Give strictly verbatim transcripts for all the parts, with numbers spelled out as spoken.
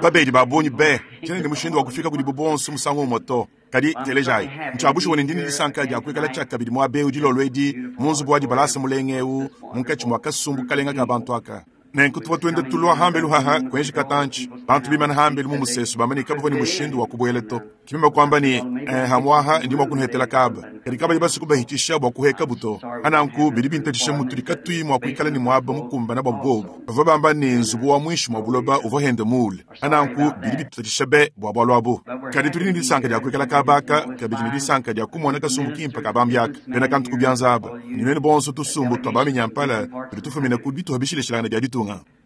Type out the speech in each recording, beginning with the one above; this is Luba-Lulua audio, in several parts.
Babedi ba bungi be, tshiena ne mushindu wa kufika kudibu bonso musangu umue to. Kadi telejayi, ntshia bushuwa ne ndi ne disanka dia kuikala tshiakabidi muaba eu dilolo edi mu nzubu wa dibalasa mulenga eu munkatshi mua kasumbu kalenga ka bantu aka. Nenku tuvua tuenda tulua hambelu haha kuenji katantshi, bantu bimana hambelu mu musesu bamba ne kabavua ne mushindu wa kubuela to. Ki meme kuamba ne, eh, hamuaha ndi mua kunuhetela kaba, kadi kabayi basue kubahitisha bua kuhekabu to. Pananku bidi bintatshisha mutudi katuyi mua kuikala ne muaba mukumbana bua bobu. Bavua bamba ne nzubu wa muinshi mua buloba uvua hende muule. Pananku bidi bitutatshisha be bua bualu abu. Kadi tudi ne disanka dia kuikala kaba aka, kabidi ne disanka dia kumona kasumbu kimpe ka bambi aka, bena kantu ku bianza aba, ne nuenu bonso tusumbu tua baminyampala tudi tufumina ku bituha bishilashilangane bia ditunga.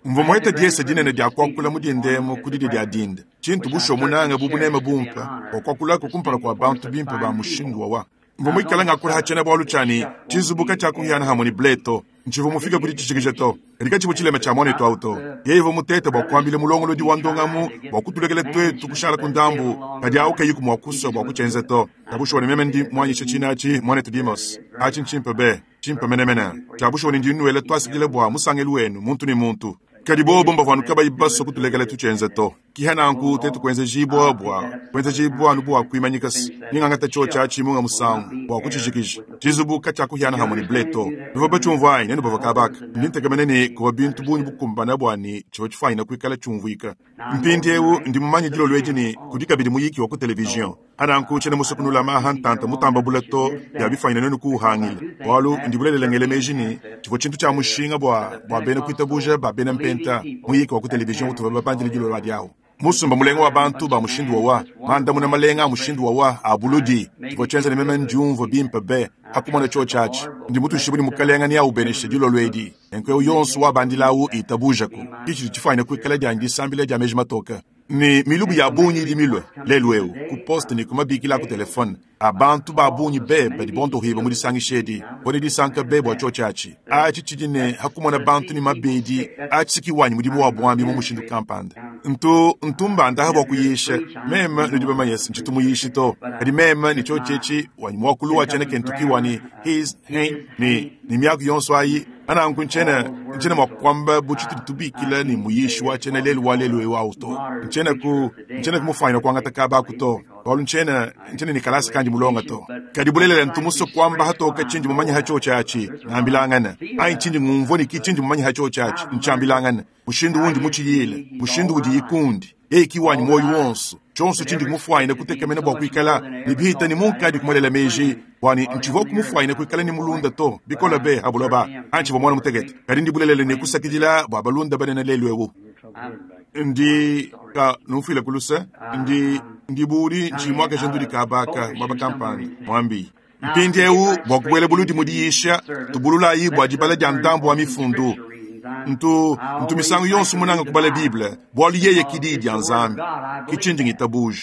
Mvua muhete diesa dinene dia kuakula mu dinda emu ku didia dia dinda, tshintu bushuwa munange bu buneme bumpe bua kuakulaku kumpala kua bantu bimpe ba mushindu wawa. Mvua muikale ngakula ha tshiena-bualu tshia ne, Tshizubu katshiakuhiana hamue ne ble to. Ntshivua mufike ku ditshijikija to, kadi katshivua tshilema tshia muanetu au to. Yeye uvua mutete bua kuambila mulongolodi wa ndongamu bua kutulekela tuetu kushala ku ndambu, kadi au kayiku mua kusua bua kutshienza to. Tshia bushuwa ne meme ndi muanyishe tshina atshi, muanetu Demos. Atshi ntshimpe be, tshimpe menemene. Tshia bushuwa ne ndi nnuela tuasakidila bua musangelu wenu muntu ne muntu. Kadi bobo mbavua anu kabayi basue kutulekela tutshienza to. Kiha nanku tuetu kuenzejibua bua kuenzejibua anu bua kuimanyika se ningangata tshiotshi atshi munga musangu bua kutshijikija. Tshizubu katshiakuhiana hamue ne ble to. Nuvua batshiumvua anyi? Nenu bavua kaba aka. Ndi ntekemena ne kuvua bintu bungi bukumbana bua ne tshivua tshifuanyina kuikala tshiumvuika. Mpindieu ndi mumanye dilolo edi ne kudi kabidi muyiki wa ku televizion. Pananku tshiena musue kunulama aha ntanta mutamba bule to bia bifuanyina nuenu kuuhangila, bualu ndi bulelela ngela meji ne tshivua tshintu tshia mushinga bua bua bena kuitabuja ba bena mpenta muyiki wa ku televizion utuvua babandile dilolo adi awu. Musumba mulenga wa bantu ba mushindu wawa, mandamuna malenga a mushindu wawa a buludi, tshivua tshienza ne meme ndiumvua bimpe be ha kumona tshiotshi atshi. Ndi mutuishibue ne Mukalenga neaubeneshe dilolo edi, nenku eu yonso wabandila awu itabujaku. Ki tshidi tshifuanyina kuikala dianyi disambila dia meji matoke. Ne milubu ya bungi idi milue lelu eu ku poste ne ku mabikila a ku telefone a bantu ba bungi be badi bondohiba mu disangisha edi. Mvua ne disanka be bua tshiotshi atshi. Atshi tshidi ne ha kumona bantu ne mabedi atshi si ki wanyi mudimu wa buambi mu mushindu kampanda. Ntu, ntu mbandaha bua kuyisha. Meme, nudi bamanye se ntshitu muyishi to. Kadi meme ne tshiotshi etshi wanyi muakulu wa tshiena Kentucky wa ne his, he, ne, ne miaku yonso ayi. Pananku ntshiena, ntshiena mua kuamba bu tshitudi tubikila ne muyishi wa tshiena lelu wa lelu eu au to. Ntshiena ku, ntshiena kumufuanyina kuangata kaba aku to, bualu ntshiena, ntshiena ne kalasa kandi mulonga to. Kadi bulelela ntu musue kuamba hatoka tshindi mumanye ha tshiotshi atshi, ngambilangana, anyi tshindi ngumvua ne ki tshindi mumanye ha tshiotshi atshi, ntshiambilangana, mushindu undi mutshiyile, mushindu udiyi kundi. Yeye ki wanyi muoyo wonso, tshionso tshindi kumufuanyina kutekemena bua kuikala ne bihita ne munkadi kumuelela meji bua ne ntshivua kumufuanyina kuikala ne mulunda to bikole be ha buloba antshivua muana mutekete. Kadi ndi bulelela ne kusakidila bua balunda banene lelu eu. Ndi ka numfuile ku luse, ndi ndi budi ntshiyi muakaja ndudi kaba aka muaba kampanda muambi. Mpindieu bua kubuela buludi mu diyisha, tubululayi bua dibala dia ndambu wa mifundu. Ntu, ntu misangu yonso munanga kubala Bible, bualu yeye ki Diyi dia Nzambi, ki tshindi ngitabuja.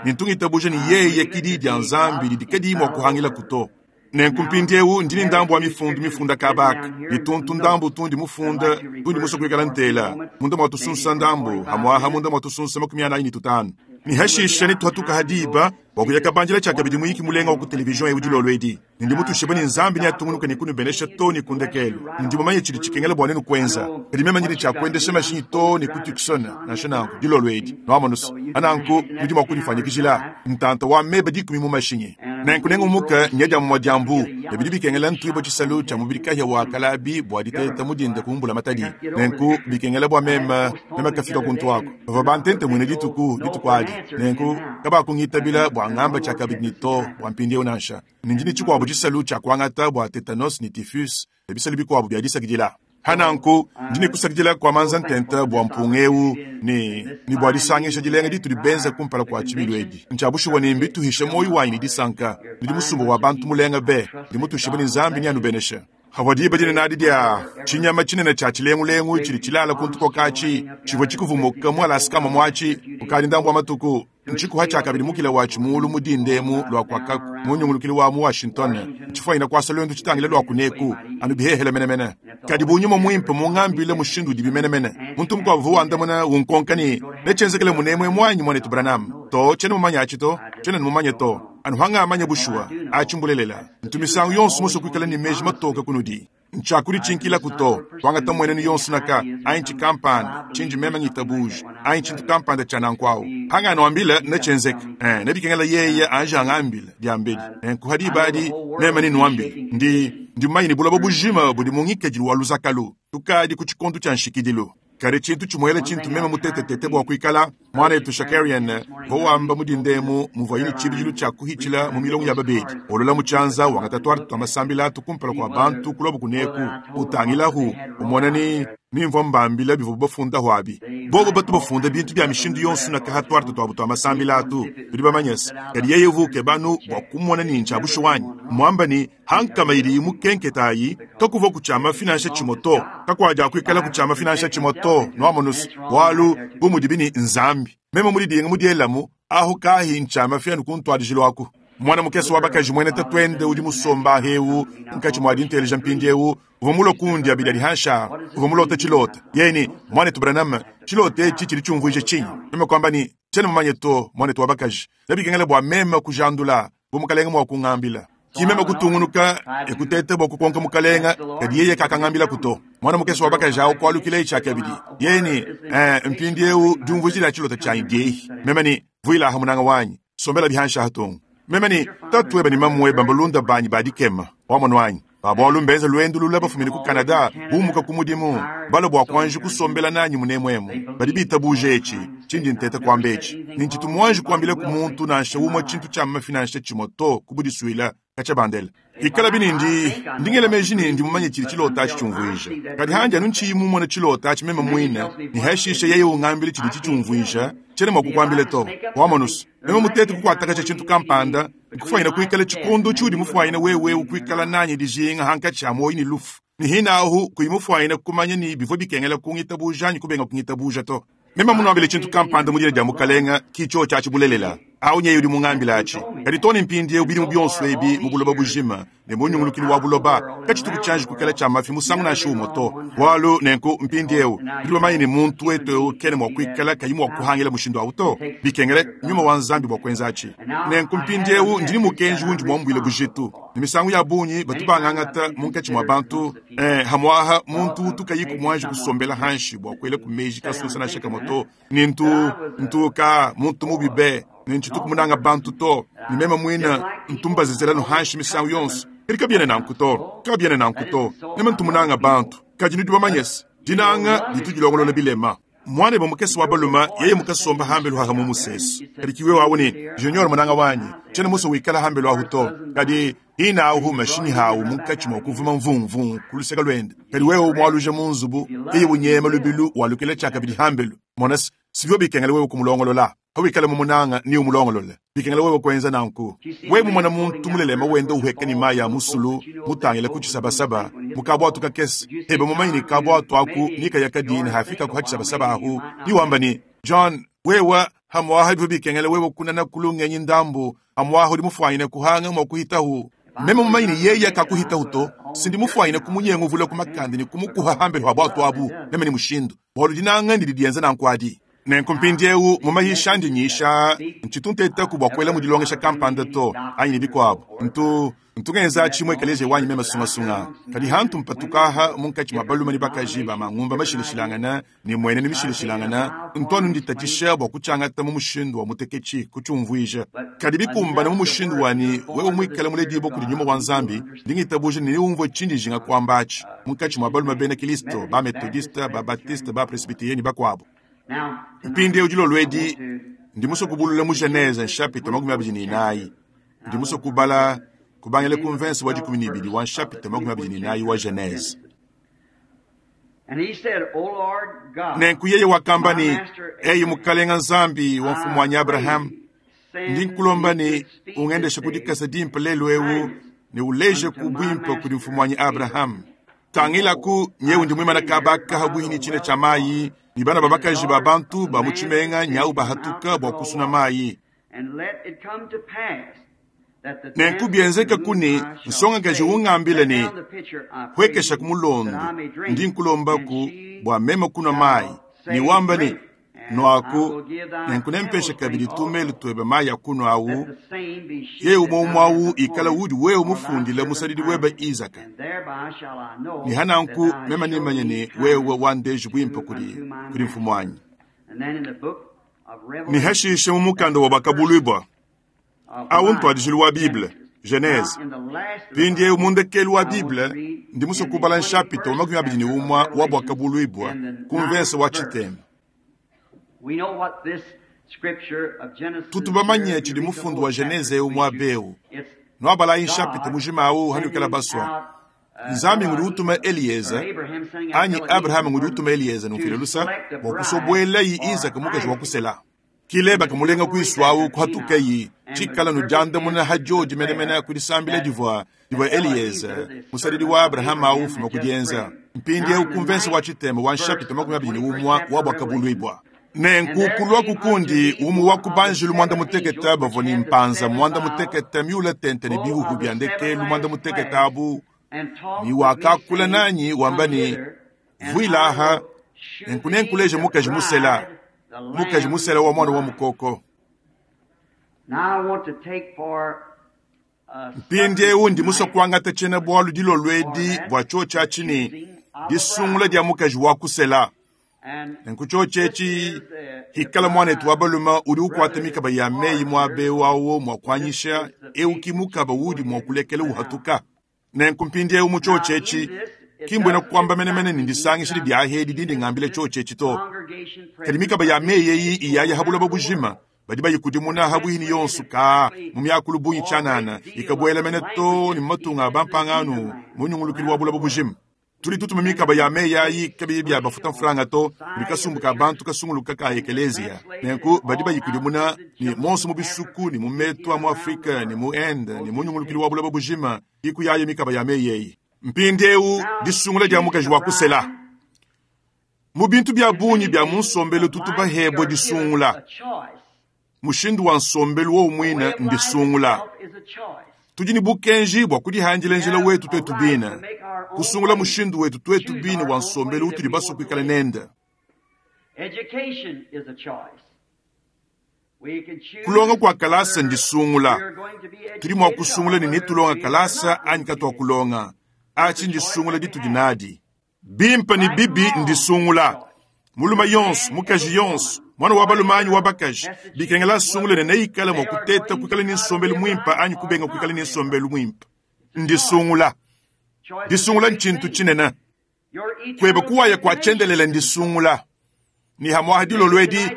Ne ntu ngitabuja ne yeye ki Diyi dia Nzambi didi kadiyi mua kuhangilaku to. Nenku mpindieu ndi ne ndambu wa mifundu mifunda kaba aka, ne tuntu ndambu tundi mufunda tundi musue kuikala ntela munda mua tusunsa ndambu, hamuaha munda mua tusunsa makumi anayi ne tutanu. Ne hashisha netuhatuka ha diba bua kuya kabandila tshiakabidi muyiki mulenga wa ku televizion eu dilolo edi. Ne ndi mutuishibue ne Nzambi neatungunuke ne kunubenesha too ne ku ndekelu. Ndi mumanye tshidi tshikengela bua nuenu kuenza, kadi meme ndi ne tshia kuendesha mashinyi too ne ku Tucson, nansha nanku, dilolo edi. Nuamonu's? Pananku nudi mua kudifuanyikijila ntanta wa meba dikumi mu mashinyi. Nenku nengumuke nya dia mumue dia mbu, ne bidi bikengela ntuibue tshisalu tshia mubidi kahia wa kalabi bua diteta mu dinda ku mbulamatadi. Nenku bikengela bua meme, meme kafika kuntu aku. Bavua bantentemuine dituku, dituku adi. Nenku kabakungitabila bua ngamba tshiakabidi ne to bua mpindieu nansha. Ne ndi ne tshikuabu tshisalu tshia kuangata bua tetanus ne typhus ne bisalu bikuabu bia disakidila. Ha nanku ndi ne kusakidila kua manza ntenta bua mpunga eu ne, ne bua disangisha dilenga ditudi benza kumpala kua tshibilu edi. Ntshia bushuwa ne mbituhishe muoyo wanyi ne disanka. Nudi musumba wa bantu mulenga be. Ndi mutuishibue ne Nzambi neanubeneshe. Havua diba dinene adi dia tshinyama tshinene tshia tshilengulengu tshidi tshilala ku ntukoka atshi tshivua tshikuvumuka mu Alaska muatshi kukadi ndambu wa matuku. Ntshikuha tshiakabidi mukila watshi muulu mu dinda emu lua kuakaku mu nyungulukilu wa mu Washington, ntshifuanyina kuasa luendu tshitangile lua kuneku anu bihehele menemene. Kadi bu nyuma muimpe mungambile mushindu udibi menemene. Muntu mukuabu uvua wandamuna unkonka ne, Netshienzekele munemu emu anyi, muanetu Branham? To, tshiena mumanye atshi to, tshiena mumanye to. Anu hangamanya bushuwa, atshi mbulelela. Ntu misangu yonso musue kuikala ne meji matoke kunudi. Ntshiakuditshinkilaku to, kuangata mmuenenu yonso naka, anyi tshikampanda tshindi meme ngitabuja, anyi tshintu kampanda tshia nanku awu. Hanganuambila netshienzeke, eh, nebikengela yeye anji angambila diambedi. Nenku ha diba adi meme nenuambile. Ndi, ndi mumanye ne buloba bujima budi mu ngikadilu wa luzakalu. Tukadi ku tshikondo tshia nshikidilu. Kadi tshintu tshimuela tshintu meme mutetetete bua kuikala mwanetu Shakarian uvua wamba mu dindemu muvuaye ne tshibidilu tshia kuhitshila mu milongo ya babedi olola mu tshianza wangata tuarte tua masambila atu kumpala kua bantu kulobo kuneku utangilahu umona ni nimvua mbambila bivua bafundaho abi bobo batu bafunda bintu bia mishindu yonso na kaha tuarte tuabu tua masambila atu bidi bamanyese kadi yeye uvuke banu bua kumona ni ntsha bushuwanyi mwamba ni hankama idi mukenketayi kakuva kutshiama finansha tshimoto kakuadia kuikala kutshiama finansha tshimoto nuamonusu bualu bu mudi ni nzambi meme mudidinga mudielamu ahu kahi ntshiama fianu kuntwadijilo aku mwana mukese wa bakaji mwene tatwende udi musomba hewu nkatshi mwadi nteleja mpindiewu uvua mulo kundi abidi adi hansha uvua mulota tshilota yeni mwanetu Branham tshilota etshi tshidi tshiumvuija tshinyi meme kwamba ni tshiena mumanye to mwanetu wa bakaji nabikengela bua meme kujandula bu mukalenga mua kungambila kimeme kutungunuka ekutete bua kukonka mukalenga kadi yeye kakangambila kuto mwana mukese wa bakaji awu kualukila etshi akabidi yeni eh, mpindiewu diumvuija dia tshilota tshianyi diehi meme ni vuilaha munanga wanyi sombela bihansha hatungu meme ni tatu weba ni mamu weba mbalunda banyi badikema wamonu wanyi babwalu mbenza lwendu lula bafumine ku Canada bumuka ku mudimu balo bua kuanji kusombela nanyi munemwemu badi bitabuje etshi tshindi nteta kuamba etshi nintshitu muanji kuambila ku muntu nansha umue tshintu tshia mafinansha tshimoto kubudisuila katshia bandela ikala binindi ndingela meji ni ndi mumanye tshili tshilota atshi tshiumvuija kadi handi anu ntshiyi mumone tshilota atshi meme muine ni hashisha yeye ungambile tshidi tshitshiumvuija tshiena mua kukuambila to wamonusu meme mutete kukuatakatsha tshintu kampanda nkufwanyina kuikala tshikondo tshiudi mufwanyina wewe ukuikala nanyi dijinga hankatshi a moyi ni lufu ni hinahu kuyi mufwanyina kumanya ni bivua bikengela kungitabuja anyi kubenga kungitabuja to meme munuambile tshintu kampanda mu dina dia mukalenga kitsho tshiatshi bulelela awu nyeyo udi mungambila atshi kadi tone mpindiewu bidimu bionso ebi mu buloba bujima ne munyungulukili wa buloba katshituku tshianji kuikala tshia mafi musangu nansha umue to bualu nenku mpindiewu bidi bamanye ne muntu wetu ewu kene mua kuikala kayi mua kuhangila mushindu awu to bikengele nyuma wa nzambi bua kuenza atshi nenku mpindiewu ndini mukenji wundi muambuile bujitu ne misangu ya bungi batu bangangata munkatshi mua bantu eh, hamuaha muntu utu kayi kumuanji kusombela hanshi bua kuela ku meji kasusa nansha kamue to ni ntu ntuka muntu mubi be nintshitu kumunanga bantu to ni meme muina ntumbazizela hanshi misangu yonso kadi kabiene nanku to kabiene nanku to meme ntumunanga bantu kadi nudi bamanyese dinanga ditu dilongolola bilema mwana eba mukese wa baluma yeye mukasomba hambelu haha mu musesu kadi kiwe wawu ni junior munanga wanyi tshiena muso wikala hambelu ahu to kadi hina ahu mashinyi hawu munkatshi mua kuvuma mvumvungu ku luseka lwende kadi wewe mualuja mu nzubu yeye unyema lubilu walukila tshiakabidi hambelu monasi sivyo bikengela wewe kumulongolola hawikala mumunanga ni umulongolole bikengela wewe kuenza nanku we mumona muntu mulelema wenda uheka ni mayi ya musulu mutangile ku tshisabasaba mukabwatu kakese hebe mumanyi ni kabwatu aku nikaya kadini hafika ku hatshisabasaba ahu niwamba ni John wewa hamwaha bivyo bikengela wewe kunana kulungenyi ndambu hamwaha udi mufwanyine kuhanga mwa kuhitahu meme mumanyi ni yeye kakuhitahu to sindi mufwanyine kumunyenga uvula kumakandi ni kumukuha hambelu ha bwatu abu meme ni mushindu bualu dinanga ndidi dienza nanku adi nenku mpindiewu mumahisha ndi nyisha ntshitu bua kuela mudilongesha kampanda to anyi ne bikuabu ntu ntungenza tshimue ekeleziya wanyi meme sungasunga kadi hantu mpatukaha munkatshi mua balume ne bakaji ba mangumba mashilashilangana ne muene ne mishilashilangana ntwanu nditatshisha bua kutshiangata mu mushindu wa muteketshi kutshiumvuija kadi bikumbana mu mushindu wani wewe muikale muledibua kudi nyuma wa nzambi ndingitabuja ne niumvue tshindi njinga kuamba atshi munkatshi mua balume bena kristo ba metodiste ba batiste ba presbyterieni bakuabu mpindiewu dilolo edi ndi musue kubulula mu Genese nshapita makumi abidi ne inayi ndi musue kubala kubangila ku mvense wa dikumi ne ibidi wa nshapita makumi abidi ne inayi wa Genese nenku yeye wakamba ni eyi mukalenga nzambi wa mfumu wanyi Abrahamu ndi nkulomba ni ungendeshe kudikasa dimpe lelu ewu ne uleje ku bwimpe kudi mfumu wanyi Abrahamu tangilaku nyewu ndi mwimana kabaka habwihi ni tshina tshia mayi ni bana babakaji ba bantu ba mu tshimenga nyau bahatuka bua kusuna mayi nenku bienzeka kuni nsongakaji ungambile ni hwekesha ku mulondo ndi nkulombaku bua meme kunwa mayi ni wamba ni Nwaku, nenku nempeshe kabidi tumelu twebe mayi a kunwa awu, yeye umwe umwe awu ikala udi wewe mufundile musadidi webe Izaka. Ne hananku meme nimanye ne wewe wandeji bwimpe kudi kudi mfumu wanyi. Ne hashishe mu mukanda wa Buakabuluibua awu ntwadijilu wa Bible, Genese. Mpindiewu mu ndekelu wa Bible ndi musue kubala nshapita wa makumi abidi ne umwe wa Buakabuluibua ku mvese wa tshitema. Tutu bamanye tshidi mufundu wa Genese eu muaba eu. Nuabalayi nshapita mujima awu hanuikala basua. Nzambi ngudi utuma Elieza anyi Abraham ngudi utuma Elieza numfile lusa bua kusobuelayi Izaka mukaji wa kusela. Kileba kamulenga kuisu awu kuhatukayi tshikala nudiandamuna hajodi menemene kudisambila divua divua Elieza musadidi wa Abraham awu ufuma kudienza. Mpindiewu ku mvese wa tshitema wa nshapita makumi abidi ne umwe wa Buakabuluibua. Nenku kulua kukundi umwe wa kubanjilu mwanda mutekete bavua ne mpanza mwanda mutekete miula tente ne bihuhu bia ndekelu mwanda mutekete abu ni wakakula nanyi wamba ne vuilaha nenku nenkuleje mukaji musela mukaji musela wa mwana wa mukoko. Mpindiewu ndi musue kuangata tshiena bualu dilolo edi bua tshiotshi atshi ne disungula dia mukaji wa kusela. Nenku tshiotshi etshi hikala muanetu wa balume udi ukuata mikaba ya meyi muaba eu awo mua kuanyisha eu ki mukaba udi mua kulekela uhatuka. Nenku mpindiewu mu tshiotshi etshi ki mbuena kuamba menemene ne ndisangisha dia ahedi dindi ngambila tshiotshi etshi to. Kadi mikaba ya meyi eyi iyaya ha buloba bujima badi bayikudimuna ha bwihini yonso ka mu miakulu bungi tshianana ikabuela mene to ne mu matunga a bampangano mu nyungulukilu wa buloba bujima. Tudi tutuma mikaba ya meyi ayi kabiyi bia bafuta mfranga to kudi kasumbu ka bantu kasunguluka ka ekelezia. Nenku badi bayikudimuna ne monso mu bisuku ne mu metu a mu Afrika ne mu Inde ne mu nyungulukilu wa buloba bujima ikuyaye mikaba ya meyi eyi. Mpindiewu disungula dia mukaji wa kusela. Mu bintu bia bungi bia mu nsombelu tutu bahebwe disungula. Mushindu wa nsombelu wowu muine ndisungula. Tudi ne bukenji bua kudihandila njila wetu twetu bine, kusungula mushindu wetu twetu bine wa nsombelu utudi basue kuikala nende. Kulonga kua kalasa ndisungula. Tudi mua kusungula ne netulonga kalasa anyi katuakulonga. Atshi ndisungula ditudi nadi. Bimpe ne bibi ndisungula. Mulume yonso, mukaji yonso, mwana wa balume anyi wa bakaji bikengela asungule ne neikale mua kuteta kuikala ne nsombelu muimpe anyi kubenga kuikala ne nsombelu muimpe. Ndisungula. Disungula ntshintu tshinene. Kueba kuwaya kua tshiendelele ndisungula. Ni hamwaha dilolo edi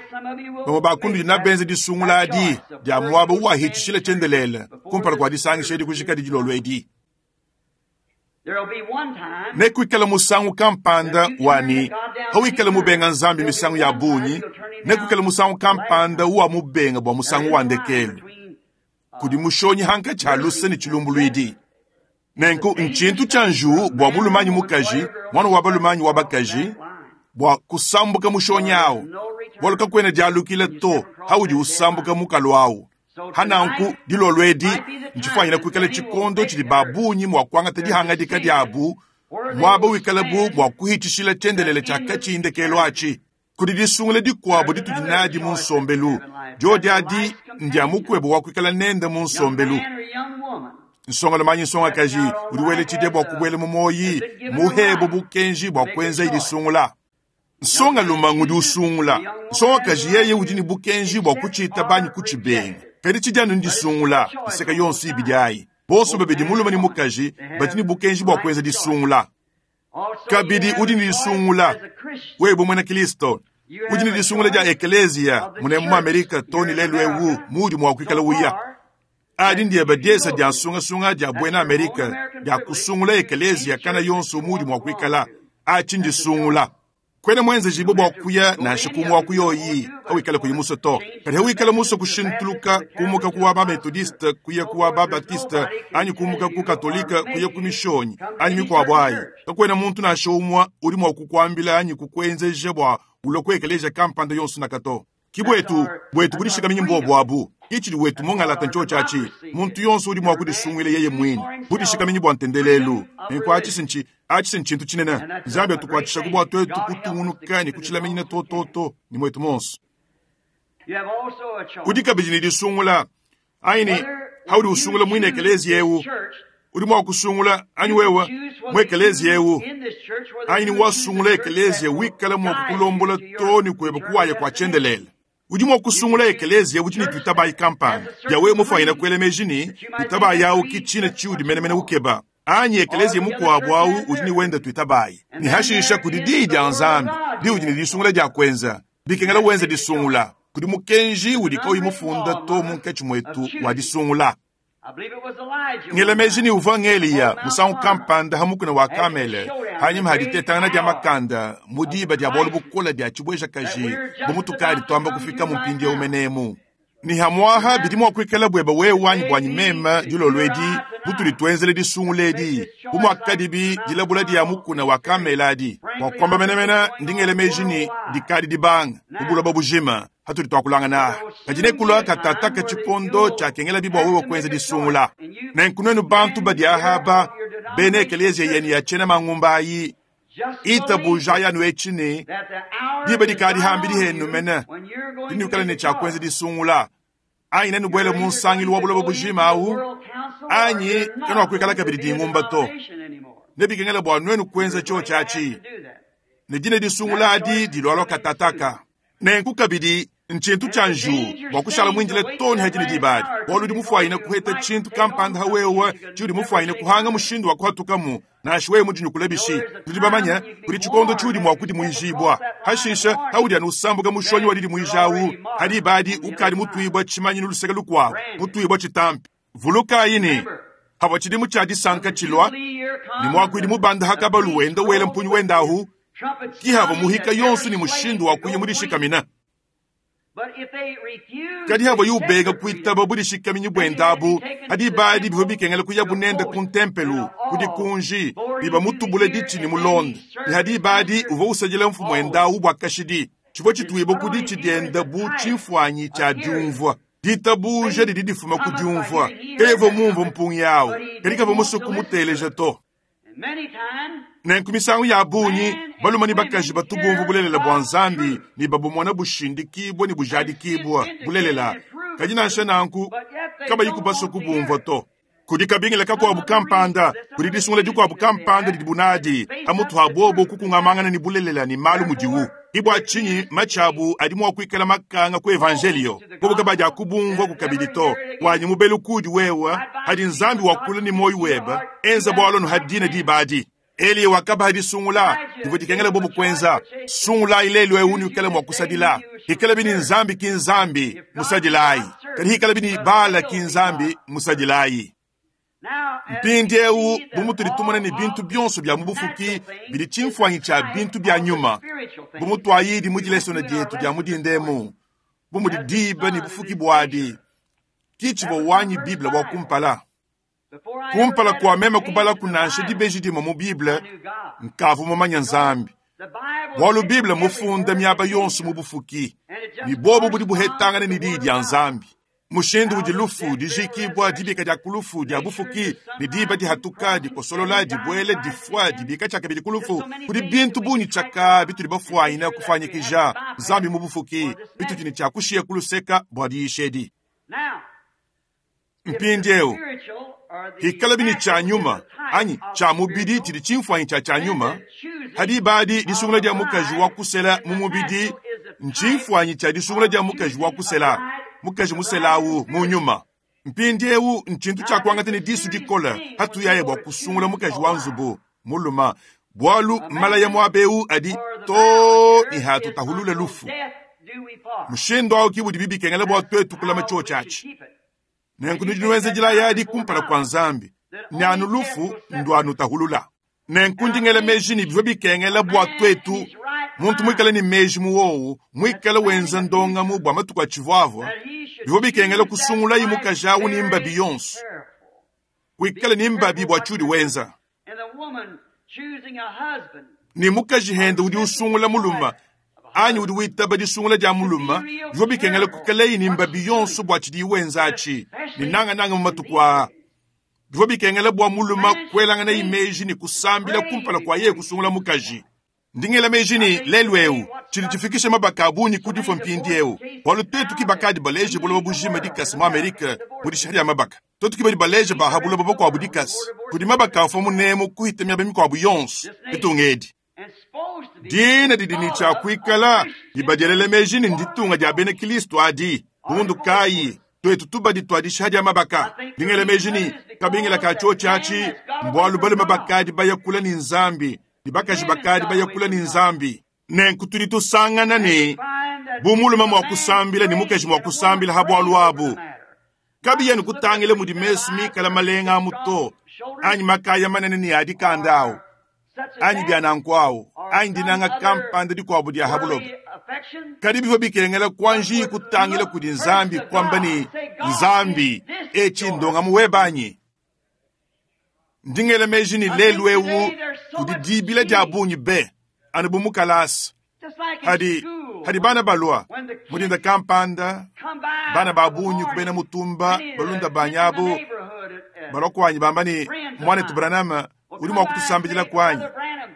bamue bakundu dina benze disungula adi dia muaba uwahitshishila tshiendelele kumpala kua disangisha edi kujikadi dilolo edi. Nekuikala musangu kampanda wani hawikala mubenga nzambi misangu ya bungi, nekuikala musangu kampanda uwa mubenga bua musangu wa ndekelu. Kudi mushonyi hankatshi ha luse ne tshilumbuluidi. Nenku ntshintu tshia njuwu bua mulume anyi mukaji, mwana wa balume anyi wa bakaji, bua kusambuka mushonyi awu. Bualu kakuena dialukila to haudi usambuka mukalu awu. Hananku dilolo edi ntshifwanyina kuikala tshikondo tshidi babungi mua kuangata dihangadika diabu muaba wikalabu bua kuhitshishila tshiendelele tshia katshi ndekelu atshi. Kudi disungula dikuabu ditudi nadi mu nsombelu. Diodi adi ndia mukuebu wa kuikala nende mu nsombelu. Nsongalume anyi nsongakaji udi wela tshidia bua kubuela mu moyi muhebo bukenji bua kuenza idisungula. Nsongalume ngudi usungula. Nsongakaji yeye udi ne bukenji bua kutshita banyi kutshibenga. Kadi tshidia ndisungula iseka yonso ibidi ayi. Bonso babidi mulume ne mukaji badi ne bukenji bua kuenza disungula. Kabidi udi ne disungula wewe muena Kristo. Udi ne disungula dia ekelezia mune mu Amerika to ne lelu ewu mudi mua kuikala uya. Adi ndiye badiesa dia nsungasunga dia buena Amerika dia kusungula ekelezia kana yonso mudi mua kuikala. Atshi ndisungula. Kwena mwenze jibo bua kuya nansha kumwa kuyoyi hawikala kuyi muso to. Kadi hawikala muso kushintuluka kumuka kuwa ba Methodiste kuya kuwa ba Baptiste anyi kumuka ku Katolika kuya ku mishonyi anyi mikuabo ayi. Kakwena muntu nansha umwa udi mua kukuambila anyi kukwenzeja bua ulue ku ekelezia kampanda yonso nakato. Ki bwetu bwetu budishikaminyi mbuobu abu. Ki tshidi wetu mungalata ntsho atshi. Muntu yonso udi mua kudisungwila yeye mwine budishikaminyi bwa ntendelelu. Nenku atshi nchi atshi nchintu tshinene. Nzambi atukwatshishaku bwa twetu kutungunuka ne kutshilaminyina tototo ni mwetu monso. You have also a choice. Udi kabidi ne disungula aini haudi usungula mwine ekelezia eu udi mua kusungula anyi wewe mu ekelezia eu aini wasungula ekelezia wikala mua kukulombola to ni kweba kuwaya kwa chendelele. Udi mua kusungula ekelezia udi ne tuitabayi kampani ya wewe mufanyina kuela meji ni tuitabayi awu ki tshina tshiudi menemene ukeba anyi ekelezia mukuabu awu udi ni wenda tuitabayi ni hashisha kudi diyi dia Nzambi di udi ne disungula dia kwenza bikengela wenza disungula kudi mukenji udi kauyi mufunda to munkatshi mwetu wa disungula. I believe it was Elijah. Ngela meji ni uvua ng'Eliya musangu kampanda hamukuna wa Kamele hanyima haditetangana dia makanda mu diba dia bualu bukola dia tshibwejakaji bumutukali twamba kufika mu mpindieu menemu. Ni hamwaha bidi mua kuikala bweba wewe anyi bwanyi mema dilolo edi butudi twenzele disungula edi bu muakadibi dilabula dia mukuna wa Kamele adi bua kuamba menemene ndi ngela meji ni dikadi dibanga mu buloba bujima hatudi twakulangana aha. Kadi nekulua katataka tshikondo tshiakengela bibwa wewe kwenza disungula. Nenku nuenu bantu badi ahaba bena ekelezia yenu ya tshena mangumba ayi itabuja yanu etshi ne That the hour diba is dikadi hambidi on henu you mene when you're going to dinukala ne make a tshiakwenza choice. disungula anyi nenubwele mu nsangilu wa buloba bujima awu anyi kenuakuikala kabidi dingumba to. Nebikengela bua nuenu kuenza tshio tshiatshi ne dine disungula adi dilwalwa katataka. Nenku kabidi nchintu tshia nju bua kushala mwinjile toni hadine dibadi bualu udi mufwayine kuheta tshintu kampanda hawewe tshiudi mufwayine kuhanga mushindu wa kuhatukamu nashi wewe mudinyukula bishi. Tudi bamanya kudi tshikondo tshiudi mua kudimuijibwa hashisha haudi anu usambuka mushonyi wa didimuijawu hadi ibadi ukadi mutuibwa tshimanyinu luseke lukuabu mutuibwa tshitampi. Vulukayi ni havua tshidimu tshia disanka tshilwa ni muakuidi mubanda hakabalu wenda wela mpunyu wendahu ki hava muhika yonso ni mushindu wa kuya mudishikamina. Kadi hava yubega kuitaba budishikaminyi bwendabu hadi ibadi bivua bikengela kuya bunende ku ntempelu kudi kunji biba mutubule ditshi ni mulonda ni hadi ibadi uvua usajila mfumu endawu bua kashidi tshivua tshituibwa kudi tshidienda bu tshimfuanyi tshia diumvua. Ditabuja didi difuma ku diumvua kevua mumvua mpungi yawu kadi kavua musuku muteleja to. Many times, Nenku misangu ya bunyi baluma ni bakaji batubumvu bulelela bua Nzambi ni babumona bushindikibwa ni bujadikibwa bulelela kadi nansha nanku kabayi kubaswa kubumvua to. Kudi kabingila kakuabu kampanda kudi disungula dikuabu kampanda didi bunadi amutu ha bobo kukungamangana ni bulelela ni malu mudiwu ibwa tshinyi matshabu adi mua kuikala makanga ku evangelio bobo kabadi akubumvua kukabidi to. Wanyi mubelu kudi wewe hadi Nzambi wakula ni moyo weba enza bwalo hadina dibadi. Eliya wakaba disungula divua dikengela bobo kwenza sungula ilelo eunu ikala mua kusadila ikala bini Nzambi ki Nzambi musadilayi kadi ikala bini Bala ki Nzambi musadilayi. now, as Mpindi we eu see that bumutudi tumona ni all bintu of byonso bya mu the bufuki natural things bidi is tshimfuanyi tshia type bintu bya of the nyuma spiritual things. bumutwayidi mu We dilesona went through our dietu dia lesson this mudindemu morning. bumudi As the diba ni sun bufuki and its bwadi nature. ki tshivua That was my wanyi first Bible wa Bible. kumpala. Before I ever Kumpala read kwa a meme page kubala in the kunansha Bible, dibeji dimue mu Bible I knew God. nkavu mumanya Nzambi. The Bible Bualu is Bible mufunda everywhere miaba in yonso mu nature. bufuki And it just ni bobo budi buhetangana corresponds ni to the diyi Word dia of God. Nzambi. Mushindu How udi the lufu death, burial, dijikibwa dibika resurrection, dia kulufu dia nature, bufuki the ni diba sunrise, dihatuka crossing, dikosolola and dying dibuele rise difua again. dibika tshiakabidi There's kulufu so many kudi things bintu that we bunyi can type tshaka out bitudi and bafuanyina make sure that we have kufanyikija to bypass Nzambi mu bufuki for this bitudi ne message. tshiakushiya kuluseka bua diyisha edi. Now, if the Mpindiewu spiritual or the hikala bini tshia natural is nyuma a type anyi of tshia the mubidi spiritual, tshidi tshimfuanyi tshia tshia then nyuma the choosing hadi ibadi of disungula a dia mukaji wa bride kusela in mu the mubidi natural is a type ntshimfuanyi tshia disungula of dia mukaji wa choosing a kusela bride, mukaji the bride in the muselawu mu spiritual. nyuma. Mpindiewu nchintu Now, tshia this kuangata is ne a disu serious dikola thing when hatu we yaye go bua to kusungula choose mukaji a wa wife. nzubu muluma bualu A malaya man muabewu adi or the to vow ni here hatu is tahulule until lufu. death do we part. Mushindu awu ki budi bibikengela bua That's twetu kulama how chio we should tshiatshi. keep it. Nenku And you nudi take nuenza that dila vow yadi before kumpala kwa God Nzambi that ni anu only death lufu will ndu separate. anu tahulula. Nenku And I ndingela think meji ni bivua bikengela a bua man in twetu his right muntu mind muikale ni meji muwowu that's muikale wenza planning a ndongamu future bua matuku atshivuavua that he should bivua bikengela choose that kusungulayi wife mukaji awu ni mbabi very yonso careful. kuikale Be ni mbabi careful bua what tshiudi you're doing. wenza. And the woman choosing a husband Ni mukaji or hende udi the second usungula muluma choice of a Anyi udi witaba disungula dia mulume, bivua bikengela kuikalaye ne mbabi yonso bua tshidiye wenza atshi, ne nangananga mu matuku aa. Bivua bikengela bua mulume kuelanganaye meji ne kusambila kumpala kua yeye kusungula mukaji. Ndi ngela meji ne lelu eu tshidi tshifikisha mabaka a bungi ku difua mpindieu, bualu tuetu ke bakadi baleje buloba bujima dikasa mu Amerika mu dishiha dia mabaka. Tuetu ke badi baleje ba ha buloba bukuabu dikasa kudi mabaka afua munemu kuhita miaba mikuabu yonso ditunga edi. Dina didi ne tshia kuikala dibadielela meji ne nditunga dia bena Kristo adi. Bundu kayi tuetu tubadi tua dishiha dia mabaka. Ndi ngela meji ne kabingila ka tshiotshi atshi mbualu balume bakadi bayakula ne Nzambi ne bakaji bakadi bayakula ne Nzambi. Nenku tudi tusangana ne bu mulume mua kusambila ne mukaji mua kusambila ha bualu abu. Kabiya ne kutangila mudi mesu mikala malenga amu to, anyi makaya manene ne adikanda awu, anyi bia nanku awu, anyi dinanga kampanda dikuabu dia ha buloba. Kadi bivua bikengela kuanji kutangila kudi Nzambi kuamba ne Nzambi etshi ndongamu webanyi. Ndi ngela meji ne lelu eu kudi dibila dia bungi be anu bu mukalasa. Hadi, hadi bana balua mudinda kampanda, bana ba bungi kubena mutumba balunda banyabu balua kuanyi bamba ne mwanetu Branham udi mua kutusambidila kuanyi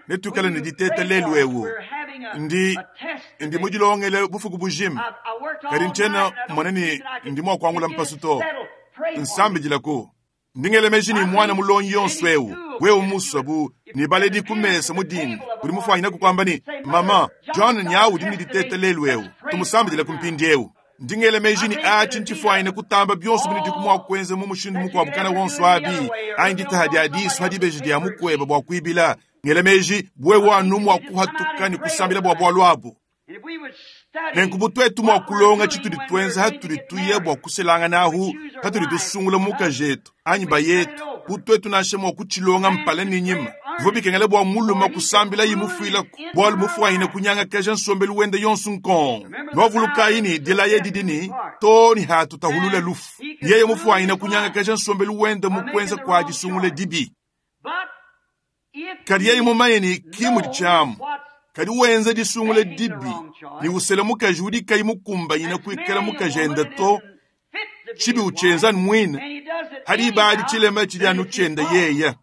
netuikale ne diteta lelu eu. Ndi, ndi mudilongele bufuku bujima, kadi ntshiena mmona ne ndi mua kuangula mpasu to. Nsambidilaku. Ndi ngela meji ne mwana mulongi yonso eu wewe musua bu ne baledi kumesa mudinda udi mufuanyina kukwamba ne mama John nyawu udi ne diteta lelu eu tumusambidila ku mpindieu. Ndi ngela meji ne atshi ntshifuanyine kutamba bionso binudi mua kuenza mu mushindu mukuabu kana wonso abi anyi ditaha dia disu hadibeji dia mukueba bua kuibila. Ngela meji bwewe anu mua kuhatuka ne kusambila bua bualu abu. Nenku bu tuetu mua kulonga tshitudi tuenza hatudi tuya bua kuselangana ahu, hatudi tusungula mukaji etu anyi bayetu, bu tuetu nansha mua kutshilonga mpala ne nyima. Bivua bikengela bua mulume kusambila ye mufuilaku, bualu mufuanyine kunyangakaja nsombelu wende yonso nkongo. Nwavulukayi ne dilaya didi ne to ne hatutahulula lufu. Yeye mufuanyine kunyangakaja nsombelu wende mu kuenza kua disungula dibi. Kadi yeye mumanye ne kimudi tshiamu. Kadi wenza disungula dibi ne usela mukaji udi kayi mukumbanyina kuikala mukaji enda to, tshibi utshienza mwine hadi ibadi tshilema tshidi anu tshienda yeye.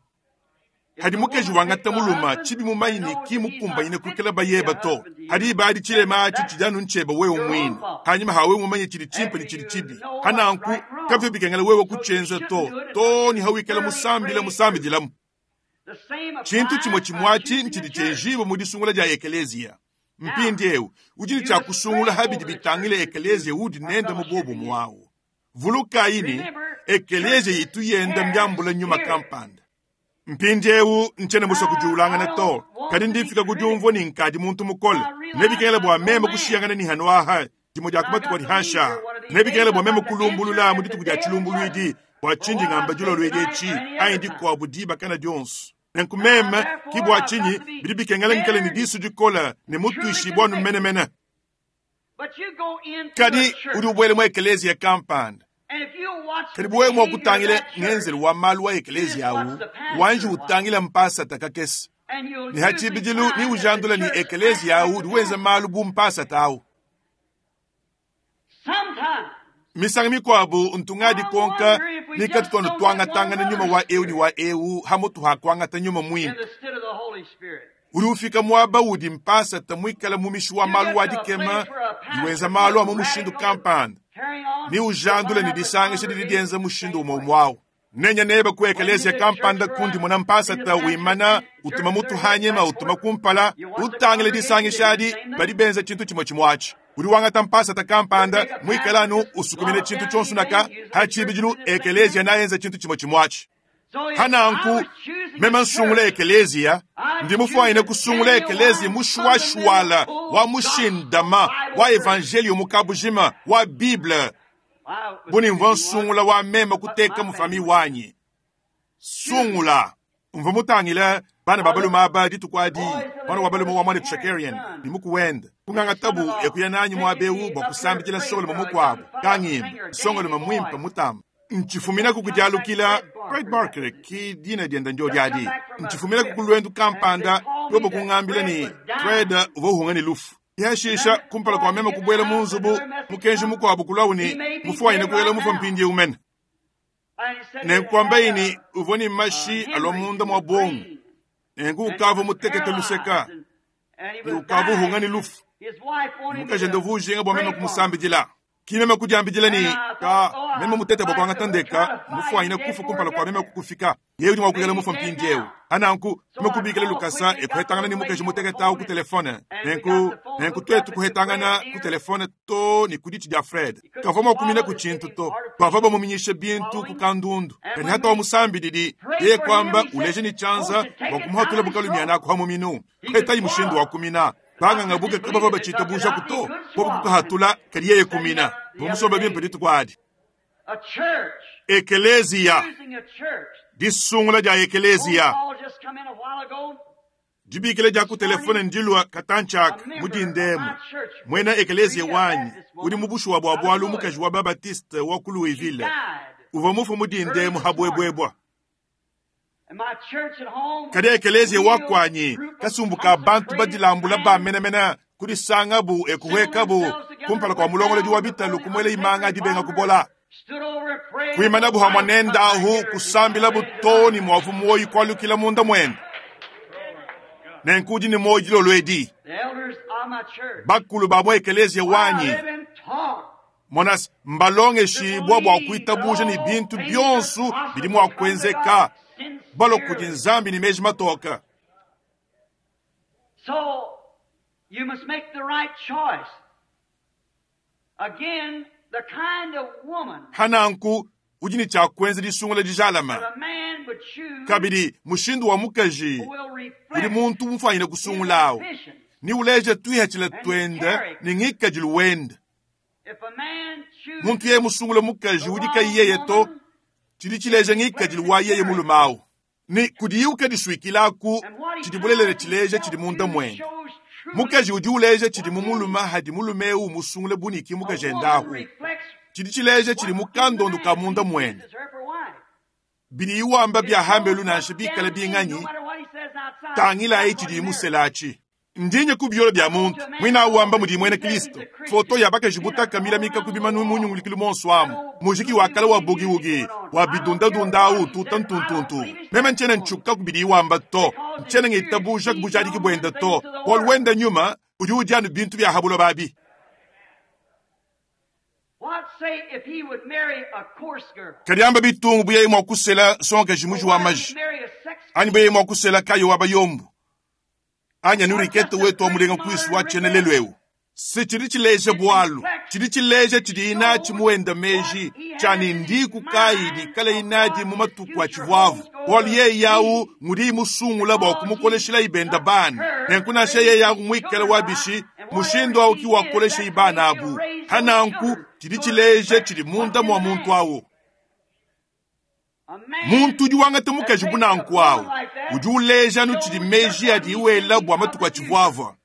Hadi mukaji wangata muluma tshibi mumanyi ne ki mukumbanyina kuikala bayeba to, hadi ibadi tshilema atshi tshidi anu ntshieba wewe mwine. Hanyuma hawe mumanye tshidi tshimpe ne tshidi tshibi. Hananku kavyo bikengela wewe kutshienza to, to ni hawikala musambila musambidilamu. Tshintu tshimwe tshimwatshi ntshidi tshienjiwe mu disungula dia ekeleziya. Mpindieu udi ne tshia kusungula habidi bitangile ekeleziya udi nende mu bobo mwawu. Vulukayi ne ekeleziya itu yenda mbyambula nyuma kampanda. Mpindieu ntshiena musue kudiulangana to, kadi ndifika kudiumvua ne nkadi muntu mukole. Nebikengela bua meme kushiyangana ne hano aha dimue dia kumatuku adi hansha. Nebikengela bua meme kulumbulula mu dituku dia tshilumbuluidi bua tshindi ngamba dilolo etshi anyi dikuabu diba kana dionso. Nenku meme ki bua tshinyi bidi bikengela ngikale ne disu dikola ne mutuishi bua numenemene. Kadi udi ubuele mu ekeleziya kampanda. Kadi buwe mua kutangila ngenzelu wa malu wa ekeleziya awu, wanji utangila mpasata kakese. Ne hatshibidilu ni ujandula ni ekeleziya awu udi wenza malu bu mpasata awu. Misanga mikuabu ntungadi konka nikatutono twangatangana nyuma wa eu ni wa eu hamutu hakwangata nyuma mwimpe. Udi ufika muaba udi mpasata mwikala mumishi wa malu wa dikema iwenza malu amu mushindu kampanda. Ni ujandula ni disangisha didi dienza mushindu umwe umwawu. Nenya neba ku ekeleziya kampanda kundi muna mpasata wimana utuma mutu hanyima utuma kumpala utangile disangisha adi badi benza tshintu tshimwe tshimwatshi. Udi wangata mpasata kampanda mwikalanu usukumine tshintu tshonso naka hatshibidilu ekeleziya nayenza tshintu tshimwe tshimwatshi. Hananku mema nsungula ekeleziya ndi mufuanyine kusungula ekeleziya mushuashuala wa mushindama wa evangelio mukabujima wa Bible. Buni mvua nsungula wa mema kuteka mufami wanyi. Sungula mvua mutangila bana babalume aba dituku adi mwana wa balume wa mwana Shakarian ni mukuwenda kungangatabu ekuya nanyi mwabewu bua kusambikila nsongolume mukuabu kangimba nsongolume mwimpe mutamba. Ntshifuminaku kudialukila Fred Barker ki dina dienda ndio diadi. Ntshifuminaku kulwendu kampanda yobo kungambila ni Fred uvua uhunga ni lufu. Yashisha kumpala kwa meme kubwela mu nzubu mukenji mukuabu kulawu ne mufuanyine kuela mufua mpindiewu mene. Nenkuamba ini uvua ne mashi alua munda mua bongo. Nenku ukavua mutekete luseka. Ne ukavua uhunga ne lufu. Mukaji ende uvua ujinga bua meme kumusambidila. Ki meme kudiambidila ne ka meme mutete bua kuangata ndeka mufuanyine kufa kumpala kua meme kukufika. Yeye udi mua kuikala mufua mpindiewu. Ananku meme kubikila lukasa ekuhetangana ne mukaji mutekete awu ku telefone. Nenku nenku tuetu kuhetangana ku telefone to ne ku ditshi dia Fred. Kavua mua kumina ku tshintu to. Bavua bamuminyishe bintu ku kandundu. Kadi hata wa musambididi yeye kwamba uleje ni tshianza bua kumuhatula bukalumiana akuha muminu. Kuhetayi mushindu wa kumina. Banganga buke kabava bachita buja kuto. Bobu kukahatula kadi yeye kumina. Bomusomba bimpe dituku adi. Ekelezia. Disungula dia ekelezia. Dibikila dia ku telefone ndilua katanchaka mudindemu. Mwena ekelezia wanyi udi mubushuwa bua bwalu mukaji wa Babatiste wa ku Louisville. Uvua mufu mudindemu habwebwebwa. Kadi ekelezia wakwanyi kasumbu ka bantu badilambula bamenamena kudisangabu ekuhwekabu kumpala kwa mulongolodi wa bitalu kumwele imanga dibenga kubola. Kuimanabu hamwa nenda ahu kusambila butoni mwavu mwoyi kwalukila munda mwene. Nenkudi ni mwoyi dilolo edi. Bakulu ba mwa ekelezia wanyi. Monas mbalongeshibwa bua kuitabuja ni bintu bionso bidi mua kuenzeka. Balo kudi Nzambi ni meji matoka. So you must make the right choice. Again, the kind of woman Hananku udi ni tshia kuenza disungula dijalama. that a man would choose Kabidi mushindu wa mukaji will udi reflect muntu mufanyine his kusungulawo. ambitions. Ni uleje tuihatshila twende ni ngikadilu wende. If a man chooses Muntu yeye musungula mukaji the udi wrong kayi yeye to woman, tshidi tshileja ngikadilu wa yeye mulumawu. Ni kudiyiuka disuikilaku and what he tshidi bulelele ties tshileja himself tshidi munda to mwende. shows truly Mukaji udi uleja tshidi mumuluma hadi mulume ewu musungule buniki a mukaji woman endahu. reflects Tshidi tshileja tshidi what in the mukandondo ka man munda he mwende. chooses her for wife. Bidi iwamba It bya shows hambelu nansha what's bikala down in, no binganyi matter what he says outside, tangilayi that's what tshidi he married. muselachi. Ndinye ku biolo bya muntu mwina awamba mudi mwene Kristo. Foto ya bakaji butaka milamika ku bimanu munyungulikilu monso amu. Muziki wa kala wa bugi-wugi, wa bidunda-dunda awu tuta ntuntuntu. Meme ntshiena ntshuka ku bidi iwamba to. Ntshiena ngitabuja ku bujadiki bwenda to. Bualu wenda nyuma udi udianu bintu bya habulo babi. What say if he would marry a coarse girl? Kadi amba bitungu buyeyi mua kusela sonkaji Or muji wa what if maji. he'd marry a sex Anyi buyeyi mua kusela kayo wa bayombu. Anya or nurikete just a wetu wa pretty mulenga kwisu modern wa tshienelelo Rebecca? ewu. Se tshidi tshileja It bwalu. reflects, Tshidi tshileja it tshidi inachi shows muwenda what meji he tshani has in his ndiku kayi mind dikala of inadi what mu his matuku a future tshivuavu. home's going Bualu to yeye yawu be. ngudi musungula bua Because he kumukoleshela ibenda loved bana. her, Nenku nansha raised yeye his yaku muikala children wa by, bishi and whatever mushindu awu she ki is, wakolesha that's the ibana way she'll abu. raise those Hananku children. tshidi So it tshileja reflects tshidi what's munda in mua the muntu man. awu. A man Muntu udi wangata that mukaji takes a bunanku woman awu. like that Udi uleja nu tshidi shows just meji what adi he's iwela thinking bua of matuku the a future. tshivuavua.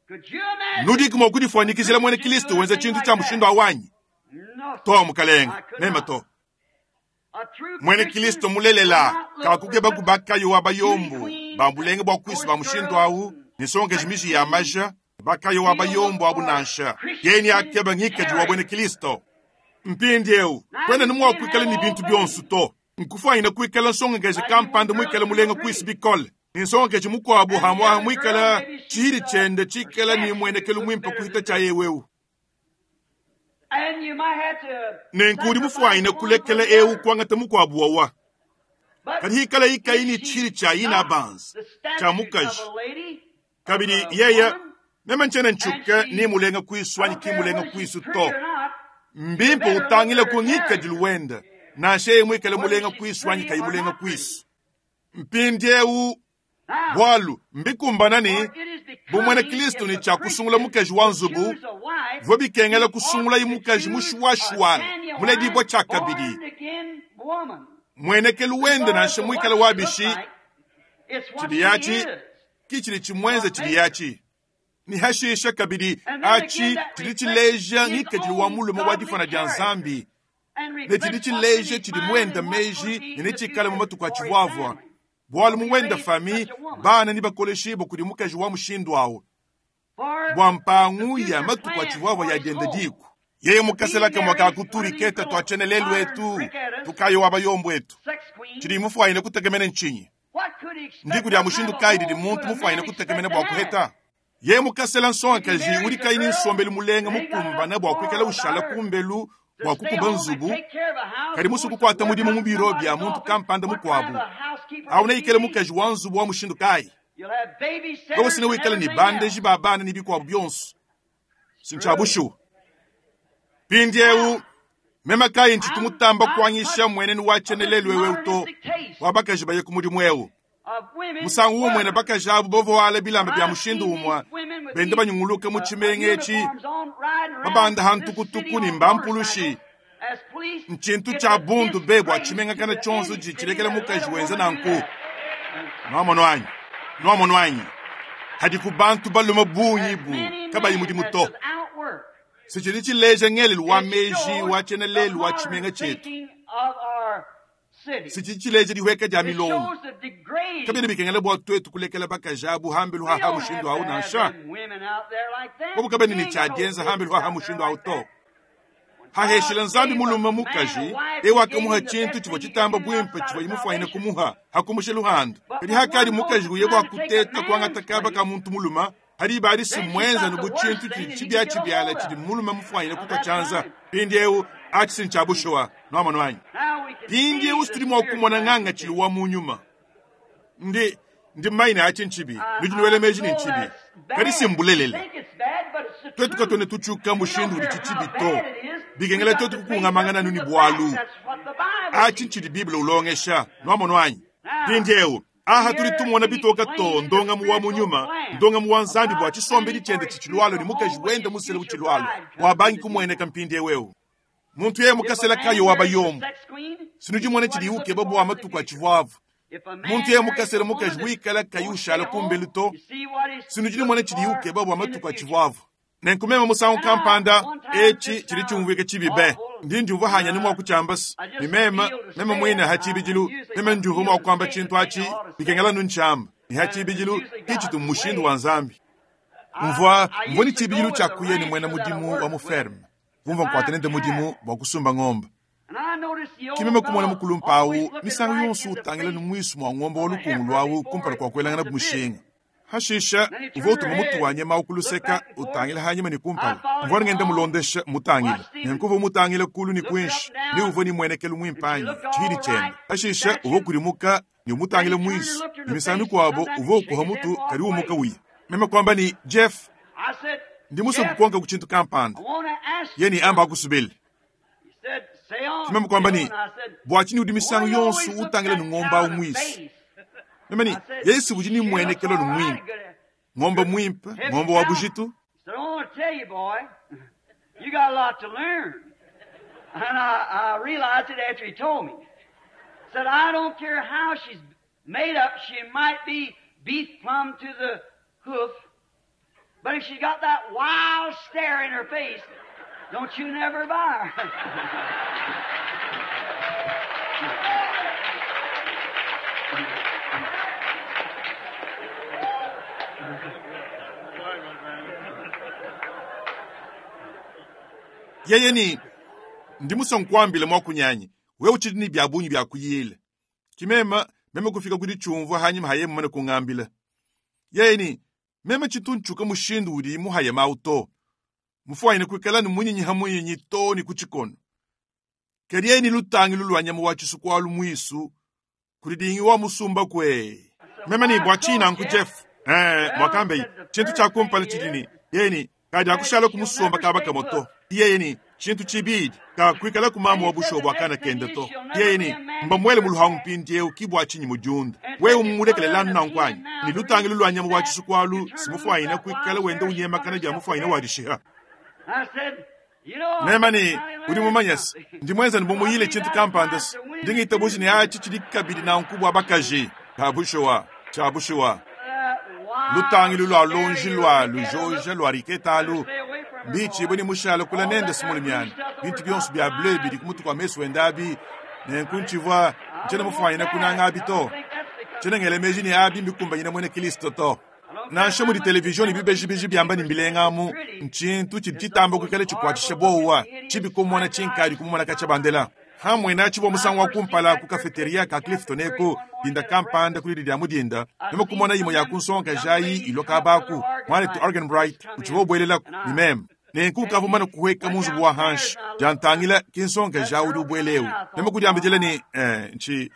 Could you imagine Nudiki mua a kudifuanyikizila mwene Christian Kristo doing a wenza thing tshintu like tshia that? mushindu awanyi. No, To sir. mukalenga, I could mema not. to. A true Mwene Christian Kristo will mulelela not look for kakukeba such kubakayo wa beauty bayombo queens bambulenge and bua kwisi ba coarse mushindu girls awu and nisongeje sex miji ya queens. maja bakayo wa He'll look bayombo abu for nansha yeni Christian akeba ngikadi wa bwene character. Kristo. Mpindi ewu Now kwena you ni mua can't kuikala have ni all bintu bionso things. to. Nkufuanyina kuikala nsongeje Like you one kampanda girl muikala is real mulenga kwisi pretty, bikole. Ni nsongeje mukuabu and the hamwa other girl muikala maybe she's chihiri uh, chende her chikala ni statue mwenekelu looks mwimpe better kuhita than cha this. yewewu. And you might have to Nenku udi sacrifice mufuanyine one for kulekela the ewu other. kuangata mukuabu wawa. But Kadi hikala ikayi if ni she's chihiri cha ina not banza the cha statute of mukaji. a lady, of Kabidi a yeye woman, meme ntshiena and ntshuka ni she, mulenga I kwisu anyi don't ki care mulenga whether she's kwisu pretty to. or not, you Mbimpe better look utangile at ku her ngikadilu character, wenda. Nansha yeye muikale whether mulenga she's kwisu anyi pretty kayi or mulenga not pretty. kwisu. Mpindiewu Now, bwalu mbikumbana ni for it is bumwene becoming Kristo if ni a tshia kusungula Christian mukaji wa would nzubu choose a wife, vua bikengela he ought kusungula to imukaji choose a mushuwashuwala muledibwa genuine, tshia kabidi. born again woman. Mwenekelu wende Regardless nansha of what muikale she looks wabishi like, it's what tshidi she yachi is, kichili chimwenze what tshidi makes her. yachi. Ni hashisha kabidi And then again, achi that tshidi reflects tshileja his ngikadilu wa own mulume wa godly difana dia character Nzambi. and Ne tshidi reflects what's in tshileja his tshidi mind muenda and what's going to meji be ne in the netshikala mu future matuku a for his tshivuavua. family. Bwalu Will be muwenda raised fami such a woman. bana ni bakoleshibwa kudi mukaji wa mushindu awu. Bua mpangu ya matuku atshivuavua ya dienda diku. Yeye mukaselaka mwaka kuturiketa twachene lelu etu tukayo abayombo etu. Chidi mufuaine kutekemene nchinyi. Ndiku dia mushindu kayi didi muntu mufuaine kutekemene bua kuheta. Yeye mukasela nsongakaji udi kayi ni nsombelu mulenga mukumbana bua kuikala ushala kumbelu bua kukuba nzubu kadi musuku kuata mudimu mu biro bya muntu kampanda mukuabu. Auna ikele mukaji wa nzubu wa mushindu kayi. Wewe sina wikale ni bandeji ba bana ni bikuabu byonso. Sinchabushu. Pindiewu mema kayi nchitumutamba kuanyisha mwenenu wachenelelu wewe uto wabakaji baye ku mudimu ewu. Musangu umwe bakaji abo bovoala bilamba bya mushindu umwe bende banyunguluka mu tshimenge etshi babanda hantukutuku ni mbampulushi. Nchintu cha bundu bebwa tshimenga kana tshonso tshilekela mukaji wenza nanku. Nwamono anyi nwamono anyi hadi ku bantu balume bungi bu kabayi mudimu to. Sichili chileja ngelelu wa meji wa chenelelu wa tshimenga chetu. Sichili chileja dihweka dia milongo. Kabene bikengela bua twetu kulekela bakaji abu hambelu haha mushindu awu nansha. Bobu kabene ni tshadienza hambelu haha mushindu awu to. Haheshila nzambi mulume mukaji ewa kamuha chintu chivwa chitamba bwimpe chivwa imufuaine kumuha hakumushe luhando. Kadi hakadi mukaji uye bua kuteta kuangata kaba ka muntu muluma hadi badi simwenza nubu chintu chibya chibyala chidi mulume mufuaine kutwa chanza. Pindi ewu achi sinchabushowa nwamano anyi. Pindi ewu situdi mwa kumona nganga chili wa munyuma. Ndi ndi maina achi nchibi nujiniwele meji ni nchibi kadi simbulelele. Twetu katone tuchuka mushindu udi chichibi to. Bikengela twetu kukungamangana nuni bwalu. Achi nchidi Biblia ulongesha nwamono anyi. Pindi ewu aha tuli tumona bitoka to ndonga muwa munyuma ndonga muwa nzambi bwa chisombe lichende chichilwalo ni mukaji wenda musele uchilwalo wabangi kumweneka mpindi ewewu. Muntu yeye mukasela kayo wabayombo. Sinujimone chiliuke babu wa matuku achivwavu. Muntu yeye mukasela mukaji wikala kayushala kumbelu to. Sinujimone chiliuke babu wa matuku achivwavu. Nenkumema musangu kampanda echi chili chumvike chibibe. Ndi njuva hanya ni mwa kuchambas. Ni mema, mema mwina hachibijilu. Mema njuva mwa kwamba chintu achi. Bikengela nunchamba. Ni hachibijilu kichitu mushindu wa nzambi. Mvua, mvua ni chibijilu chakuye ni mwena mudimu wa muferme. Vumva nkwatene mudimu wa kusumba ng'ombe. Kimeme kumona mukulumpa awu, misangu yonso utangila ni mwisu mwa ng'ombe wa lukungu lwawu kumpala kwa kwelangana mushinga. Hashisha uva utuma mutu wa nyama ukuluseka utangila hanyuma ni kumpala. Mvua ngenda mulondesha mutangila. Nyankuva mutangila kulu ni kwinshi, ni uva ni mwenekelu mwimpanyi, chihili chenda. Hashisha uva kurimuka ni umutangila mwisu. Ni misangu kwabo uva ukuha mutu kari umuka wiya. Meme kwamba ni Jeff, ndi muso kukonga kuchintu kampanda. Yeni amba akusubili. Kimeme kwamba ni bwachini udi misangu yonso utangila ni ng'omba umwisu. Meme ni Yesu udi ni mwenekelo ni mwimpe. Ng'omba mwimpe, ng'omba wa bujitu. So I want to tell you, boy, you got a lot to learn. And I, I realized it after he told me. Said, I don't care how she's made up, she might be beef plumb to the hoof, but if she's got that wild stare in her face, don't you never buy her. Yeye ni ndi musonkwambile mwakunyanyi wewe uchidi ni bya bunyi bya kuyile. Kimema meme kufika kudi chumvu hanyuma haye mmane kungambile. Yeye ni meme chitunchuka mushindu udi muhaye mauto. Mufuaine kwikala ni munyinyi hamunyinyi to ni kuchikono. Keriye ni lutangi lulwanya muwachisu kwa lumwisu kulidingi wa musumba kwe. Meme ni bwachina nku Jeff. Eh mwakambe chintu cha kumpala chidini. Yeye ni kadi akushala kumusumba kabaka moto. Yeye ni chintu chibidi ka kwikala kumama wa busho bwakana kenda to. Yeye ni mbamwele muluhangu pindi eu kibwa chinyi mujunda. Wewe umulekele lanu na nkwanyi. Ni lutangi lulwanya muwachisu kwalu simufuaine kwikala wenda unyema kana bya mufuaine wadishiha. Nema ni uri mumanyasi ndi mwenza ni mumuyile chintu kampandas ndingita bushi ni achi chili kabili na nkubwa bakaji kabushowa chabushowa lutangi lulwa lonji lwa lujoja lwa riketalu mbichi boni mushala kula nende simuli myana bintu byonso bya bleu bili kumutu kwa mesu wendabi nenkunchivwa nchena mufuaine kunanga abito chena ngele meji ni abi mbikumba nyina mwene Kristo to Nansha mudi televizion ne bibejibeji byamba ne mbilenga amu, ntshintu tshidi tshitamba kuikala tshikuatshisha buowa, tshibi kumona tshinkadi kumumona katshia bandela. Hamwe nachi bwa musangu wa kumpala ku cafeteria ka Clifton eko dinda kampanda kulidi lya mudinda noma kumona yimo ya kunsonga jayi iloka abaku mwanetu Arganbright uchiva ubwelelaku ni meme nenku ukavumana kuhweka munzubu wa hanshi jantangila kinsonga ja udi ubwelewu noma kudiambidila ni eh, nchi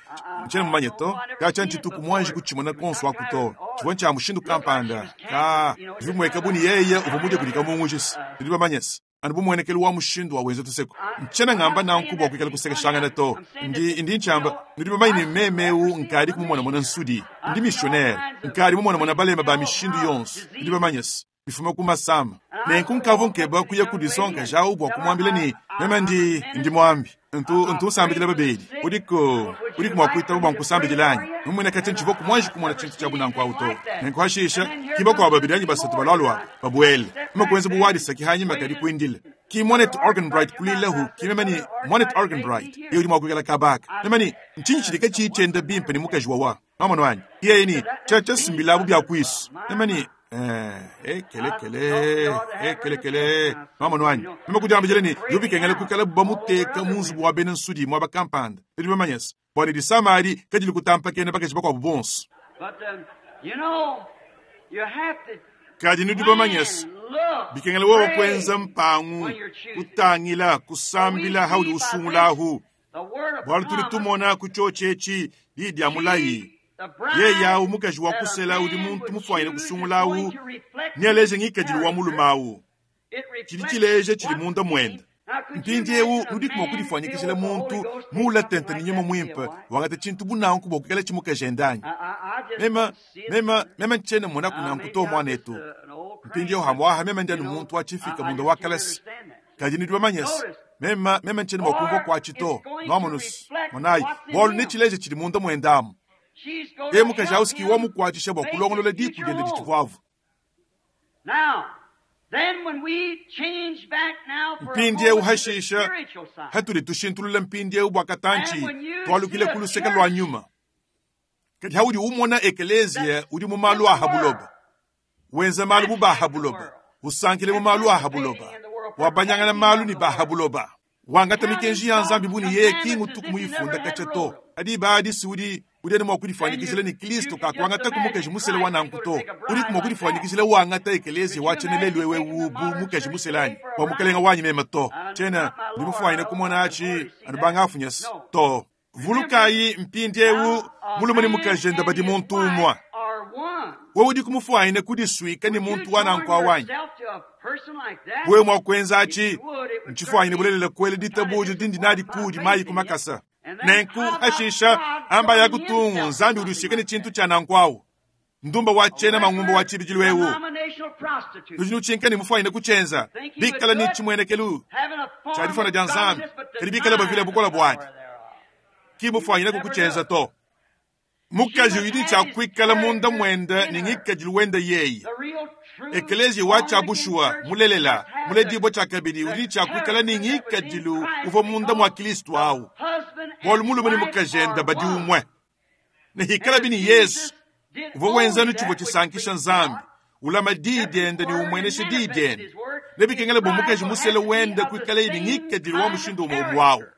nchena mumanye to kacha ntshituku mwanji kutshimona konso aku to tshivua ntsha mushindu kampanda ka bivimweka buni yeye uva mudya kudika mungujisi tudi bamanyesi anu bumuenekelu wa mushindu wa wenza tuseko nchena ngamba nanku bwa kuikala kusekeshangana to ndi ndi nchamba nudi bamanye ni memeu nkadi kumumonamona nsudi ndi missionnaire nkadi mumonamona balema ba mishindu yonso nudi bamanyesi bifuma ku masama nenku nkavu nkeba kuya kudisonka jawu bwa kumwambila ni meme ndi ndi mwambi ntu ntu nsambidila babedi uliko uliko mwa kuitaba bwa nkusambidila anyi mumwene kati ntshivo kumwanji kumona tshintu tsha bunanku awu to nenku hashisha kiba kwa babedi anyi basatu balwalwa babwele mema kuenza buwadisa kihanyima kadi kuindila ki mwanetu Arganbright kulilahu ki meme ni mwanetu Arganbright iyo udi mwa kuikala kabaka meme ni ntshinyi tshidi katshiyitshienda bimpe ni mukaji wawa mamano anyi iye ni tsha tshasimbilabu bya kwisu meme ni Eh, ekele kele ekele kele mama nwanyi mema kudiambidila ni yobikengela kuikala bamuteka munzubu wa bena nsudi mwaba kampanda tudi bamanyesa bwana disamari kadili kutampa kene bakaji bakwabu bonso But um, you know, you have to kadi nudi bamanyesa look, bikengela wewe pray kwenza mpangu kutangila kusambila hauli usungulahu the word of bwalu tuli promise, tumona kuchochechi lidi ya mulayi the bride yeyawu mukaji wa that a kusela udi man muntu would mufwanyile choose is kusungulawu going to reflect nialeje his ngikadilu wa character. mulumawu It chili reflects chileje chili what's munda mwenda in- Now, could you mpindiewu imagine a nudi kumwa man kudifwanyikizila filled with the muntu Holy Ghost take mula something tenta like ni nyuma that to be a mwimpe wife? wangati tshintu bunanku bwa kukala chimukajendanyi I, I, I just mema don't see it. mema mema nchene mona Uh, kunanku maybe to I'm just mwanetu a- an old crank, mpindiewu but, hamwaha mema ndianu you know, muntu wachifika I, I munda just wa can't kalasi understand that. kadi nidi bamanyesi Notice, mema mema nchene mwakumva or kwa chito it's going to nwamonusi reflect monayi what's in bwalu him. ni chileje chili munda mwendamu She's going ye to mukaji help ausiki him wamukwatisha bwa make kulongolola his diku future diende home. dichivwavu Now, then when we change back now for a mpindiewu moment to the hashisha spiritual side, hatuli tushintulula mpindiewu bwa katanchi and when you see twalukile a ku luseke lwa church nyuma kadi haudi umona ekelezia that's udi mu malu in the aha world, buloba wenza malu acts bu baha like the buloba world, usankile mu malu aha buloba participating in the world, wabanyangana partaking malu of ni the baha world, buloba wangata counting mikenji ya nzambi God's buni yeye commandments kingu as tuku if he never muyifunda had kacha wrote to them. adi baadi si udi udi ane And mwakudifwanyikizila you, ni you kristu could just kakwangata ku imagine mukaji musele Christ wa to go nanku to to take a udi bride like that. kumwakudifwanyikizila wangata ekelezia Could you wachenelelwe imagine taking the wewu bu modern mukaji church today muselanyi for a bwa mukalenga bride? wanyi mema to Uh, chena not my Lord, ndimufwanyine I kumona don't want achi to see anu that. bangafunyasi No. to Remember, vulukayi mpindiewu now a mulume ni man mukajenda and badi his muntu wife umwa are one. wewe udi kumufwanyine kudiswika ni Would you muntu wa nanku join awanyi yourself to a person like that? wewe mwakwenza If achi you would, it would nchifwanyine certainly bulelela kwele kind of ditabuja dindi nadi disappoint my kudi faith mayi in you. kumakasa And then nenku how about hashisha God amba joining yakutungu himself to nzambi something udiswike ni like chintu that? cha nanku awu ndumba A wachena mang'umba regular wa chibijilwewu denominational prostitute. lujinu chinka ni mufwanyine kuchenza Think he would bikala do ni it? chimwenekelu Having a form chalifana of ja nzambi godliness, but kadi bikala bavile denying the bukola bwadi power thereof. ki He would mufwanyine never do kukuchenza it. to She mukaji must uyidi have his chakwikala munda character mwenda in ni her. ngikadilu wenda yeyi The real true ekelezia wa born again chabushuwa church mulelela must have the, muledibwa chakabili the uli chakwikala ni character that was in ngikadilu Christ uva munda mwa because kristu the awu husband bwalu and mulume ni wife mukajenda are badi one. umwe nihikala And bini if yesu Jesus did uva wenzanu only chivwa that which chisankisha pleased nzambi God, ulama dii kept his dienda ni word and umweneshe dii manifested dienda his word, his nebikengela bwa bride mukaji will have musele to be wenda of the kwikala ili same ngikadilu wa kind of mushindu umwe umwawu character.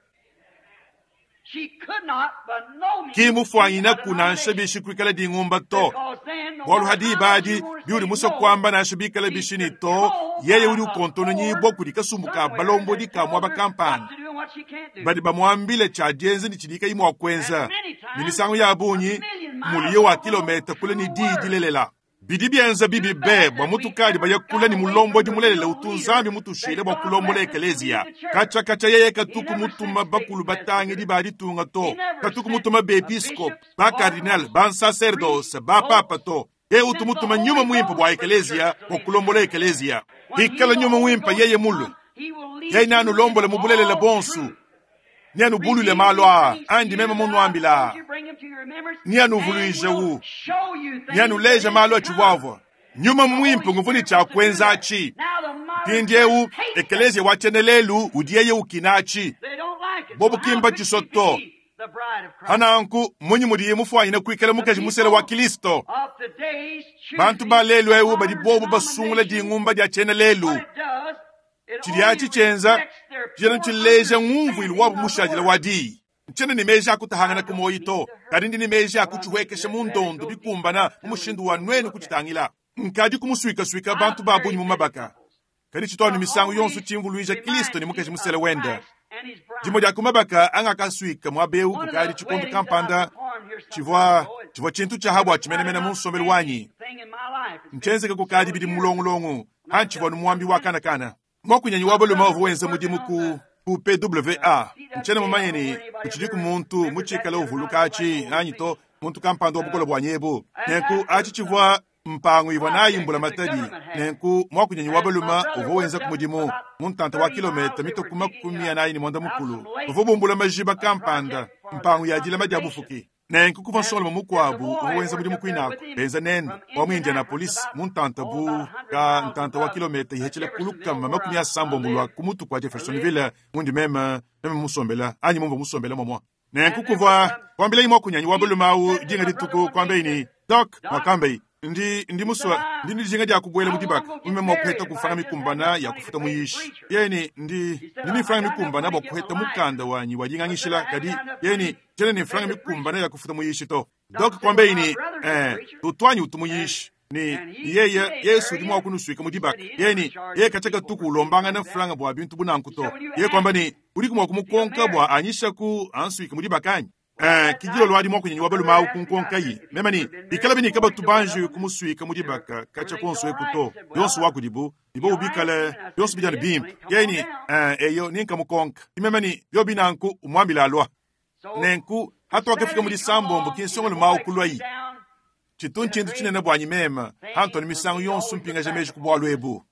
She could not by no means be a kimufwanyinaku nansha denomination. bishi kwikala ding'umba to Because then, no bwalu matter hadi how much ibadi you want to biuli say musa no, kwamba nansha bikala she's bishini to controlled yeye by uli a ukontononyibwa board kuli kasumbu ka somewhere balombodi that ka tells mwaba her what kampani to do and what she can't do. badi bamwambile chadyenze ni chidika imwe wakwenza And many ni times, misango ya a bunyi million miles muliyo wa off of the kilometa kule ni true dii word. dilelela bidi byenza bibi Too be bad bwa that we mutukali ever bayakula got ni away from mulombodi the mulelela real utu leader nzambi mutushile that bwa God kulombola left us to lead ekelezia the church. kacha kacha yeye He katuku never sent mutuma state bakulu batangi presbyters. di balitunga He to never katuku sent mutuma a beepiskopi bishops, ba kardinal cardinals, ba priests, nsacerdos ba papa popes. to ye utu Sent the mutuma nyuma Holy mwimpa bwa Ghost for the ekelezia church to bwa lead the kulombola church. ekelezia When he, hikala the nyuma Holy mwimpa Ghost, yeye will mulu come, he will yeye lead you nanulombola into mubulelele all bonsu truth. nianubulule malo Revealing a things to andi you meme that I've told munwambila you, bring them to your remembrance, and nianuvuluije will wu show you things that nianuleja is malo to come. achibwavwa nyuma The Holy mwimpe nguvuni Spirit wants to do chakwenza that. achi Now the modern church pindiewu hates that. ekelezia wachenelelu udiyeye ukinachi They don't like it. So bobu how kimba could she chisoto be Hananku munyi mudiye mufuanyine kuikala mukaji musele wa Kristo. Bantu ba lelu eu badi bobu basungula dingumba dia tshiena lelu. Tshidi atshi tshienza tshiena tshileja ngumvuilu wabu mushadile wa diyi. Ntshiena ne meji akutahangana ku moyi to, kadi ndi ne meji akutshihuekesha mu ndondo bikumbana mu mushindu wa nwenu kutshitangila. Nkadi kumusuikasuika bantu ba bungi mu mabaka. Kadi tshitwanu misangu yonso tshimvuluija Kristo ne mukaji musele wende. Dimo dia kumabaka angakasuika muaba eu kukadi tshikondo kampanda tshivua tshivua tshintu tshiaha bua tshimenemene mu nsombelu wanyi. Ntshienzeke kukadi bidi mulongolongo hantshivua numuambi wa kanakana. Mwakunyanyi wa balume uvua wenza mudimu ku ku P W A. Ntshiena mumanye ni kutshidiku muntu mutshikale uvuluka atshi anyi to muntu kampanda wa bukole bua nyebu. Nenku atshi tshivua mpangu ivua nayi mbula matadi. Nenku mwakunyanyi wa balume uvua wenza ku mudimu mu ntanta wa kilometa mitoku makumi anayi ne mwanda mukulu. Uvua bumbula majiba kampanda mpangu ya dilama dia bufuki. Nenku kuva nsongalume mukuabu uvua wenza mudimu kwinako benza nene wa mu Indianapolis mu ntanta bu ka ntanta wa kilometa ihethela kulukama makumi asambombo lwa ku mutu kwa Jeffersonville mundi meme meme musombela anyi mumva musombela momwa. Nenku kuva kwambilai mwakunyanyi wa balume awu dinga dituku kwambeyi ni Doc mwakambeyi ndi ndi muswa ndi ndijinga dia kubuela mu dibaka mume mwa kuheta kufanga mikumbana ya kufuta muyishi yeni ndi ndi nifanga mikumbana bwa kuheta mukanda wanyi wajingangishila kadi yeni tena nifanga mikumbana ya kufuta muyishi to Doc kwambeyi ni eh tutwanyi utumuyishi ni yeye Yesu ndi mwa kunusuika mu dibaka yeni yeye kachaka tuku ulombanga na franga bwa bintu bunanku to yeye kwamba ni uri kumwa kumukonka bwa anyisha ku ansuika mu dibaka anyi. Eh, kijilo lwadi mwa kunyenyi wabalu mau kunkonka yi. Mema ni, ikala bini kaba tubanji kumusuika mu dibaka, kacha konso ekuto. Yonso wakudibu, ibo ubikale, yonso bijana bimpe. Yeni, eh, eyo, ninka mukonka. Mema ni, yo binanku umwambila alwa. Nenku, hata wakafika mu disambombo kinsongo mau kulwa yi. Chitunchi chinene bwanyi mema, hanto ni misango yonso mpinga jameji kubwalu ebu.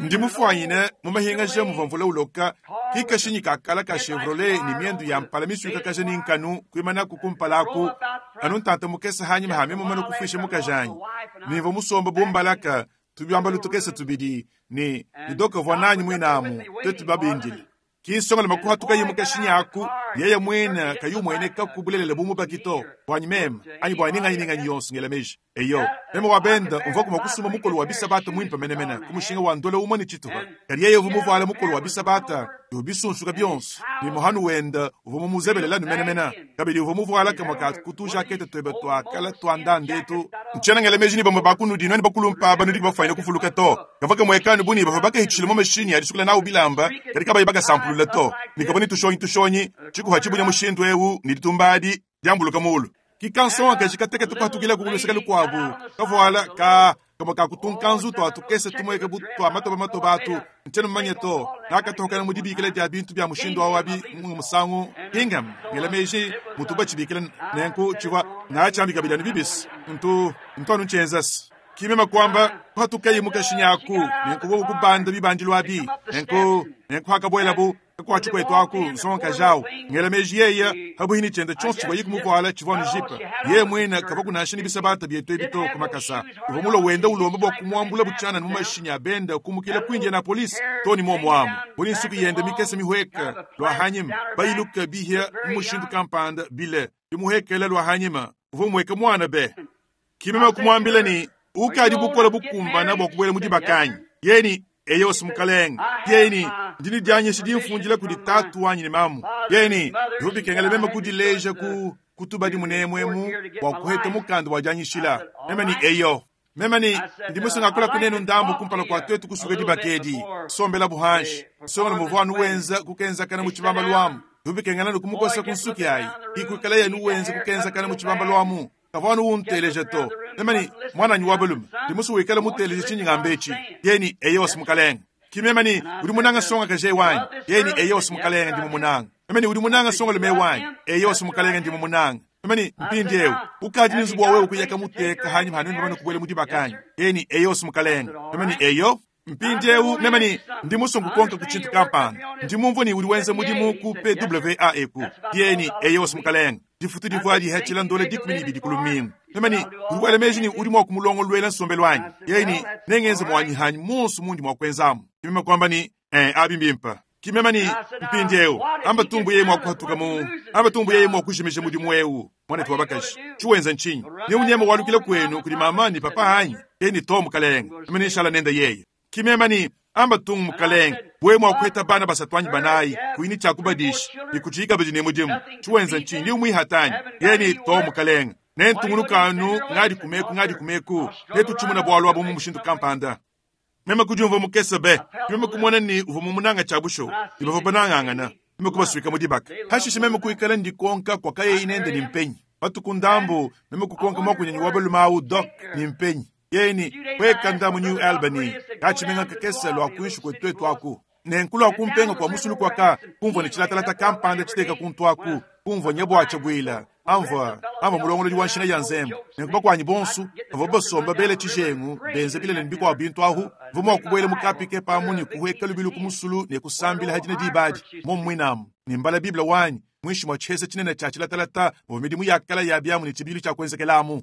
Ndi mufuanyine mumahinga je muvamvula uloka kikashinyi kakala ka Chevrolet ni miendu ya mpala misuika kaje ni nkanu kuimana kukumpalaku anu ntanta mukesa hanyima hame mumana kufisha mukajanyi nivo musomba bumbalaka tubyamba lutukesa tubidi ni nidoka vwananyi mwinamu twetu babindile kinsonga makuha tukayi mukashinyi aku yeye mwena kayumwene kakubulelela bumubakito bwanyi mema anyi bwanyi ninganyi ninganyi yonso ngela meji eyo mema wabenda umva kuma kusuma mukolo wa bisabata mwimpa menemena kumushinga wa ndola umwe ni chituha kali yeye uvu mukolo wa bisabata yobisunsuka byonso ni muhanu wenda uvu mumuzebelela numenemena kabili uvu muvuala kamwa ka kutuja akete twebe twakala twanda ndetu nchena ngela meji ni bamwe bakunudi nwene bakulumpa banudi bafaina kufuluka to kavaka mwekanu buni bava bakahitshile mu mashini yadisukula nawu bilamba kali kabayi bakasampulula to nikaboni tushonyi tushonyi chikuha chibunya mushindu ewu ni ditumbadi diambuluka mulu kikansonga kashikateke tukatukila kukuluseka lukwabu kavuala ka kama kakutunkanzu twa tukese tumweke bu twa matoba matoba atu nchena mmanye to nakatohokana mu dibikila dia bintu bya mushindu awabi musangu kingam ngela meji mutuba chibikila nenku chivwa ngaachambika bidani bibisi ntu ntwanu nchenzasi kimema kwamba kwatukayi mukashinyaku nenku bo kubanda bibanjilwa abi nenku nenku hakabwela bu kwachu kwetu aku nsonga jawu ngela meji yeye habuhini chenda chonso chibwa yikumukwala chivwa nujipa ye mwena kava kunasha ni bisabata byetu ebito kumakasa uvo mulo wenda ulomba bwa kumwambula buchana mu abenda kumukila kwinja na polisi toni momwamu buli nsuku yenda mikese mihweka lwa hanyima bayiluka bihya mushindu kampanda bile bimuhekela lwa hanyima uvo mweka mwana be kimema kumwambila ni ukadi bukola bukumbana bwa kubwela mudibakanyi yeni eyo simukalenga yeni ndini dyanyesha dimfunjila kudi tatu wanyi ni mamu yeni ndihubikengela meme kudileja ku kutubadi munemwemu bwa kuheta mukanda wa dyanyishila meme ni eyo meme ni ndimusungakula kunenu ndambu kumpala kwa twetu kusuka dibakedi sombela buhanshi songa muvwanu wenza kukenzakana mu chibamba lwamu ndihubikengela nukumukosa kunsuki ayi ikuikala yenu wenza kukenzakana mu chibamba lwamu kavwanu unteleja to memani mwananyi wa balume ndimusu wikala muteleja chinyingambechi yeni eyo simukalenga kimemani uli munanga songa kaje wanyi yeni eyo simukalenga ndimu munanga memani uli munanga songa lume wanyi eyo simukalenga ndimu munanga memani mpindi ewu ukaji ninzubu wawe ukuyaka muteka hanyuma hanuni bamane kubwela mudibakanyi yeni eyo simukalenga memani eyo mpindi ewu memani ndimusungu konka kuchintu kampanda ndimumvu ni uli wenza mudimu ku P W A eku yeni eyo simukalenga difutu divwa dihethela ndole dikumi ni ibidi kulumingu memani uli wela meji ni uli mwa kumulongolwela nsombelo wanyi yeni nengenza mwanyi hanyi monso mundi mwa kwenzamu kimema kwamba ni Eh, abi mbimpa kimema ni mpindieu amba tumbu yeye mwakuhatuka mu amba tumbu yeye mwakujimisha mudimu eu mwana wabakaji chiwenza nchinyi ni unyema walukile kwenu kuli mama ni papa hanyi ye ni to mukalenga amene inshala nenda yeye kimema ni amba tungu mukalenga bwe mwakuheta bana basatwanyi banayi kuini chakubadisha nikuchiyika badi ne mudimu chiwenza nchinyi ni umwihatanyi ye ni to mukalenga nentungulukanu ngadi kumeku ngadi kumeku netuchimuna bwalwa bomu mushindu kampanda meme kujumva mukese be meme kumona ni uva mumunanga cha busho ibava banangangana meme kubaswika mudibaka hashishe meme kuikala ndikonka kwa kaye inende ni mpenyi batukundambu meme kukonka mwakunyanyi wabalumawu dok ni mpenyi yeni kweka ndamu New Albany kachimenga kakese lwa kuishi kwetwetu aku nenkulu akumpenga kwa musulu kwaka kumva ni chilatalata kampanda chiteka kuntwaku kumva nyebwacha bwila amva amva mulongololi wa nshina ya nzembo nenkuba kwanyi bonsu avo basomba bele tshijengu benze bilele nibikwa bintu ahu vumwa kubwele mukapike pamwe ni kuhweka lubilu kumusulu ne kusambila hadina dibadi momwinamu nimbala biblia wanyi mwishi mwa tshese tshinene tshia tshilatalata muvua midimu yakala ya byamu ne tshibilu tshia kuenzekelamu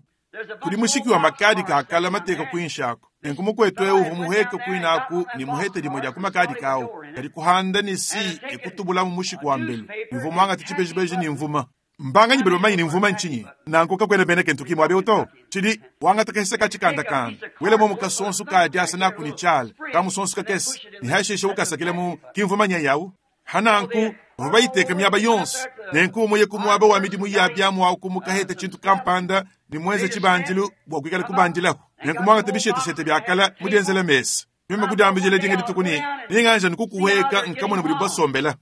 kuli mushiki wa makadi kakala mateka kwinshako nenkumukwetu eu vumuheke kwinaku ni muhete limwe lya kumakadi kawo kali kuhanda ni si ekutubulamu mushiki wa mbelu nivumwanga tichibejibeji ni mvuma mbanganyi bali bamanyi ni mvuma nchinyi nanku kakwena bene kentu kimwe abe uto chili wangata kahese kachikandakanda wele momu kasonso kadi naku ni chala kamusonso kakesi ni hashishe ukasakile mu kimvuma nyayawu hananku vabayiteka myaba yonse nenku umuye kumwaba wa midimu ya byamu awu kumukahete chintu kampanda ni mwenze chibanjilu bwa kwikala kubanjilaho nenku mwangata bisheteshete byakala mudienzela mesa mima kudiambijile dinga ditukuni ninganja nikukuweka nkamona buli basombela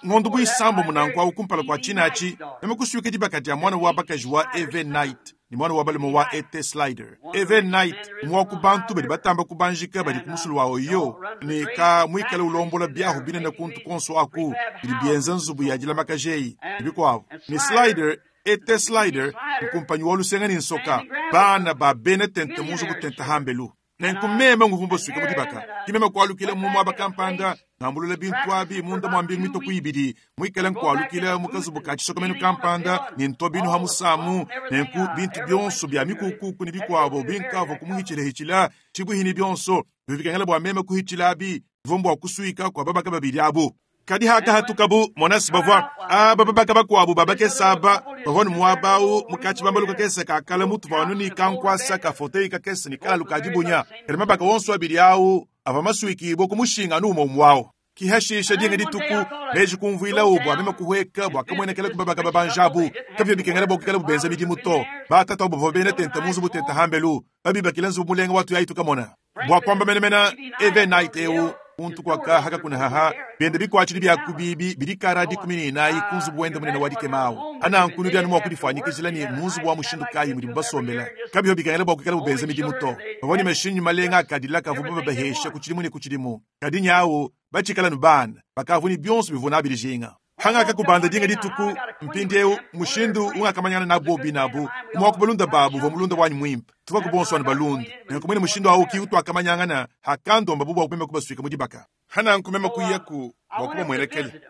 ng'ondo buisambo munanku awu kumpala kwa chinachi meme kusuika dibaka dia mwana wa bakaji wa Eve Knight ni mwana wa balume wa Ete Slider. Eve Knight mwa ku bantu badi batamba kubanjika badi kumusulu wa oyo ni ka mwikala ulombola byahu binene kuntu konso aku bidi bienza nzubu ya dila makajeyi bikwabo ni Slider Ete Slider nkumpanyi wa lusenga ni nsoka bana ba bene tente munzu kutenta hambelu nenkumema nguvumba suika mudibaka kimema kwalukila mumu abakampanda nambulula bintu abi munda mwambili mito kuibidi mwikala nkwalukila mukazubu ka chisokomenu kampanda ni ntobinu hamusamu nenku bintu byonso bya mikukuku ni bikwabo binkavo kumuhichilahichila chibuhini byonso bivikangela bwa meme kuhichila abi vumbu wa kusuika kwa babaka babili abu kadi haka hatukabu monasi bavwa aba babaka bakwabu babakesaba bavwa ni muabawu mukachi bambalu kakese kakala mutu vanu ni kankwasa kafotei kakese ni kala lukajibunya kadi mabaka wonso abili awu ava masuikibo kumushinga numo mwawo kihashisha dinga dituku meji kumvuila ubu amema kuhweka bwakamwenekela kubabaka babanjabu kapya bikengela bokukela bubenza midimu to batata obo bene tenta munzu butenta hambelu babibakila nzubu mulenga watu yaitu kamona bwakwamba menemena eve night eu untu kwaka haka kuna haha bende bikwachili byakubibi bilikara dikumi ni inayi kunzubu wende munene wadikemawo anankunu dyanu mwakudifwanyikizila ni munzubu wa mushindu kayi mudi mubasombela kabyo bikangela bwakukela bubenza midimu to baboni mashinyu malenga akadila kavubu babahesha kuchilimu ni kuchilimu kadi nyawo bachikala nu bana bakavuni byonso bivuna abilijinga hangaka kubanda dinga dituku mpindi eu mushindu ungakamanyana na bobi nabu mwakubalunda babu va mulunda wanyu mwimpa tuva kubonso wanu balunda nenkumwene mushindu awu ki utwakamanyangana hakandomba bubu wakupema kubaswika mudibaka hana nkumema kuiyaku bwakuba mwelekele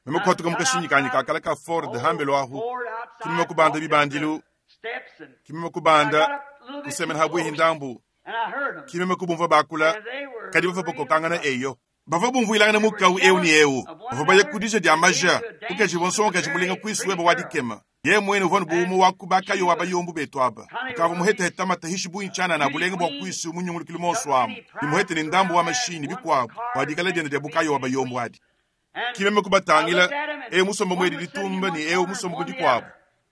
mema kuhatuka mukashinyi kanyi kakala ka Ford hambelo ahu kimema kubanda bibandilu kimema kubanda kusemena habwihi ndambu kimema kubumva bakula kadi bava bokokangana eyo bava bumvuilangana mukau eu ni eu bava baya kudisha dia maja ukaji bonso ukaji mulinga kwisuweba wadikema ye mwene uvanu buumu wakubakayo wabayombu betu aba ukava muheteheta matahishi buinchana na bulenga bwa kwisu munyungulukile monso amu nimuhete ni ndambu wa mashini bikwabu wadikala dienda dia bukayo wabayombu adi kimeme kubatangila eu musomba mwedi litumba ni eu musomba kudikwabu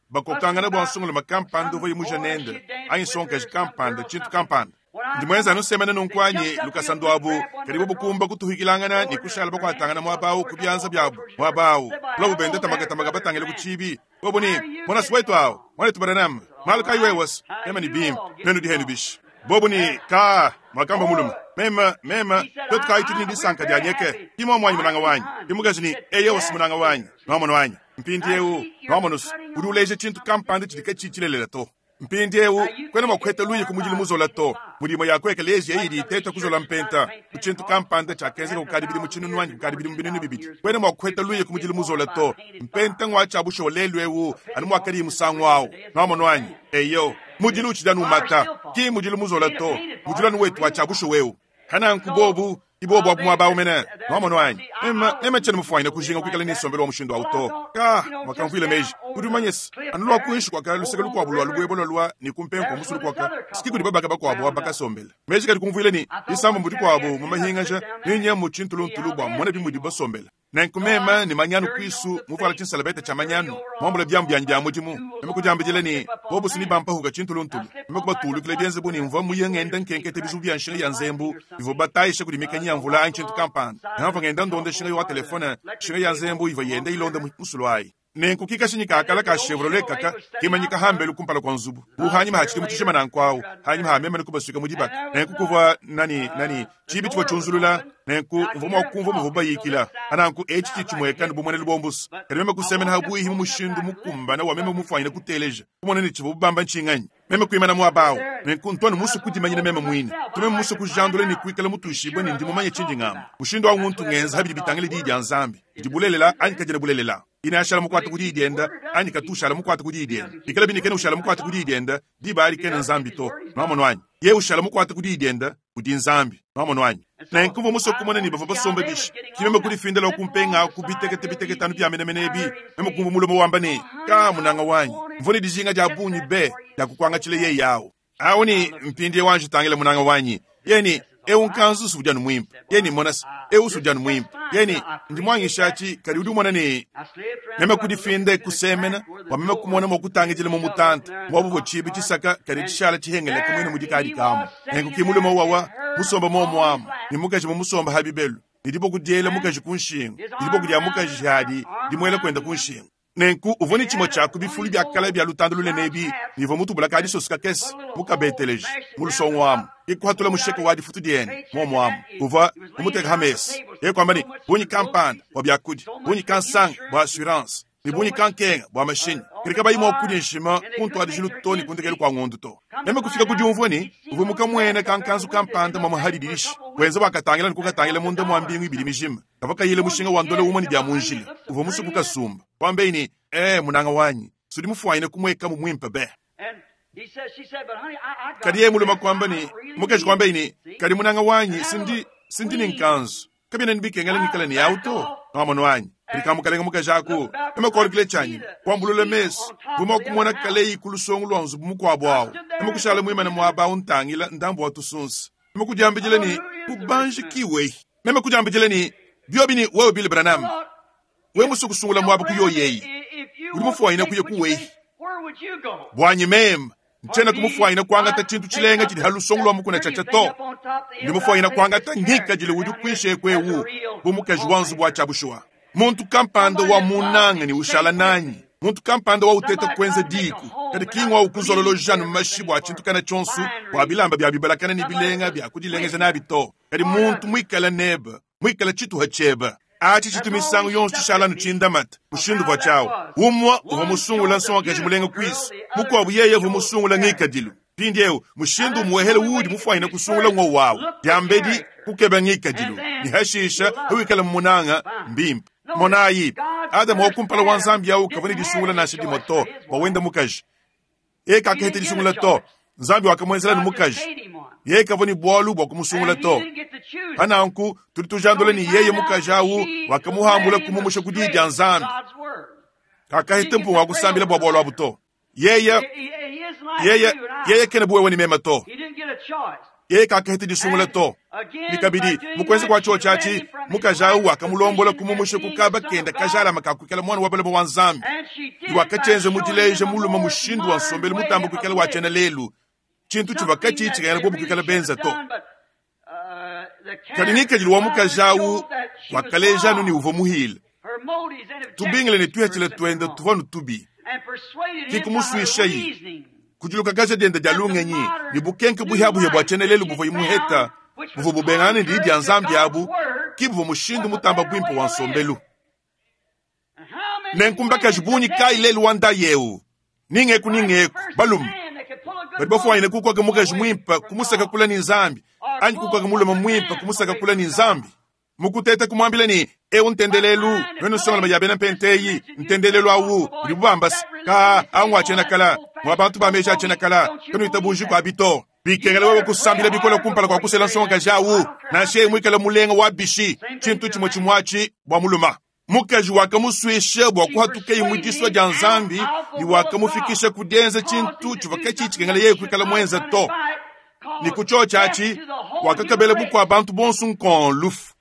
bakokangana bwa nsongolo makampanda uva yimuja nenda anyi sonkaji kampanda chintu kampanda ndimwenza anusemene nunkwanyi lukasandu abu kadi bubukumba kutuhikilangana ni kushala bakwatangana mwabawu kubyanza byabu mwabawu kula bubende tamagatamaga batangile kuchibi bobo ni mwana siwetu awo mwana tubaranam malu kayi wewas mema ni bimpa nenu dihenu bishi bobo ni ka mwakamba muluma mema mema twetu kayi tudi ni disanka dianyeke imwa mwanyi munanga wanyi imukazi ni eyewosi munanga wanyi nwamona wanyi mpindi eu nwamonosi udi uleje chintu kampanda chidika chichilelela to mpindi eu kwena mwakuheta luyi kumujili muzola to mulimo yakweka lezi eyidi iteta kuzola mpenta kuchintu kampanda chakenzeka kukadi bili muchinunu wanyi kukadi bili mubinunu bibidi kwena mwakuheta luyi kumujili muzola to mpenta ng'wacha busho lelu eu anu mwakali musangu awo nwamona wanyi eyo mujili uchidanu mata ki mujili muzola to mujili anu wetu wacha busho weu hana nkubobu Ibo bwa mwaba umene. Mwamono anyi. Mema mema chene mufwanya kujinga kwikala ni sombelo wa mushindo auto. Ka wakamvile meji. Udi manyesi. Anulwa kuishi kwa kalu sekelu kwa bulwa lubwe bono lwa ni kumpenko musulu kwa ka. Sikiku di babaka bakwa bo baka sombela. Meji kali kumvile ni isambo mbudi kwa bo mamahingaja ninye muchintulu ntulu bwa mona bimudi basombela. Nenkumema ni manyanu kwisu muvala chinsalabeta cha manyanu. Mwambula byambu byanjya bya mudimu. Nemekujambijile ni bobu sini bampa huka chintulu ntulu. Nemekubatulu kile byenze buni mva muyengenda nkenkete bizu bya nshinga ya nzembu. Ivo batayishe kuli mikanya mvula ancient kampani. Nava ngenda ndonde shinga yo telefone shinga ya nzembu iva yenda ilonda musulwai. Nenkukika shinyika akala ka Chevrolet kaka kimanyika hambelu kumpala kwa nzubu. Buhanyima hachili muchishema na nkwao. Hanyima hamema nikubasuka mudibaka. Nenkukuvwa nani nani chibi chwa chunzulula nenku mvumo kumva muvuba yikila. Ananku echi chimweka nubumone lubombusu. Kalimema kusemena habuyi himu mushindu mukumba na wamema mufanyina kuteleja. Kumone ni chivu bamba nchinganyi. Meme kuimana mwabao. Nenku ntwanu musu kudimanyina meme mwine. Tume musu kujandule ni kuikala mutushibwe ni ndimo manye chindi ngamo. Mushindu wa nguntu ngenza habidi bitangile di ya nzambi. Dibulelela anyikajira bulelela. Inashala mukwata kudi dienda anyi katushala mukwata kudi dienda ikala binikene ushala mukwata kudi dienda dibali kene nzambi to mwamono anyi ye ushala mukwata kudi dienda kudi nzambi mwamono anyi na nkuvo muso kumona ni bava basomba bishi kimeme kuli findela kumpenga kubitekete bitekete anu byamene menebi meme kumva mulomo wamba ne ka munanga wanyi mvone dijinga ja bunyi be ya kukwanga chile ye yawo awo ni mpindi wanje tangile munanga wanyi yeni ewu nkanzu sujanu mwimpa yeni monas ewu sujanu mwimpa yeni ndimwangishachi kali udi umona ni meme kudifinde kusemena wameme kumona mokutangijile mumutanta mwabuvo chibi chisaka kali chishala chihengele kumwene mudikali kamo nenkukimulomo wawa musomba momwamu ni mukaji mumusomba habibelu nilipo kudyela mukaji kunshingo nilipo kudya mukaji hadi dimwela kwenda kunshingo nenku uvoni chimo chaku bifulu bya kala bya lutando lulenebi nivo mutubula kadi sosuka kesi mukabeteleji mulusongwamu ikuhatula musheko wa difutu diene momwamu uva umuteka hamesi yekwamba ni bunyi kampanda bwa byakudi bunyi kansanga bwa assurance ni bunyi kankenga bwa mashini kirika bayimwa okudya nshima kuntwadi lutoni kundekeli kwa ng'ondu to meme kufika kudiumvweni uve mukamwene kankanzu kampanda mwa muhalidilishi wenza wakatangila nikukatangila munda mwa mbingu ibili mijima kava kayile mushinga wa ndole umwe ni bya munjila uve musuku kasumba kwambeini eh munanga wanyi sudi mufwanyine kumweka mumwimpe be kadi ye muluma kwamba ni mukeshi kwambeini kadi munanga wanyi sindi sindi ni nkanzu kabina nibikengela nikala ni auto mwamono wanyi likamukalenga mukajaku emakolikile chanyi kwambulule mesu vuma kumona kaleyi kulusongo lwa nzubu mukwabo awo emakushala mwimana mwaba untangila ndambo wa tusunsi emakujambijile ni kubanji kiwe meme ni byobi ni wewe Billy Branham we musukusungula mwaba kuyoyeyi uli mufwanyina kuye kuweyi bwanyi meme nchena kumufwanyina kwangata chintu chilenga chili halusongo lwa mukuna chacha to ndi mufwanyina kwangata ngika jile udi kwishe kwewu bumukaji wa nzubu wa chabushwa muntu kampanda wa munanga ni ushala nanyi muntu kampanda wa uteta kwenze diku kadi kingwa ukuzololo janu mashibu achintu kana chonsu wa bilamba bya bibalakana ni bilenga bya kudilengeja nabi to kadi muntu mwikala neba mwikala chitu hacheba achi chitu misango yonso chishala nuchindamata mushindu bwa chawo umwa uva musungula nsonga kaji mulenga kwisi mukwabu yeye uva musungula ngikadilu pindi ewu mushindu muwehele udi mufwanyina kusungula ng'o wawu dyambedi kukeba ngikadilu ni hashisha huwikala mmunanga mbimpa monayi adamu wakumpala wa nzambi yawu kavani disungula nashe dimoto wawenda mukaji ye kakahete disungula to nzambi wakamwenzela ni mukaji ye kavani bwalu bwa kumusungula to pananku tuli tujandula ni yeye mukaji awu wakamuhambula kumumusha kudidya nzambi kakahete mpungu wakusambila bwa bwalu abu to yeye yeye yeye kene buwewe ni mema to yeye kakahete disungula to nikabidi mukwenze kwa cho chachi mukajawu wakamulombola kumumusha kukaba kenda kajala makakukela mwana wa balabo wa nzambi iwakachenze mudileje muluma mushindu wa nsombelu mutambo kukela wachena lelu chintu chivakachi chikayana bobu kukela benza to kadi nikajili wa mukajawu wakalejanu ni uvo muhile tubingile ni tuhechele twenda tuvanu tubi kikumuswishayi kujuluka kaja dienda dia lungenyi ni bukenke buhyabuhya bwa chene lelu buvo imuheta buvo bubengane ndi dia nzambi abu kibuvo mushindu mutamba bwimpo wa nsombelu nenkumbakaji bunyi kai lelu wanda yewu ningeku ningeku balumu badi bafwanyine kukwaka mukaji mwimpa kumusaka kula ni nzambi anyi kukwaka muluma mwimpa kumusaka kula ni nzambi mukuteta kumwambila ni ewu ntendelelu wenu songola mayabena mpenteyi ntendelelu awu uli bubambasi ka angu achena kala mwa bantu ba meja achena kala kanu itabuji kwa bito Bikengela wewe kusambila bikole kumpala kua kusela nsongakaji awu, nansha yeye muikale mulenga wa bishi, tshintu tshimue tshimue atshi bua mulume. Mukaji wakamuswisha bua kuhatukeyi mu disua dia Nzambi ne wakamufikisha ku dienza tshintu tshivua katshi tshikengela yeye kuikala muenza to. Ne ku tshiotshi atshi, wakakabela bukua bantu bonso nkon lufu.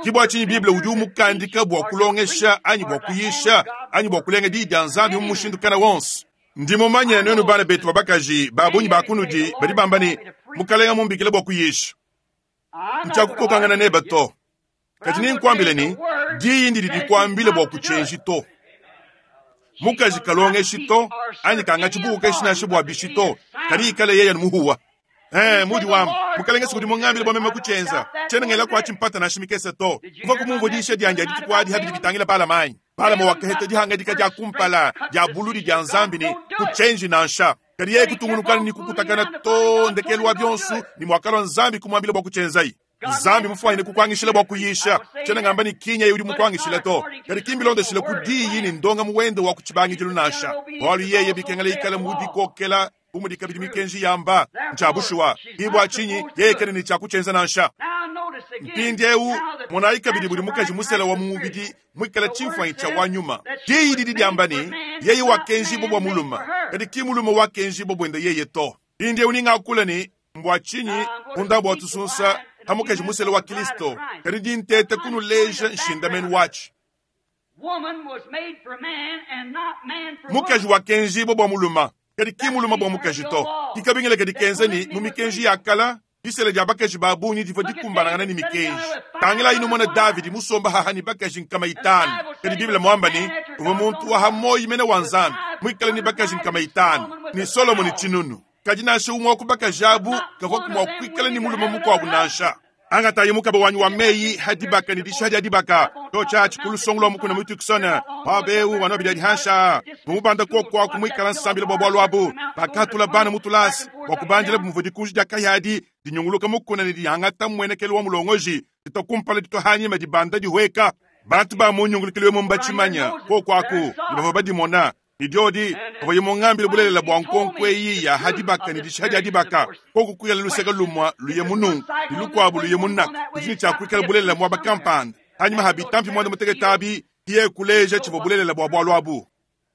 Ke bua tshinyi Bible udi umukandika bua kulongesha anyi bua kuyisha anyi bua kulenga diyi dia Nzambi mu mushindu kana wonso. Ndi mumanye nuenu bana betu ba bakaji ba bungi ba kunudi badi bamba ne, Mukalenga mumbikile bua kuyisha. Ntshiakukokangana nebe to. Kadi ninkuambile ne, diyi ndidi dikuambile bua kutshienji to. Mukaji kalongeshi to, anyi kangatshi bukokeshi nansha bua bishi to, kadi ikale yeye muhuwa. Eh, mudi wamba, Mukalenge sikudi mungambile bua meme kutshienza. Tshiena ngela kuatshi mpata nansha mikese to. Mvua kumumvua diyisha dianyi dia dituku adi habidi bitangila Balama anyi. Balama wakaheta dihangadika dia kumpala dia buludi dia Nzambi ne kutshienji nansha. Kadi yeye kutungunukana ne kukutakana to ndekelu wa bionso ne mwakalua Nzambi kumwambila bua kutshienzayi. Nzambi mufuanyine kukuangishila bua kuyisha. Tshiena ngamba ne kinya yeye udi mukuangishila to. Kadi kimbilondeshile ku diyi ne ndonga muwende wa kutshibangidilu nansha. Bualu yeye bikengela ikale mu dikokela bu mudi kabidi mikenji yamba ntsha bushuwa. Ke bua tshinyi yeye kena ne tshiakutshienza nansha. Mpindieu monayi kabidi budi mukaji musela wa mu mubidi muikale tshimfuanyi tshia wa nyuma. Diyi didi diamba ne, yeye wakenjibua bua mulume, kadi ki mulume wakenjibua buende yeye to. Mpindieu ningakula ne mbua tshinyi munda bua tusunsa ha mukaji musela wa Kristo, kadi dintete kunuleja nshindamenu watshi. Mukaji wakenjibua bua mulume, kadi ki mulume bua mukaji to. Kikabingila kadi kenza ne mu mikenji ya kala, disela dia bakaji ba bungi divua dikumbanangana ne mikenji. Tangila inu mona Davidi musomba haha ne bakaji nkama itanu. Kadi Biblia mwamba ne, uvua muntu wa hamoyi mene wa Nzambi, muikale ne bakaji nkama itanu, ne Solomoni tshinunu. Kadi nansha umwe wa ku bakaji abu kavua mua kuikala ne mulume mukuabu nansha. Angatayi mukaba wanyi wa meyi hadibaka ne disha dia dibaka to tshiatshi ku lusongo lwa mukuna mu Tucson pabeu wanobi dia hansha mumubanda kokwa kumuikala nsambila bua bualu abu bakatula bana mutulasi bua kubandila bumvua dikunji dia kayadi dinyunguluka mukuna ne dihangata mmuenekelo wa mulongoji ditokumpala ditohanyima dibanda dihweka bantu ba munyungulukilo mu mbatshimanya kokwaku ne bavua badimona idiodi bavua mungambile bulelela bua nkonko eyi ya hadibaka ne disha dia dibaka koku kuyala luseka lumwa luye munungu ne lukuabu luye munaka kudi tshiakuikala bulelela muaba kampanda hanyuma habitampi mwanda mutekete abi iye kuleja tshivua bulelela bua bualu abu.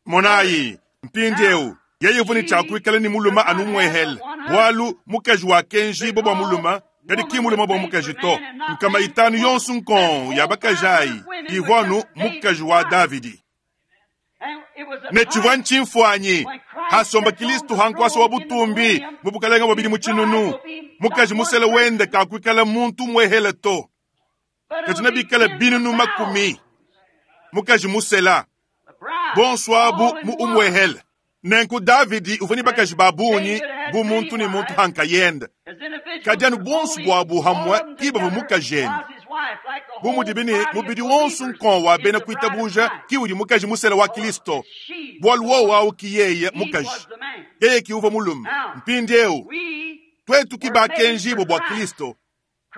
Monayi mpindieu yeye uvua ne tshiakuikala ne mulume anu muehele bualu mukaji wakenjibua bua mulume kadi ki mulume bua mukaji to. Nkama itanu yonso nkon ya bakaji ayi ivua anu mukaji wa Davidi. Ne tshivua ntshimfuanyi hasomba Kristo hankwasa wa butumbi mu bukalenga bubidi mu tshinunu. Mukaji musele wende kakuikala muntu muehele to, kadi bikala binunu makumi. Mukaji musela bonso abu mu umwehele. Nenku Davidi uvua ne bakaji ba bungi bu muntu ne muntu hankayende, kadi anu bonso buabu hamwe ki bavua mukajende. Bu mudi ne mubidi wonso nkon wa bena kuitabuja ki udi mukaji musela wa Kristo, bualu wowo awu ki yeye mukaji, yeye ki uvua mulume. Mpindieu twetu ki bakenjibua bua Kristo,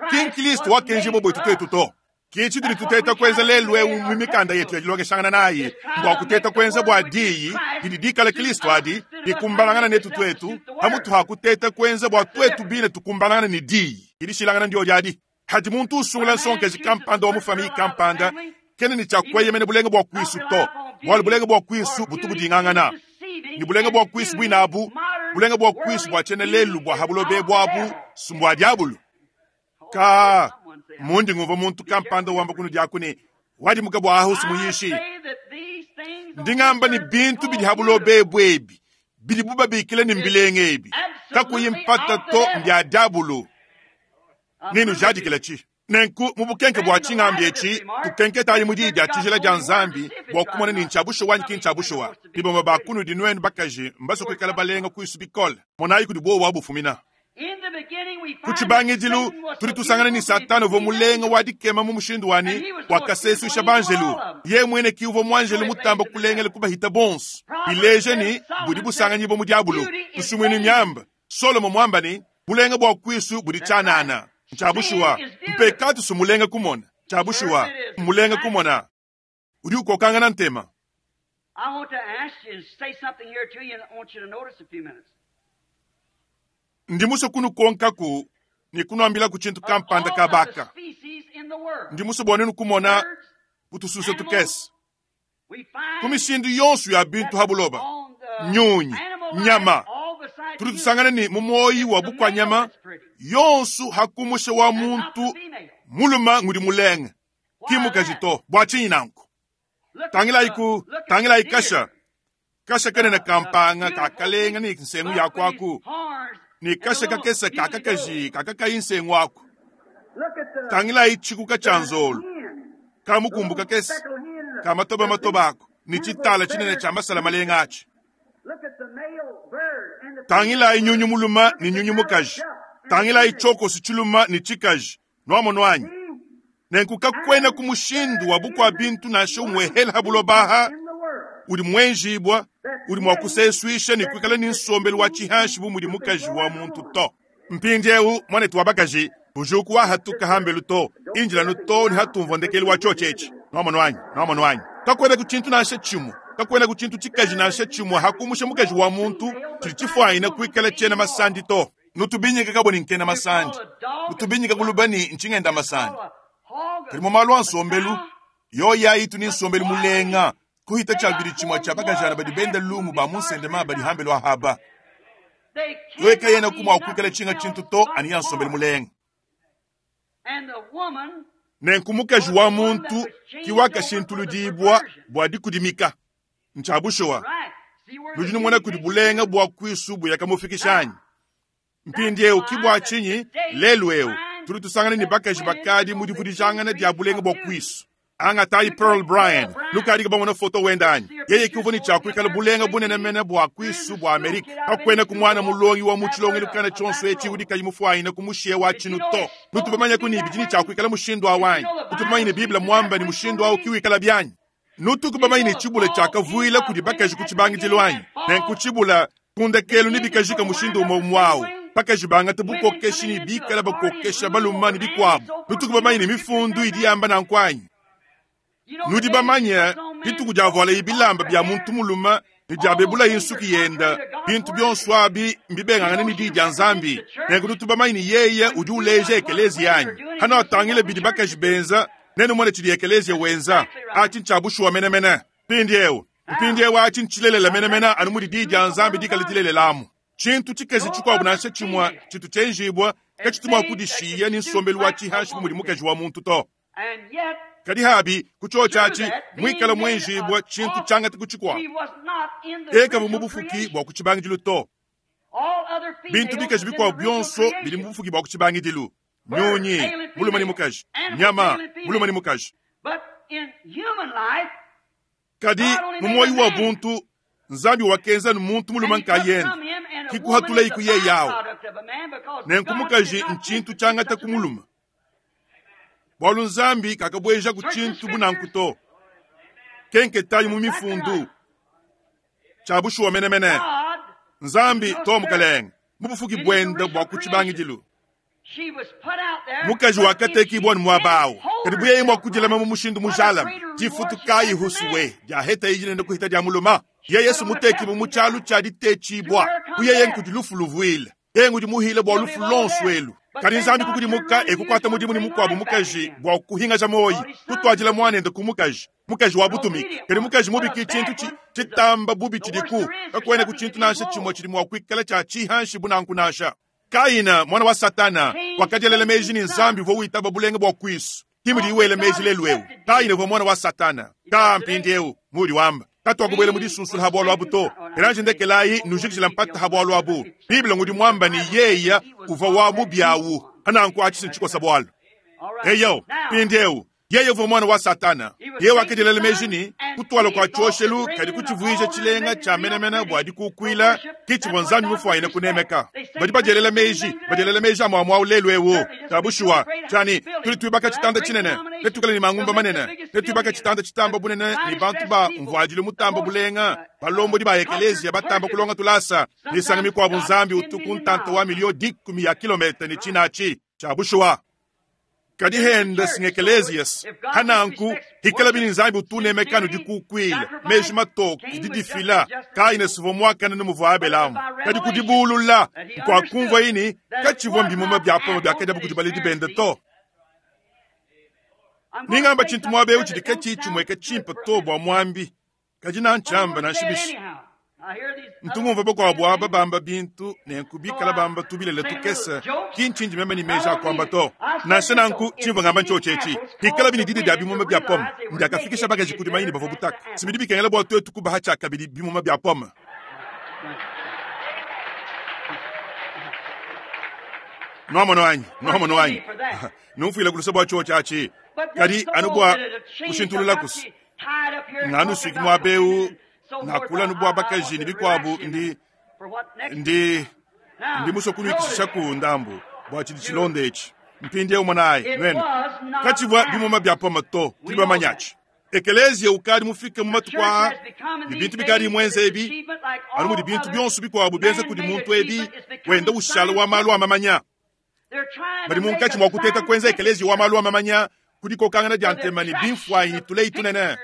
ki Kristo wakenjibua bwetu twetu to. Ki tshitudi tuteta kuenza lelu eu mu mikanda yetu ya dilongeshangana nayi mbua kuteta kuenza bua diyi didi dikala Kristo adi dikumbanangana netu twetu, pamutu ha kuteta kuenza bua twetu bine tukumbanangana ne diyi idishilangana ndio diadi. Hadi muntu usungula nsonkeji kampanda wa mufamili kampanda kene ni tshiakueyemena bulenga bua kuisu to, bualu bulenga bua kuisu butu budingangana ni bulenga bua kuisu buinabu bulenga bua kuisu bua tshiena lelu bua habulobe buabu sumbua diabulu. Ka mundi ngumva muntu kampanda wamba kunu diaku ne wadimuka bua ahusu muyishi ndingamba ni bintu bidi habulobe bwebi bidi bubabikile ni mbilenge ebi kakuyi mpata to mbya diabulu. Ninu jadikila chi nenku mubukenke bua tshingambi etshi tukenketayi mu diyi dia tshijila dia Nzambi bua kumona ni ntshiabushuwa anyi ki ntshiabushuwa. Bibomba ba kunu dinuenu bakaji mbaso kuikala balenga kuisu bikole monayi kudi buowa bufumina. Ku tshibangidilu tudi tusangana ni Satana uvua mulenga wa dikema mu mushindu wani wakasesuisha banjelu. Ye mwene ki uvua muanjelu mutamba kulengela kubahita bonso bileja ni budi busanganyibwa mu diabulu. Tusumwini myamba Solomo mwamba ni bulenga bua kuisu budi tshianana. Ntshiabushuwa mpekatu sumulenga kumona, tshiabushuwa mulenga kumona udi ukokangana ntema. I want to ask you and say something here to you, and I want you to notice a few minutes. Ndi musue kunukonkaku ne kunuambilaku tshintu kampanda kabaka. Ndi musue bua nenu kumona kutususa tukese. Ku mishindu yonso ya bintu ha buloba, nyunyi, nyama, tudi tusangana ne mu moyi wa bukwanyama yonso hakumusha wa muntu muluma ngudi mulenge kimukaji to bua tshinyi nanku. Tangilayiku, tangilayi kasha kasha kanene kampanga kakalenga ne nsengu ya kwaku ne kasha kakese kakakaji kakakayi nsengu aku. Tangilayi tshikuka tshia nzolo kamukumbu kakese kamatoba matoba ako ne tshitala tshinene tshia masala malenga atshi. Tangilayi nyunyu muluma ne nyunyu mukaji. Tangilayi tshiokosu tshiluma ne tshikaji nwamono anyi. Nenku kakwena ku mushindu wa bukwa bintu nansha umwe hela bulobaha udi mwenjibwa udi mwa kuseswisha ne kuikala ne nsombelu wa tshihanshi bu mudi mukaji wa muntu to. Mpindiewu mwanetu wa bakaji bujuku wa hatuka hambelu to injilanu to ne hatumvua ndekelu wa tshiotshetshi nwamono anyi nwamono anyi. Kakwena ku tshintu nansha tshimwe kakwena ku tshintu tshikaji nansha tshimwe hakumusha mukaji wa muntu tshidi tshifuanyina kuikala tshiena masandi to. Nutubinyika kaboni nkena masandi nutubinyika kulubani ntshingenda masandi. Kadi mu malu a nsombelu yoya itu ni nsombelu mulenga kuhita tshiabidi tshimwe tshia bakajana badi benda lumu ba munsendema badi hambelu ahaba. Yoyeka yena kumwa kuikala tshinga tshintu to ani ya nsombelu mulenga. Nenku mukaji wa muntu kiwakashintuludibwa bua dikudimika ntshia nudi numona kudi bulenga bua kuisu buyakamufikishanyi. Mpindiewu kibwa tshinyi lelu ewu tuli tusangana ne bakaji bakadi mu divudijangana dia bulenga bua kuisu. Angatayi Pearl Bryan lukadi kabamona foto wenda anyi yeye kiuvua ne tshiakuikala bulenga bunene mene bua kuisu bua Amerika kakwena ku mwana mulongi wa mu tshilongelu kana tshionso etshi udi kayi mufuanyina ku mushiye wa tshinu to. Nutubamanya ku ni bidi ne tshiakuikala mushindu awanyi utubamanya ne Biblia mwamba ni mushindu awu kiwikala byanyi. Nutukubamanya ne tshibula tshiakavuila kudi bakaji ku tshibangidilo anyi nenku tshibula kundekelu ne bikajika mushindu umwe umwawu. Bakaji bangata bukokesha ne bikala bakokesha baluma ne bikwabu. Nutukubamanya ne mifundu idi yamba nanku anyi. Nudi bamanye dituku dia vola ibilamba bya muntu muluma ne dia bebula insuki yenda bintu byonso abi mbibengangane ne di dia Nzambi. Nenku nutubamanye ne yeye udi uleja ekelezia yanyi hano atangile bidi bakaji benza nenu mone tshidi ekelezia wenza achi ntshia menemene. Mpindiewu mpindiewu achi ntshilelela menemene anu mudi di dia Nzambi dikala dilelelamu. Tshintu tshikezi tshikuabu nansha tshimwe tshitu tshienjibwa katshitumwa kudishiya ni nsombelu wa tshihanshi bu mudi mukaji wa muntu to. Kadi habi kutshotshatshi mwikala mwenjibwa tshintu tshiangata kutshikwa eka mu bufuki bua kutshibangidilu to. Bintu bikaji bikwabu byonso bidi mu bufuki bua kutshibangidilu. Nyunyi muluma ni mukaji, nyama muluma ni mukaji. Kadi mu moyi wa buntu Nzambi wakenza muntu muluma nkayenda kikuhatula ikuye yawo. Nenku mukaji nchintu tshiangata kumuluma. Bwalu Nzambi kakabweja ku tshintu bunanku to. Kenketayi mu mifundu tshia menemene. Nzambi to mukalenga mu bufuki bwenda bua kutshibangidilu. Mukaji wakatekibwa ni mwabawu kadi buyeye mwa kudilama mu mushindu mujalama difutu kayi husuwe dia heta ijinene kuhita dia muluma. Ye Yesu mutekibu mu tshialu tshia ditetshibwa kuyeye nkudi lufu luvuile yeye ngudi muhile bua lufu lonso elu. Kadi Nzambi kukudimuka ekukwata mudimu ni mukwabu mukaji bua kuhingaja moyi kutwadila mwanende ku mukaji mukaji wa butumika. Kadi mukaji mubiki tshintu tshitamba bubi tshidiku kakwena ku tshintu nansha tshimwe tshidi mua kuikala tshia tshihanshi bunanku nansha. Kaina mwana wa Satana wakadielela meji ni Nzambi uvua witaba bulenga bua kuisu kimudi iwele meji lelu ewu. Kaina uvua mwana wa Satana ka mpindiewu mudi wamba katwakubwela mu disunsula ha bwalu abu to. Eranje ndekelayi nujikijila mpata ha bwalu abu. Biblia ngudi mwamba ni yeya uvua wa mubyawu hananku achisa ntshikosa bwalu. Eyo mpindiewu yeye uvua mwana wa Satana yeye wakadielela meji ni kutwala kwa tshoshelu kadi kutshivuija tshilenga tshia menemene bua dikukuila kitshivua Nzambi mufuanyine kunemeka. Badi badielela meji badielela meji amwamwawu lelu ewu tabushuwa tshani tuli tuibaka tshitanda tshinene netukale ni mangumba manene netuibaka tshitanda tshitamba bunene ni bantu ba mvuadilu mutamba bulenga balombodi ba ekelezia batamba kulonga tulasa nisanga mikwabu Nzambi utuku ntanta wa milio dikumi ya kilomita ni tshinachi tshia bushuwa. Kadi henda singekelesias hananku hikala bini nzambi utunemekano dikukwila meji matoke didifila kaine suvua mwakana numuvua abelamu kadi kudibulula nkwakumvua ini kachivua mbimuma bya pomo byakadiabo kudi baledi bende to. Ningamba chintu mwabeu chidi kachichimweka chimpa to bwa mwambi kadi nanchamba nanshibishi ntungumva bakwabo aba bamba bintu nenkubikala bamba tubilele tukesa kinchinji meme ni meja akwamba to nansha nanku chimva ngamba nchochechi hikala bini didi dya bimuma bya pome ndyakafikisha bakaji kudi mayini bavua butaka simidi bikengela bwa twetu kubaha chakabidi bimuma bya pome. Nwamono anyi nwamono anyi numfwile kulusa bwa chocho achi kadi anu bwa kushintulula kusi nganu suki mwabeu nakula nubwa bakaji ni bikwabu ndi ndi ndi musokunwikishisha ku ndambu bwa chidi chilonde ichi mpindi eu mwanayi nwene kachivwa bimuma bya poma to tili bamanyachi ekelezia ukali mufike mu matuku aa ni bintu bikali imwenza ebi anu mudi bintu byonso bikwabu byenza kudi muntu ebi wenda ushala wa malu amamanya bali munkatshi mwa kuteta kwenza ekelezia wa malu amamanya kudikokangana dya ntema ni bimfwanyi tuleyi tunene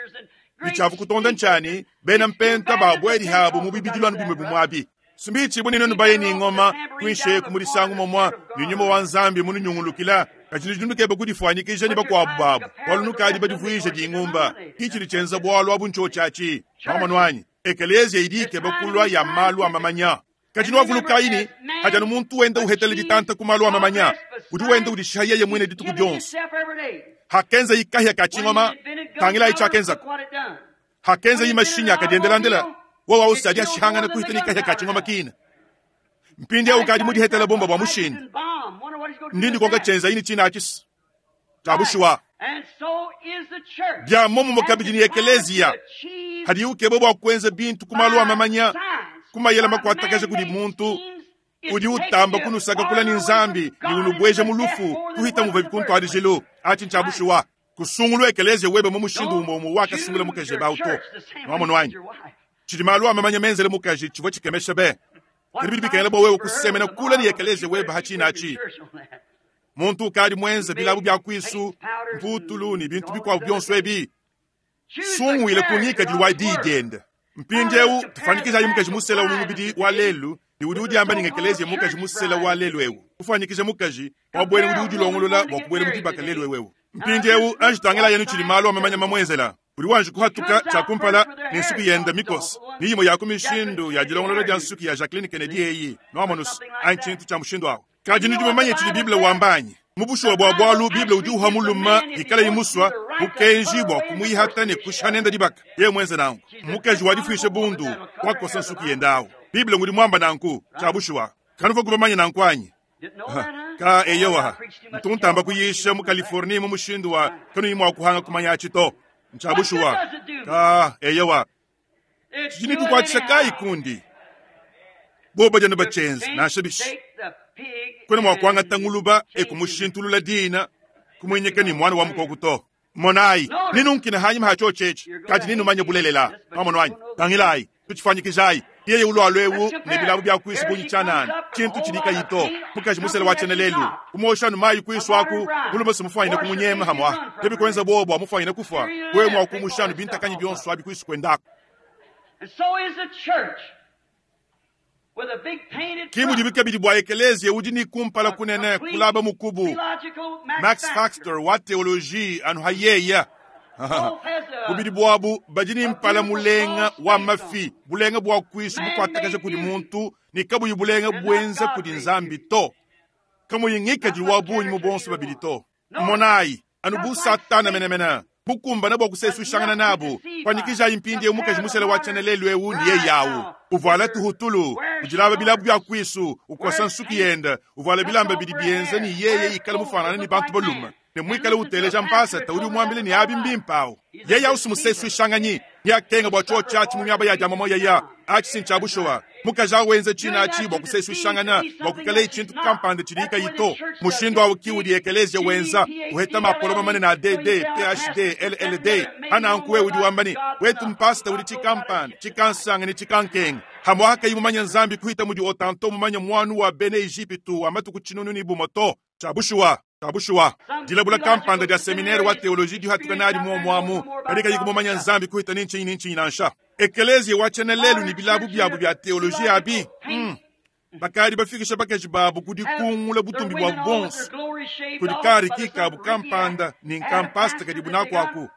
bichavu kutonda nchani bena mpenta babweli habo mu bibidilwanu bimwe bumwabi simbichi bunene nubaye ni ngoma kwinshe kumurisangu momwa ni nyuma wa nzambi mununyungulukila kachini jinukebe kudifwanyikisha ni bakwabu babu walunukadi badivuisha dingumba kichili chenza bwalo abunchochachi pamanwanyi ekelezia idike bakulwa ya malu amamanya kachini wavulukaini hajanu muntu wenda uhetele ditanta ku malu amamanya udi wenda udishaha yeye mwine dituku dyonso hakenza yikahya kachingoma tangila ichakenzako hakenza yimashinya akadiendelandela wowa usadi ashihangana kuhita nikahya kachingoma kina mpindi au kadi mudihetela bomba bwa mushini ndindi konga chenza yini china achisi tabushuwa bya momo mukabidi ni ekelezia hadi ukebo bwa kwenza bintu kumalu amamanya kumayela makwatakaje kudi muntu udi utamba kunusaka kula ni nzambi ni unubweja mulufu kuhita muva bikuntu alijilo achi nchabushuwa kusungulu ekelezia webe mu mushindu umo wakasungula mukaje bauto nwamono wanyi chidi malu amamanya menzele mukaji chivwa chikemesha be kadi bikengela bwa wewe kusemena kula ni ekelezia webe hachina achi muntu ukadi mwenza bilabu bya kwisu mputulu ni bintu bikwabu byonso ebi sungwile kunyika diliwa diidenda mpindiewu tufanikishayi mukaji musela umumubidi wa lelu ni udi udiamba ningekelezia mukaji musela wa lelu ewu kufanikisha mukaji wabwele udi udilongolola bwa kubwele mudibaka lelu ewewu mpindiewu anjitangela yenu chili malu amamanya mamwenzela uli wanji kuhatuka chakumpala ni nsuku yenda mikosi ni yimo ya kumishindu ya dilongolola dia nsuku ya Jacqueline Kennedy eyi noamonusu anchintu cha mushindu awo kaji nidi mumanye chili Biblia wambanyi mubushuwa bwa bwalu Biblia udi uha muluma ikala yimuswa bukenji bwa kumwihata ne kushanenda dibaka ye mwenze nangu mukaji wadifwishe bundu wakosa nsuku yendawo Biblia ngudi mwamba nanku chabushuwa kanuva kubamanya nanku anyi ka eyowa ntuntamba kuyisha mu California mu mushindu wa kanu yimwa kuhanga kumanya achito nchabushuwa ka eyowa chini tukwatisha kai kundi boba jana bachenzi nashabishi kwena mwakwanga tanguluba ekumushintulula dina kumwenyeka ni mwana wa mukokuto monayi ninunkina hanyuma hacho chechi kati ninumanye bulelela pamonwanyi tangilayi tuchifanyikizayi yeye ulwalwewu ne bilabu bya kwisi bunyi chanani chintu chilika yito mukaji musele wa chenelelu kumoshanu mayi kwiswaku mulume simufanyine kumunyema hamwa tebikwenza bobo amufanyine kufa wewe mwakumushanu bintakanyi byonso abi kwisi kwendako And so is the church with a big painted kimu front, dibika bwa ekelezia udi ni kumpala kunene complete kulaba mukubu theological Max Max Factor. Factor wa theologie anu hayeya Both has a bubidi bwabu badi mpala mulenga wa mafi bulenga bwa kwisu bukwatakaja kudi muntu ni kabuyi bulenga bwenza kudi nzambi to kamuyingika wa bunyi mu bonso babili to monayi anu bu satana menemene bukumbana bwa kusesushangana nabo kwanikijayi mpindi eu mukaji musele wa chenelelu eu ni ye yawu uvala tuhutulu ujilaba bilabu bya kwisu ukosa nsuku yenda uvala bilamba bidi byenza ni yeye ikala mufanana ni bantu baluma ne mwikale uteleja mpasa uli umwambile ni abi mbimpawo yeye ausimusesuishanganyi yakenga bwa cho chachi mu myaba ya jamamo yaya achi sinchabushowa mukaji awenze china achi bwa kusesuishangana bwa kukala ichintu kampande chilika yito mushindu awo kiuli ekelezia wenza uheta mapoloma manene a D D P H D L L D anankuwe udi wambani wetu mpasta uli chikampande chikansanga ni chikankenga hamwaka imumanya nzambi kuhita mudi otanto mumanya mwanu wa bene Egipitu wa matuku chinunu ni bumoto chabushuwa. Kabushuwa dilabula kampanda dia seminaire wa teoloji dihatuka nadi muomuamu kadi kayi kumumanya Nzambi kuhita ni nchinyi ni nchinyi nansha ekeleziya wa tshiena lelu ni bilabu byabu bya teoloji abi mm. Bakadi bafikisha bakaji babu kudikungula butumbi bwa bonso kudikari kikabu kampanda ni nkampasta kadibu nakwaku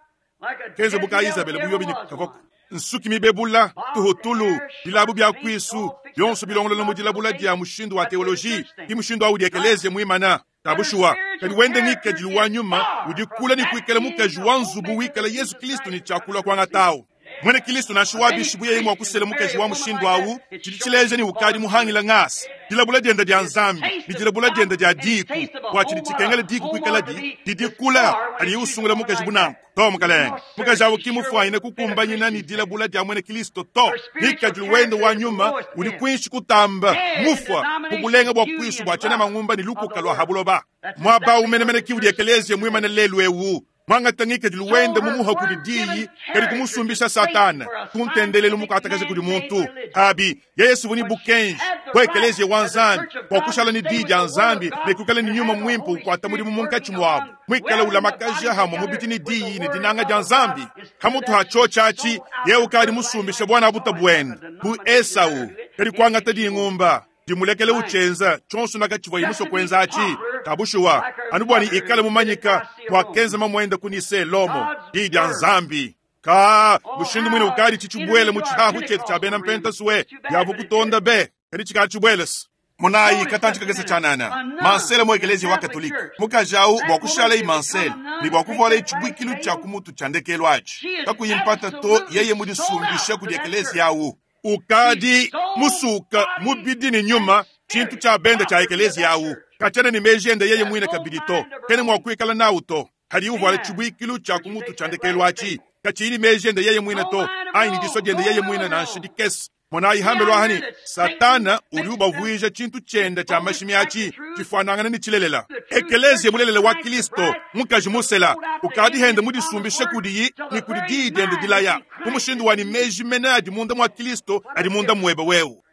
kenze buka Isabela buyobi ni kavoko nsuki mibebula tuhutulu bilabu bya kwisu byonso bilongolola mu dilabula dia mushindu wa teoloji ki mushindu awu diekelezia muimana tabushuwa kadi wende ngikadilu wa nyuma udikula ni kuikala mukaji wa nzubu wikala Yesu Kristo ni chakula kwangatawu mwene Kristo nansha wabishi yeye mwa kusela mukaji wa mushindu awu tshidi tshileja ni ukadi muhangila ngasi dilabula dienda dia Nzambi ni dilabula dienda dia diku bua tshidi tshikengela diku kuikala di didikula adi usungula mukaji bunanku to mukalenge mukaji awu kimufuanyine kukumbanyina ni dilabula dia mwene Kristo to ngikadilu wende wa nyuma udi kwinshi kutamba mufwa kubulenga bua kwisu bua tshiena mangumba ni lukuka lwa habuloba mwaba umenemene kiwu diekelezia mwimane lelu ewu mwangata ngikadilu wende mumuha kudi diyi kadi kumusumbisha Satana kuntendelelu mukatakaze kudi muntu abi Yesu vuni bukenji bua ekeleziya wa Nzambi bua kushala ni diyi dia Nzambi ne kukala ni nyuma mwimpe ukwata mudimu munkatshi muabu mwikala ulamakaja hamwe mubidi ni diyi ni dinanga dia Nzambi hamutu ha tshotshatshi yewe ukadi musumbisha bwana buta bwende bu Esau kadi kuangata dingumba dimulekele uchenza tshonso nakatshivua imuso kwenza atshi kabushuwa anu bwani ikale mumanyika bua kenza mamwenda kunise lomo diyi dia Nzambi ka mushindu mwine ukadi tshitshibwele mu tshihahu tshetu tshia bena mpenta suwe yavu kutonda be kadi tshikala tshibwelesi munayi katanji kakese tshanana mansele mu ekelezia wa katolika mukaji awu bua kushala yi mansele ni bua kuvuala itshibwikilu tshia kumutu tshia ndekelu atshi kakuyimpata to yeye mudisumbisha kudi ekelezia awu ukadi musuka mubidi ni nyuma tshintu tshia benda tshia ekelezia awu katshiena ni meji ende yeye mwine kabidi to kene mua kuikala nawu to hadi uvuala tshibwikilu tshia kumutu tshia ndekelu atshi katshiyi ni meji ende yeye mwine to ayi ni diswa diende yeye mwine nansha dikese monayi hambelwa hani Satana udi ubavuija tshintu tshienda tshia mashimi atshi tshifuanangana ni tshilelela ekelezia mulelela wa Kristo mukaji musela ukadi hende mudisumbishe kudiyi ni kudi diyi diende dilaya mu mushindu wa ni meji mene adi munda mwa Kristo adi munda muebe wewu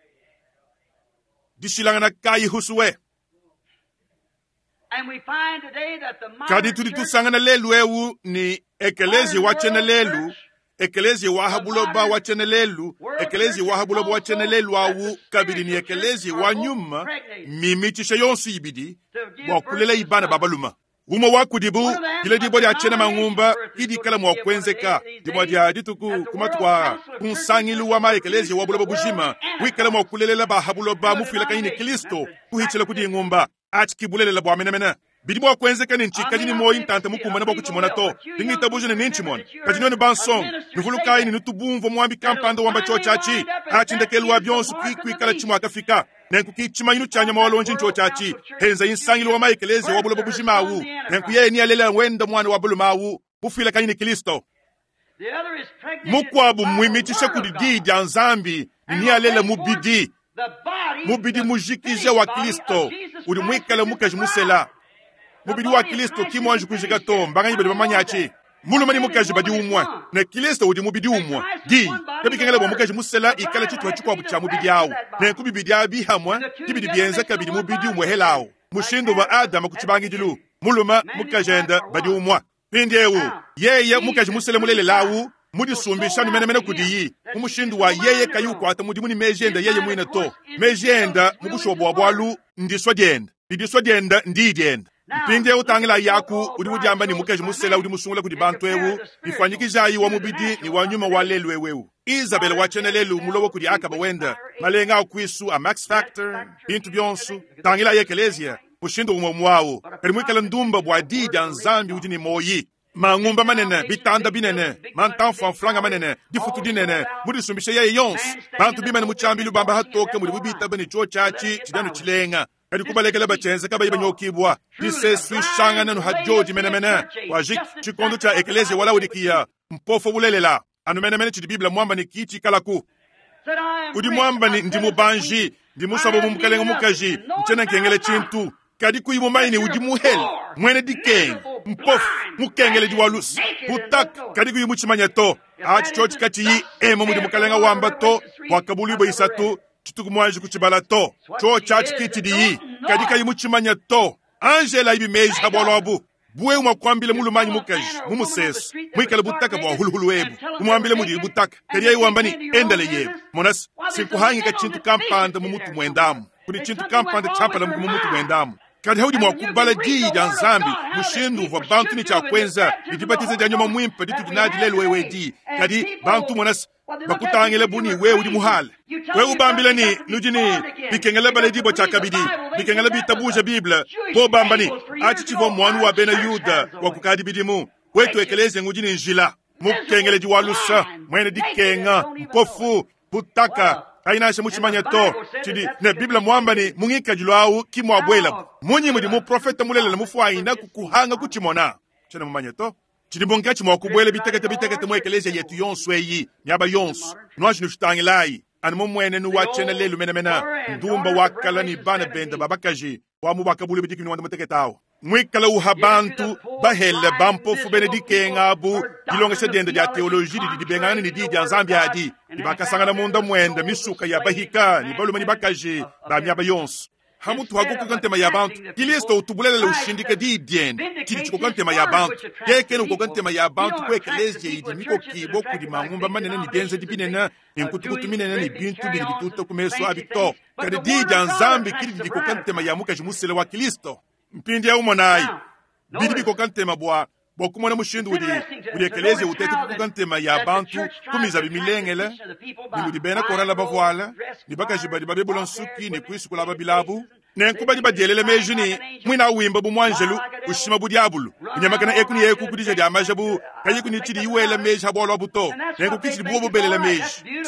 dishilangana kayi husuwe kadi tudi tusangana lelu ewu ni ekelezia wa tshiena lelu ekelezia wa habuloba wa tshiena lelu ekelezia wa habuloba wa tshiena lelu awu kabidi ni ekelezia wa nyuma mimitshisha yonso ibidi bua kulela ibana babaluma umwe wa kudibu dile dibua dia tshiena mangumba idikala mua kuenzeka dibua dia dituku kumatuku kunsangilu wa maekelezia wa buloba bujima wikala mua kulelela bahabuloba mufuilakanyini ni Kristo kuhitshila kudi ngumba atshi kibulelela bua menemene bidi bua kuenzeka ni ntshikadi ni moyi ntanta mukumbana bua kutshimona to dingitabuja ne nintshimona kadi noni bansonga nuvulukayi ni nutubumvua muambi kampanda wamba tshotshatshi atshi ndekelu wa bionso kuikwikala tshimue akafika nenku kitshimanyinu tshia nyama walonji ntshotshatshi henza insangilu wa maekelezia wa buloba bujima awu nenku yeye ni alela wenda mwana wa bulume awu mufuilakanyi ni Kristo mukwabu mwimitshisha kudi diyi dia Nzambi ni ni alela mubidi mubidi mujikija wa Kristo udi mwikala mukaji musela mubidi wa Kristo kimwanji kujika to mbanganyi badi bamanyachi mulume ni mukaji badi umwe ne Kristo udi mubidi umwe di kabikengela bua mukaji musela ikala tshituha tshikuabu tshia mubidi awu nenku bibidi abi hamwe bibidi bienza kabidi mubidi umwe helawu mushindu wa Adama kutshibangidilu mulume mukaji enda badi umwe pindiewu yeye mukaji musela mulelelawu mudisumbisha numenemene kudiyi mu mushindu wa yeye kayi ukwata mudimu ni meji enda yeye mwine to meji enda mu bushuwa bua bualu ndiswa dienda didiswa dienda ndiyi dienda mpindiewu utangila yaku udi udiamba ni mukaji musela udi musungula kudi bantu ewu bifuanyikijayi wa mubidi ni wa nyuma wa lelu ewewu Isabel wa tshiena lelu mulobo kudi Akaba wenda malenga akwisu a Max Factor bintu bionso tangila ye ekelezia mushindu umwe mwawu kadi mwikala ndumba bua diyi dia Nzambi udi ni moyi mangumba manene bitanda binene mantamfwamfulanga manene difutu dinene mudisumbisha yeye yonso bantu bimene mutshambilu bamba hatoke mudi bubitaba ni tshotshatshi tshidanu tshilenga kadi kubalekela bachenze kabayi banyokibwa diseswishangana nu hajodi menemene wajik tshikondo tshia ekelezia wala udikiya mpofo bulelela anu menemene tshidi Biblia mwamba ni kitshikalaku udi mwamba ni ndi mubanji ndi musabo mu mukalenga mukaji ntshiena nkengele tshintu kadi kuyi mumanyi udi muhele mwene dikenge mpofu mukengele diwa lusi butaka kadi kuyi mutshimanya to atshi tshiotshi katshiyi ema mudi mukalenga wamba to bua isatu tshituku muanji kutshibala to tshotshatshi kitshidiyi kadi kayi mutshimanya to Angela ibi meji habwalo abu buwe mwakwambile mulumanyi mukaji mumusesu mwikale butaka bwa huluhulu ebu umwambile mudi butaka kadi wambani endale yebu monasi sinkuhangika chintu kampanda mumutu mwendamu kuli chintu kampanda chapala mumutu mwendamu kadi haudi mwakubala diyi dia nzambi mushindu uvua bantu ni chakwenza lidibatiza dia nyuma mwimpe ditudi lelu wewe di kadi bantu monasi bakutangile buni wewe udi muhale wewe ubambile ni nudi ni bikengele baledibwa chakabidi bikengele bitabuja bible bo bambani achi chivua mwanu wa bena yuda wa kukadi bidimu wetu ekeleze ngudi ni njila mukengeledi wa lusa mwene dikenga mpofu butaka kainasha muchimanya to chidi ne biblia mwamba ni mungikajilo awu kimwabwela munyi mudi muprofeta mulelela mufuayina kukuhanga kuchimona chene mumanya to chidi munkachi mwakubwela bitekete bitekete mu ekelezia yetu yonso eyi miaba yonso nwashi nushitangilayi anu mumwene nuwachena lelu menamena ndumba wakala ni bana benda babakaji wamu bakabule bidiki ni wanda muteketawo mwikala uha bantu bahele bampofu bene dikenga abu dilongesha dienda dia teoloji didi dibengana ni di dia nzambi adi dibakasangana munda mwenda misuka ya bahika ni balume ni bakaji ba miaba yonso hamutu hakukoka ntema ya bantu kilisto utubulelela ushindika di diene chidi chikoka ntema ya bantu kekene ukoka ntema ya bantu ku ekelezia idi mikokibo kudi mangumba manene ni bienze dibinene ni nkutukutu minene ni bintu bidi bituta ku meso abi to kadi di dia nzambi kidi dikoka ntema ya mukaji musele wa kilisto mpindi ya umonayi bidi bikoka ntema bwa bwa kumona mushindu udi udi ekelezia utete kukoka ntema ya bantu kumiza bimilengele ni mudi bena korala bavuala ni bakaji badi babebula nsuki ni kuisukula babilabu nenku badi badielele meji ni mwina wimba bu mwanjelu ushima bu diabulu unyamakana eku ni eku kudija dia maja bu kayiku ni chidi iwela meji habwalwa buto nenku kichidi bubo bubelela meji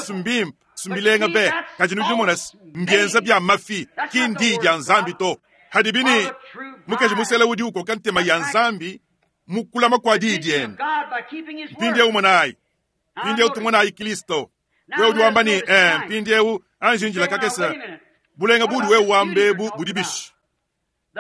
sumbimpa sumbilenga be kaji nudi monasi mbienza bya mafi kindi dia nzambi to hadibini mukaji musele udi ukoka ntema ya nzambi mukulama kwa dii diene mpindiewu monayi mpindiewu tumonayi kristo wewe udi wamba ni eh, mpindiewu anjinjila kakesa bulenga budi wewe wambebu budi bishi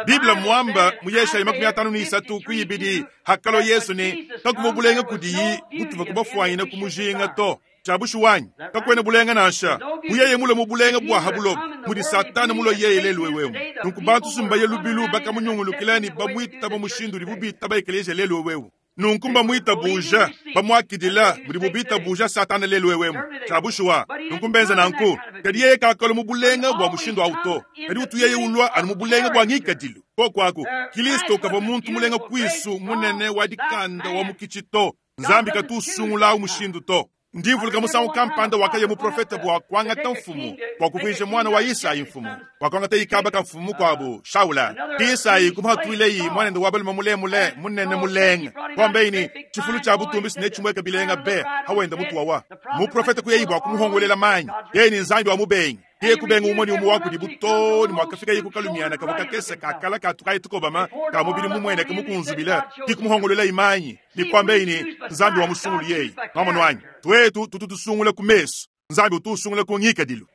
biblia mwamba mu yeshayi makumi atanu ni isatu kuibidi hakalo yesu ni kakuva bulenga kudiyi butuva kubafuanyina kumujinga to chabushu wanyi kakwena bulenga nansha muyeye mulo mu bulenga bwa habulobo mudi satana mulo yeye lelu wewemu nunku bantu sumbaye lubilu bakamunyungulukila ni bamwitaba mushindu udi bubita ba ekelezia lelu wewewu nunku mbamwita buja bamwakidila budi bubita buja satana lelu wewemu chabushuwa nunku mbenza nanku kadi yeye kakalo mu bulenga bwa mushindu awu to kadi utu yeye ulwa anu mu bulenga bwa ngikadilu kokwaku kilisto kava muntu mulenga kwisu munene wa dikanda wa mukichi to nzambi katusungula mushindu to ndivuluka musangu kampanda wakaye muprofeta bwa kuangata mfumu bwa kuvuija mwana wa isayi mfumu bwa kuangata ikaba ka mfumu kwabu shaula isayi kumhatuileyi mwanende wa balume mulemule munene mulenga kwambeini chifulu cha butumbi sine chimweka bilenga be hawenda mutu wawa muprofeta kuyeyi bwa kumuhongolela manyi yeyi ni nzambi wa mubengi iye kubenga umoni umu wakudi butoni mwakafika ye kukalumiana kavo kakese kakala katukayi tukobama ka mubili mumwene kemukunzubila kikumuhongolela imanyi ni kwambeini nzambi wa musungulu yeyi mwamonu wanyi twetu tututusungula ku meso nzambi utusungula ku ngikadilu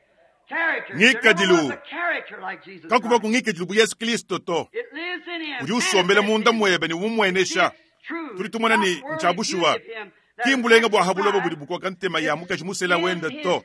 ngikadilu kakuva ku ngikadilu bu yesu kristo to udi usombela munda mwebe ni umumwenesha tuli tumona ni nchabushuwa kimbulenga bwa habulobo budi bukoka ntema ya mukaji musela wenda to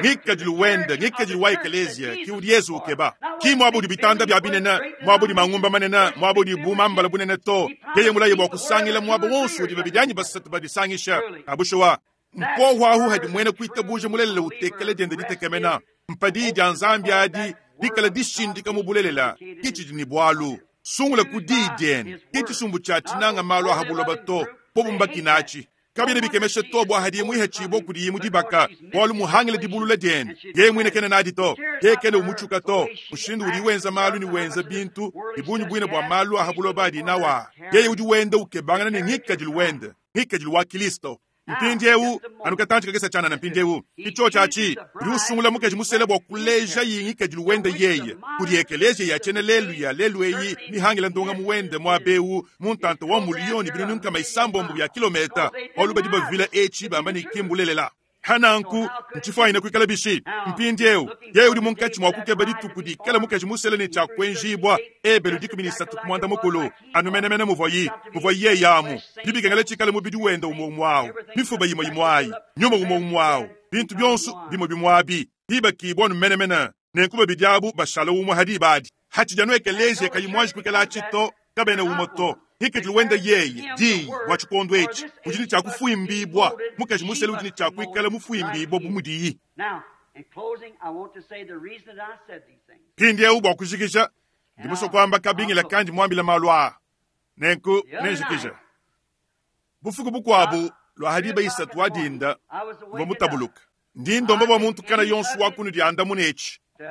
ngikadilu wenda ngikadilu wa ekelezia ki udi yesu ukeba ki mwabudi bitanda bya binene mwabudi mangumba manene mwabudi bumambala bunene to yeye mulaye bwa kusangila mwabo wonso udi babidyanyi basatu badisangisha abushuwa mpohwahu hadi mwene kuitabuja mulelele utekele diende ditekemena mpadi dia nzambi adi dikala dishindika mu bulelela kichidi ni bwalu sungula ku dii diene kichisumbu cha tinanga malu ahabuloba to pobumbakinachi kabine bikemeshe to bwa hadi mwihe chibo kudi yimu dibaka bwalu muhangile dibulula diene ye mwine kene nadi to ye kene umuchuka to mushindu udi wenza malu ni wenza bintu ibunyu bwine bwa malu ahabuloba adi nawa yeye udi wenda ukebangana ni ngikadilu wende ngikadilu wa kristo mpindiewu anukatanji kakesa chana na mpindiewu icho chachi udi usungula mukaji musele bwa kuleja yingi kadilu wende yeye kudi ekelezia ya chene lelu ya lelu eyi mihangila ndonga muwende mwabewu muntanta wa muliyoni binunu nkama isambombo bya kilometa olu badi bavila echi bamba ni kimbulelela hananku nchifuanyine kuikala bishi mpindiewu yeye udi munkatshi mwa kukeba dituku dikala mukaji musele ni tshiakuenjibwa ebelu dikumi ni satu kumwanda mukulu anu menemene muvoyi muvoyi yeye amu dibikengela tshikale mubidi wenda umwe umwawu mifuba yimwe yimwayi nyuma umwe umwawu bintu byonso bimwe bimwabi dibakibwa anu menemene nenku babidi abu bashala umwe hadi badi Hatshidi anu ekeleziya kayi muanji kuikala atshi to, kabena umue to. Ngikadilu wende yeye diyi bua tshikondo etshi udi ne tshia kufuimbibua. Mukaji musele udi ne tshia kuikala mufuimbibua bu mudiyi. Now, in closing, I want to say the reason that I said these things. Mpindieu bua kujikija, ndi musue kuamba kabingila kandi muambile malu aa. Nenku nenjikije. Bufuku bukuabu lua hadiba isatu wa dinda I was mvua awakened up mutabuluka. Ndi ndomba bua muntu kana yonso wa kunu diandamuna etshi. to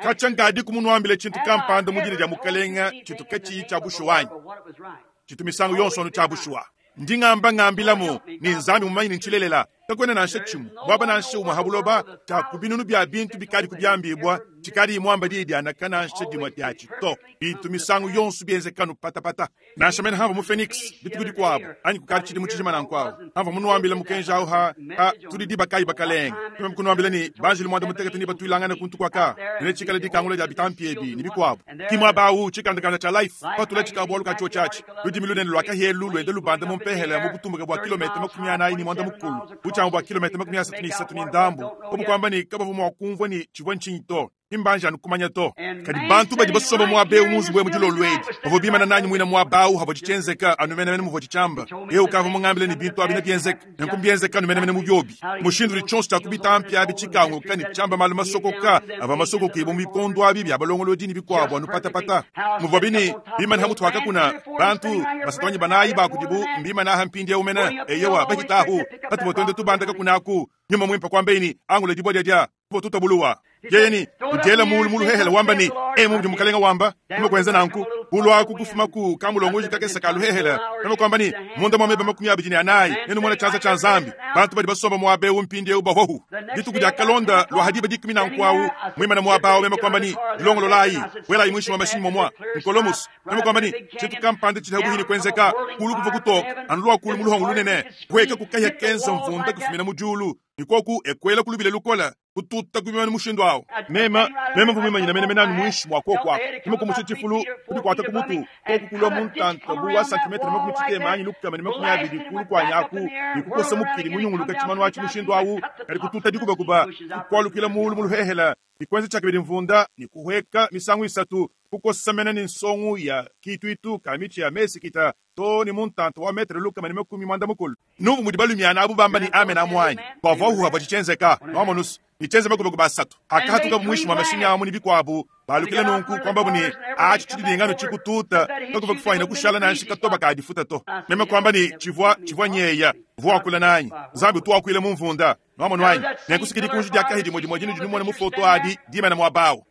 Katshia nkadi kumunuambile tshintu Have I kampanda mu dina ever dia told you mukalenga anything tshintu in the katshiyi name tshia of the bushuwa Lord anyi? but what it was right? Tshintu misangu yonso anu tshia bushuwa. Ndi ngamba ngambilamu ni Nzambi mumanyi ni ntshilelela. Kakuena nansha tshimue bwaba nansha umue ha buloba tshia ku binunu bia bintu bikadi kubiambibua tshikadi muamba diyi dianaka nansha dimue diatshi to. Bintu misangu yonso bienzekanu patapata. Nansha mene hamva mu Phoenix dituku dikuabu anyi kukadi tshidimu tshijima nankuawu. Hamva munuambila mukenji awu ha ha tudi diba kayi bakalenga. Tumeme kunuambila ni banjelu muanda mutekete ni batuilangane kuntu kuaka. Nene tshikala dikangula dia bitampi ebi ni bikuabu. Ki muaba awu tshikandakanda tshia Life patula tshikabualu ka tshiotshi ludimi lunene lua kahelu luende lubanda mu mpehela mu butumbuke bua kilomita makumi anayi ni muanda mukulu butshiamu bua kilomita makumi asatu ni isatu ni ndambu obukwamba ni kabavua mua kumvua ni tshivua ntshinyi to imbanja anu kumanya to. Kadi bantu badi basomba muaba eu mu nzubu emu dilolo edi bavua bimana nanyi muina muaba awu havua tshitshienzeka anu menemene muvua tshitshiamba. Eu kavua mungambile ni bintu abi nebienzeka nenku mbienzeka anu menemene mu biobi. Mushindu udi tshionso tshia kubitampi abi tshikanguka ni tshiamba malu masokoka ava masokoka ibo mu bikondo abi bia balongolodi ni bikuabu anu patapata. Muvua bini bimana ha mutu hakakuna bantu basatu anyi banayi bakudibu mbimana aha mpindieu mene eyewa bahitahu batuvua tuenda tubandaka kunaku nyuma mwimpa kwambeni angula dibwa dia tutabuluwa. Yeye ni kudiela mulu mulu hehela wamba ni emu ndi mukalenga wamba kuma kwenza nanku kulwaku kufuma ku kamulongoji kakesa kaluhehela nama kwamba ni munda mwa meba makumi abidi ni anayi nenu mwana tshianza tshia Nzambi bantu badi basomba muaba eu mpindieu bahohu dituku dia kalonda lua hadiba dikumi na nkuawu mwimana muaba awu mema kwamba ni dilongololayi welayi mwishi mwa mashinyi momwa nkolomusi mema kwamba ni tshintu kampanda tshidi habuhini kwenzeka kulu kuva kutoka anu lua kulu muluhongo lunene kuheka kukahya kenza mvunda kufumina mu diulu nikoku ekwela kulubile lukola kututa kubimana mushindu awo. Mema mema mvumimanyina mene mene anu muinshi mwa koko ako mema kumusha tshifulu kudikwata ku mutu koku kulwa muntanta bu wa santimetre makumi tshitema anyi lukama ni makumi abidi kulu kwanyi aku nikukosa mukili munyunguluka tshimanu atshi mushindu awu kadi kututa dikubakuba kukwalukila mulu muluhehela nikwenza tshakabidi mvunda nikuhweka misangu isatu kukosa mene ni nsongu ya kituitu ka mitshi ya mesikita to ni muntanta wa metre lukama ni makumi mwanda mukulu. Nubu mudi balumiana abu bamba ni amen amwanyi bavua huha bwatshitshienzeka nwamonusu nichenze makubakuba asatu akahatuka mwishi mwa mashinyi amu ni bikuabu balukile nunku kwambabu ni atshi tshidilingano tshikututa kakuva kufuanyina kushala nanshi katoba kadifuta to. Meme kwamba ni tshivua tshivua nyeya vuakula nanyi Nzambi utuakuile mu mvunda nwamonu anyi nenkusikidi kunji dia kahi dimue dimue dinu dinumona mu foto adi dimana muabawu.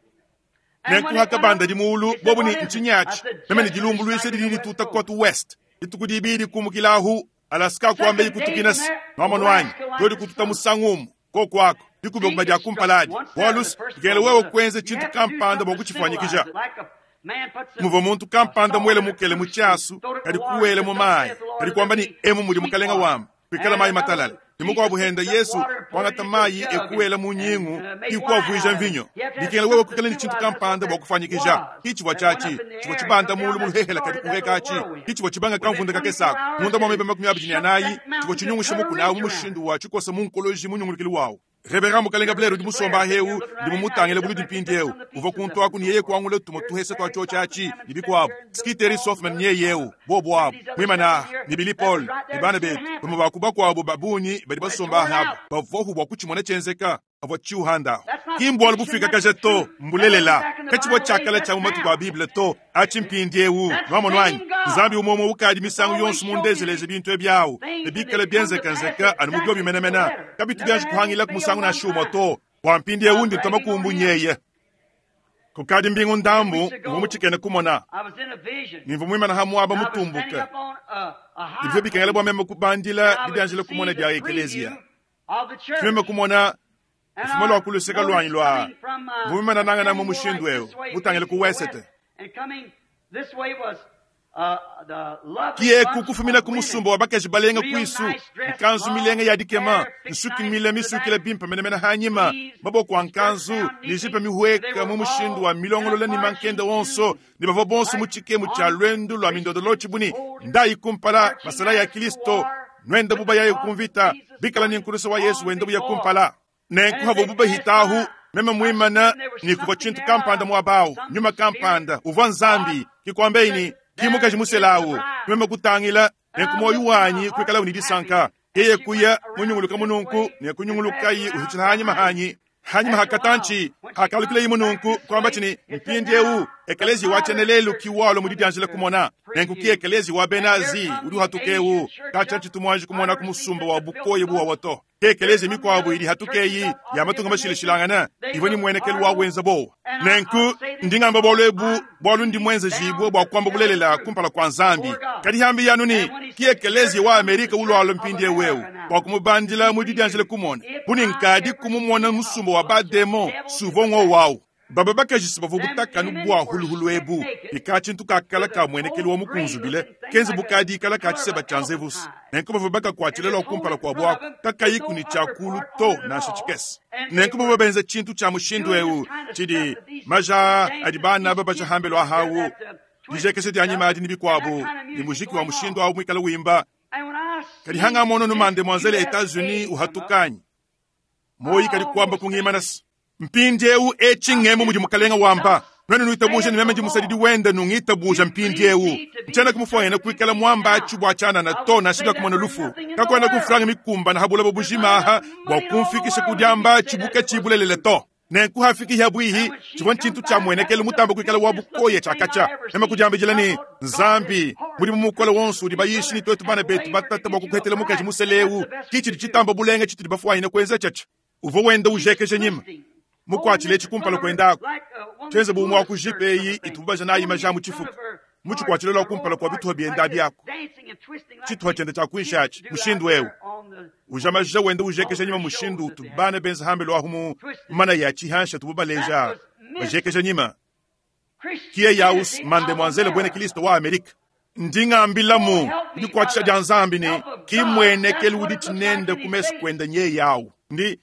Nenku hakabanda dimulu bobu ni ntshinyachi meme ni dilumbuluisha didi dituta kotu west dituku dibidi kumukilahu Alaska kwamba ikutukinasi nwamonu anyi dodi kututa musangumu kokwako dikubekuba dia kumpaladi bwalus dikela wewe kwenze tshintu kampanda bwa kutshifuanyikija. Muvua muntu kampanda muele mukele mu tshiasu kadi kuwele mu mayi kadi kwamba ni emu mudi mukalenga wamba kwikala mayi matalala. Ni mukuabu henda Yesu kwangata mayi ekuwela mu nyingu ikuavuija mvinyo. Dikela wewe kwikala ni tshintu kampanda bwa kufanyikija. Kitshivua tshiatshi tshivua tshibanda mulu muluhehela kadi kuheka atshi. Kitshivua tshibanga kamvunda kakesako munda mwa meba makumi abidi ni anayi tshivua tshinyungusha mukuna awu mu mushindu wa tshikosa mu nkoloji munyungulukili wawu. Reverend mukalenga Blair udi musomba heu ndi mumutangile buludi mpindieu uvua kuntu aku ni yeye kuangula tumo tuhesa twa tshiotshi atshi ni bikuabu. Skiteri Softman ni yeye eu bobo abu mwimana ni Billy Paul ni bana betu bamwe bakuba kwabu babunyi badi basomba habu bavohu bwa kutshimona tshenzeka avua tshiuhandaho. Kimbwalu bufika kaja to mbulelela katshivua tshiakala tshia mu matuku a Bible to atshi mpindieu nwamonu anyi Nzambi umwe ukadi misangu yonso mundezeleze bintu ebyawu ne bikala bienzekanzeka anu mu biobi menemene kabitu bianji kuhangila ku musangu na shumwa to bwa mpindieu ndi ntoma kumbu nyeye. Kukadi mbingu ndambu mvua mutshikene kumona I was in a vision. nimvua muimana ha muaba I was standing mutumbuke up on a, a high ivyo bikengela bua meme kubandila I was dibianjila to kumona see dia the ekeleziya. preview of the church. Tumeme kumona And lufuma lua I kuluseka lwanyi noticed lua coming from, uh, mvua nangana mu standing mushindu like eu this way, mutangile ku facing the wesete. west. And coming this way was, uh, the lovely Kieku bunch kufumina of ku women. musumba wa bakaji balenga Real kwisu nice dressed, nkanzu long milenga ya dikema hair, fixed nsuki nice mile to the misukila back, bimpa menemene hanyima sleeves, maboko a skirts nkanzu down neatly. ni jipe They mihweka were mu mushindu all wa in a milongolola ni marching mankenda wonso tune, ni bavua bonso mu like tshikemu tshia on lwendu lwa mindodolo tshibuni soldiers ndayi kumpala marching masala ya as to Kristo war nwenda with buba the yaye cross of kumvita Jesus bikala ni Christ nkulusa wa Yesu on wenda buya before. kumpala nenku As havo they buba passed hitahu by, Meme muimana ni kuvua tshintu kampanda muaba nyuma kampanda uvua Nzambi kikwambe ni kimukaji muselawu meme kutangila ne kumoyo wanyi kuikala ni disanka yeye kuya munyunguluka mununku ne kunyungulukayi uhichila hanyi mahanyi hanyi mahakatanchi hakalukile mununku kwamba chini mpindi eu ekelezi wachenelelu kiwalo mudidianjile kumona nenku ki ekelezi wa benazi udi hatukeu kacha chitumwanji kumona kumusumba wa bukoye buwa wato ekelezi mikwabu ili hatukeyi ya matunga mashilishilangana ivo ni mwenekelu wa wenza bo nenku ndingamba bolwebu bwalu ndi mwenza jibwe bwa kwamba bulelela kumpala kwa Nzambi kadi hambi yanu ni ki ekelezi wa Amerika ulwalo mpindi ewewu bwa kumubandila mudidianjile kumona buni nkadi kumumona musumba wa bademo suvongo wawu baba bakajisi bavua butakanu bwa huluhulu ebu ika tshintu kakala ka mwenekelu wa mukunzubile kenze bukadi ikala ka tshiseba tshia nzevusi nenku bavua bakakuatshile lwa kumpala kua bwaku kakayiku ni tshiakulu to nansha tshikese nenku bavua benza tshintu tshia mushindu eu tshidi maja adi bana aba bajahambelo ahawu dijekese dia nyima adi ni bikuabu ni muziki wa mushindu awu muikala wimba kadi hanga mono numande mwanzele Etats-Unis uhatukanyi moyi kadi kuamba kungimanasi mpindi eu echingemo mudi mukalenga wamba nwenu nuitabuja ni meme ndi musadidi wenda nungitabuja mpindi eu nchana kumufwayena kuikala mwamba achu bwa chana na to na shida kumona lufu kakwenda kufranga mikumba na habula bobujima aha bwa kumfikisha kudyamba chibuka chibulelele to nenku hafiki habwihi chivwa nchintu cha mwenekele mutamba kuikala wa bukoye chakacha meme kujambijila ni Nzambi muli mumukola wonso udi bayishi ni twetu bana betu batata bwa kukwetela mukaji museleu kichidi chitamba bulenge chitudi bafwayina kwenza chacha uvo wenda ujekeje nyima mukwachile chikumpala kwendako chenze bumwe wa kujipeyi itubaja nayi majamu chifuka muchikwachile lwa kumpala kwa bituha byenda byako chituha chende cha kuishachi mushindu wewe ujamaja wenda ujekesha nyima mushindu tubana benza hambe lwa humu mana ya chihansha tububaleja bajekesha nyima kiye yaus mande mwanzele bwene Kristo wa Amerika ndingambilamu ndikwachisha dya Nzambi ni kimwenekelu udi chinende kumesu kwenda nye yawu ndi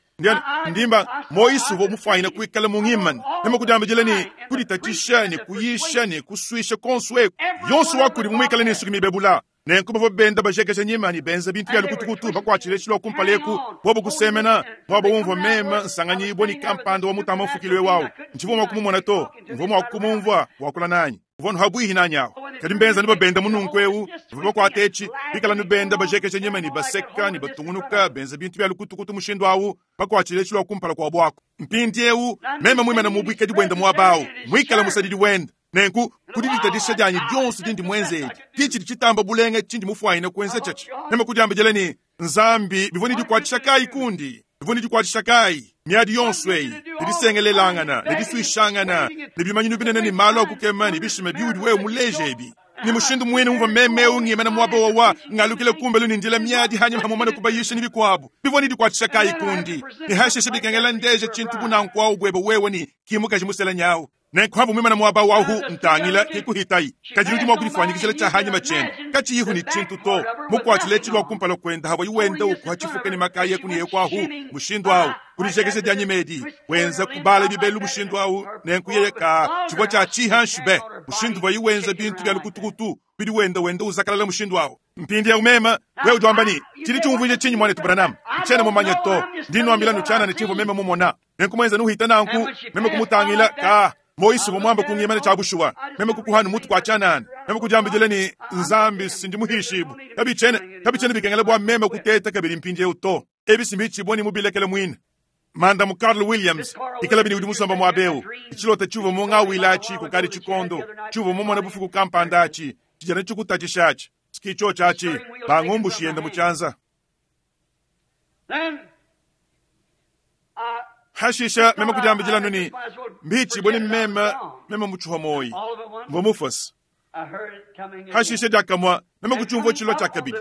ndimba moyisu vo mufwayina kuikala mung'imani meme kudiambijila ni kuditatisha ni kuyisha ni kuswisha konsweku yonso wakuli mumwikala ni nsuki mibebula nenku bavo benda bajekesha nyima ni benza bintu bya lukutukutu bakwachile chilo kumpaleku bobo kusemena mwabo umva mema nsanganyibwa ni kampanda wa mutama mfukilwe wawu nchivoma kumumona to mvoma wakumumvwa wakula nanyi vono habwihi nanyawo kadi mbenza nibabenda mununku eu bakwata echi bikala nibenda bajekesha nyima ni baseka ni batungunuka benza bintu bya lukutukutu mushindu awu bakwachile chilo kumpala kwa bwako mpindi eu mema mwimana mubwikadi bwenda mwabawu mwikala musadidi wenda nenku kudiditadisha dyanyi dyonso dindi mwenzedi kichidi chitamba bulenge chindi mufwayina kwenza chachi meme kudyambijela ni Nzambi bivoni dikwatisha kayi kundi bivoni dikwatisha kayi miadi yonso eyi didisengelelangana didiswishangana nibimanyinu binene ni malo akukema nibishima biudi wewe muleje ebi ni mushindu mwene umva meme ungimana mwaba wawa ngalukile kumbelu nindila miadi hanyuma hamumana kubayisha ni bikwabu bivoni dikwatisha kayi kundi nihasheshe bikengela ndeje chintu bunankwawu bwebe wewe ni kimukaji musela nyawu nenkuhamba mwimana mwaba wahu ntangila kikuhitayi kajiludi mwakulifwanyikisela cha hanyima chene kachiyihu ni chintu to mukwachile chilwa kumpala kwenda hawa iwenda ukuha chifuka ni makaye kuniye kwahu mushindu awu kulijekese dya nyimedi wenza kubala bibelu mushindu awu nenkuyeye ka chibwa cha chihanshube mushindu wa iwenza bintu bya lukutukutu bidi wenda wenda uzakalala mushindu awu mpindi ya umema wewe ujwambani chili chumvuje chinyi mwane tubranam chene mumanye to ndino nuchana ni chivo mema mumona nenkumwenza nuhita nanku meme kumutangila ka moyisu bomwamba kungimana cha bushuwa meme kukuhanu mutu kwa chanana meme kujambijele ni Nzambi sindi muhishibu kabichene kabichene bikengele bwa meme kuteta kabili mpindi euto ebisi mbichiboni mubilekele mwina manda mu Carl Williams ikala bini udi musamba mwabeu ichilota chuvo monga wilachi kukali chikondo chuvo momona bufuku kampandachi chijana chikutachi sikicho chachi bangumbu shiyenda muchanza hashisha meme kujambijila nuni mbichi boni meme meme muchuha moyi ngomufasi hashisha jakamwa meme kuchumvo chilo chakabili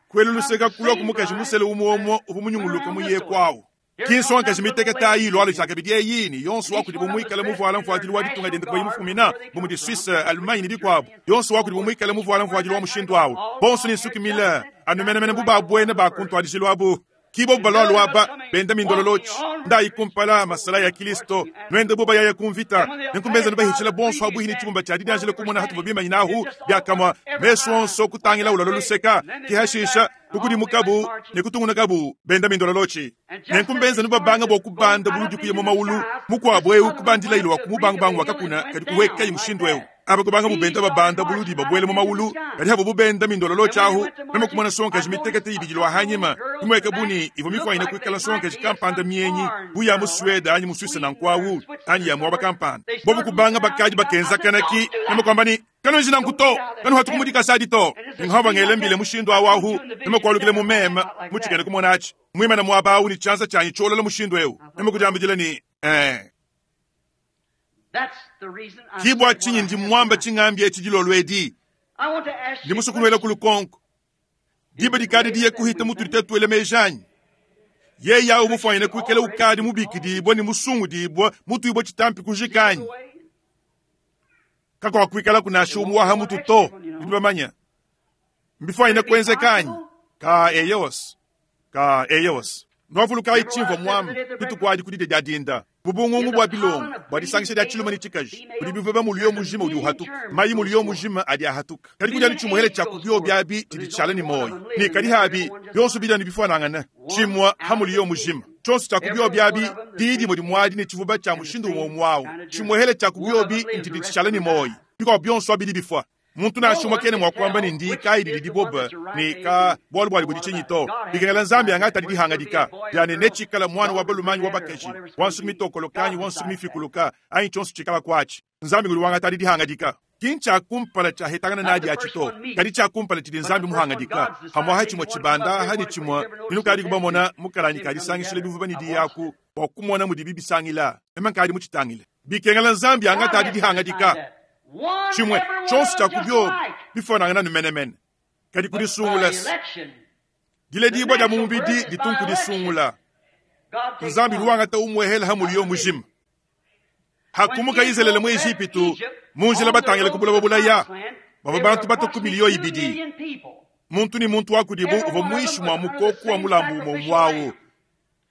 kwelu luseka kulwa kumukaji musele umuomo ubumunyunguluka muye kwawo kinso ankaji miteketa ayi lwalo chakabili eyini yonso wakudi bumwikala muvuala mfuatili wa ditunga dende kwa mufumina bumudi Suisse Allemagne ni bikwabu yonso wakudi bumwikala muvuala mfuatili wa mushindu awo bonso ni sukimila anumenemene bubabwene bakuntwadishilwabu kibo balolo aba benda mindololochi ndayi kumpala masala ya Kristo nwende buba ya kumvita nkumbeza nubahichila bonso abuhini chibumba cha didajile kumona hatu bima inahu byakamwa meso onso kutangila ulalo luseka kihashisha Kukudimukabu ne kutungunukabu benda mindololotshi. Nenku mbenza nubabanga bua kubanda buludi kuya mu maulu mukuabu eu kubandila ilo wa kumubangubangu wakakuna kadi kuwekayi mushindu eu. Aba kubanga bubenda babanda buludi babwele mu maulu kadi habo bubenda mindololotshi ahu meme kumona sonkaji mitekete ibidi lwa hanyima kumweka buni ivo mifwanyine kuikala sonkaji kampanda mienyi bu ya mu Suede anyi mu Suisse nankwawu anyi ya muaba kampanda. Bobu kubanga bakaji bakenza kanaki meme kwamba ni kanu njina nkuto kanu hatu kumudika sadi to ninghaba ngele mbile mushindu awahu meme kwalukile mu meme muchikene kumonachi mwimana mwaba awu ni chanza chanyi cholola mushindu eu meme kujambijila ni eh That's the reason I kibwa said what chinyi I ndi have mwamba tonight. ching'ambi echijilolo edi I want to ask ndi you a musukulwela question. kulukonko diba dikadi diye kuhita mutuli tetuele mejanyi ye yawu mufwanyine kuikela ukadi mubikidibwa ni musungudibwa mutuibwa chitampi kujikanyi kakwa kuikala kunasha umuwaha mutu to ndibamanya mbifwanyine kwenzekanyi ka eyos ka eyos nwavulukayi chimva mwamba pitukwadi kudide dya dinda bubungungu bwa bilongo bwa disangisha dya chiluma ni chikaji budi bivuba muliyo mujima udi uhatuka mayi muliyo mujima adi ahatuka kadi kudya ni chimuhele cha kubyo byabi tidi tshala ni moyo ni kadi habi byonso bidya ni bifanangana chimwa ha muliyo mujima chonso cha kubyo byabi didi mudi mwadi ni chivuba cha mushindu umwe mwawo chimuhele cha kubyobi ntidi tshala ni moyo bikwa byonso abidi bifwa muntu nashuma kene mwakwamba ni ndi kayi lili boba ni ka bwalu bwali budi chinyi to bikengela nzambi anga tali lihangadika yani nechikala mwana wa balumanyi wa bakaji wansu mitokolo kanyi wansu mifikuluka ayi chonso chikala kwachi nzambi nguli wanga tali lihangadika kincha kumpala cha hetangana nadi achito kadi cha kumpala chili nzambi muhangadika hamwaha chimwe chibanda hani chimwe inu kadi kubamona mukalanyi kadi sangishile bivuba ni diyaku wakumona mudi bibisangila ema kadi muchitangile bikengela nzambi anga tali lihangadika One, chimwe every one chonso of cha them just kubyo like. bifanangana numenemene kadi But by kudisungula election, dile dibwa dya mumubidi ditunku disungula God takes nzambi one. luwanga ta umwehela ha muliyo mujima hakumuka izelele mu Ejipitu munjila batangile kubulaba bulaya baba bantu bato ku miliyo ibidi muntu ni muntu wakudibu uva mwishi mwa mukoku wa mulambu umwe mwawo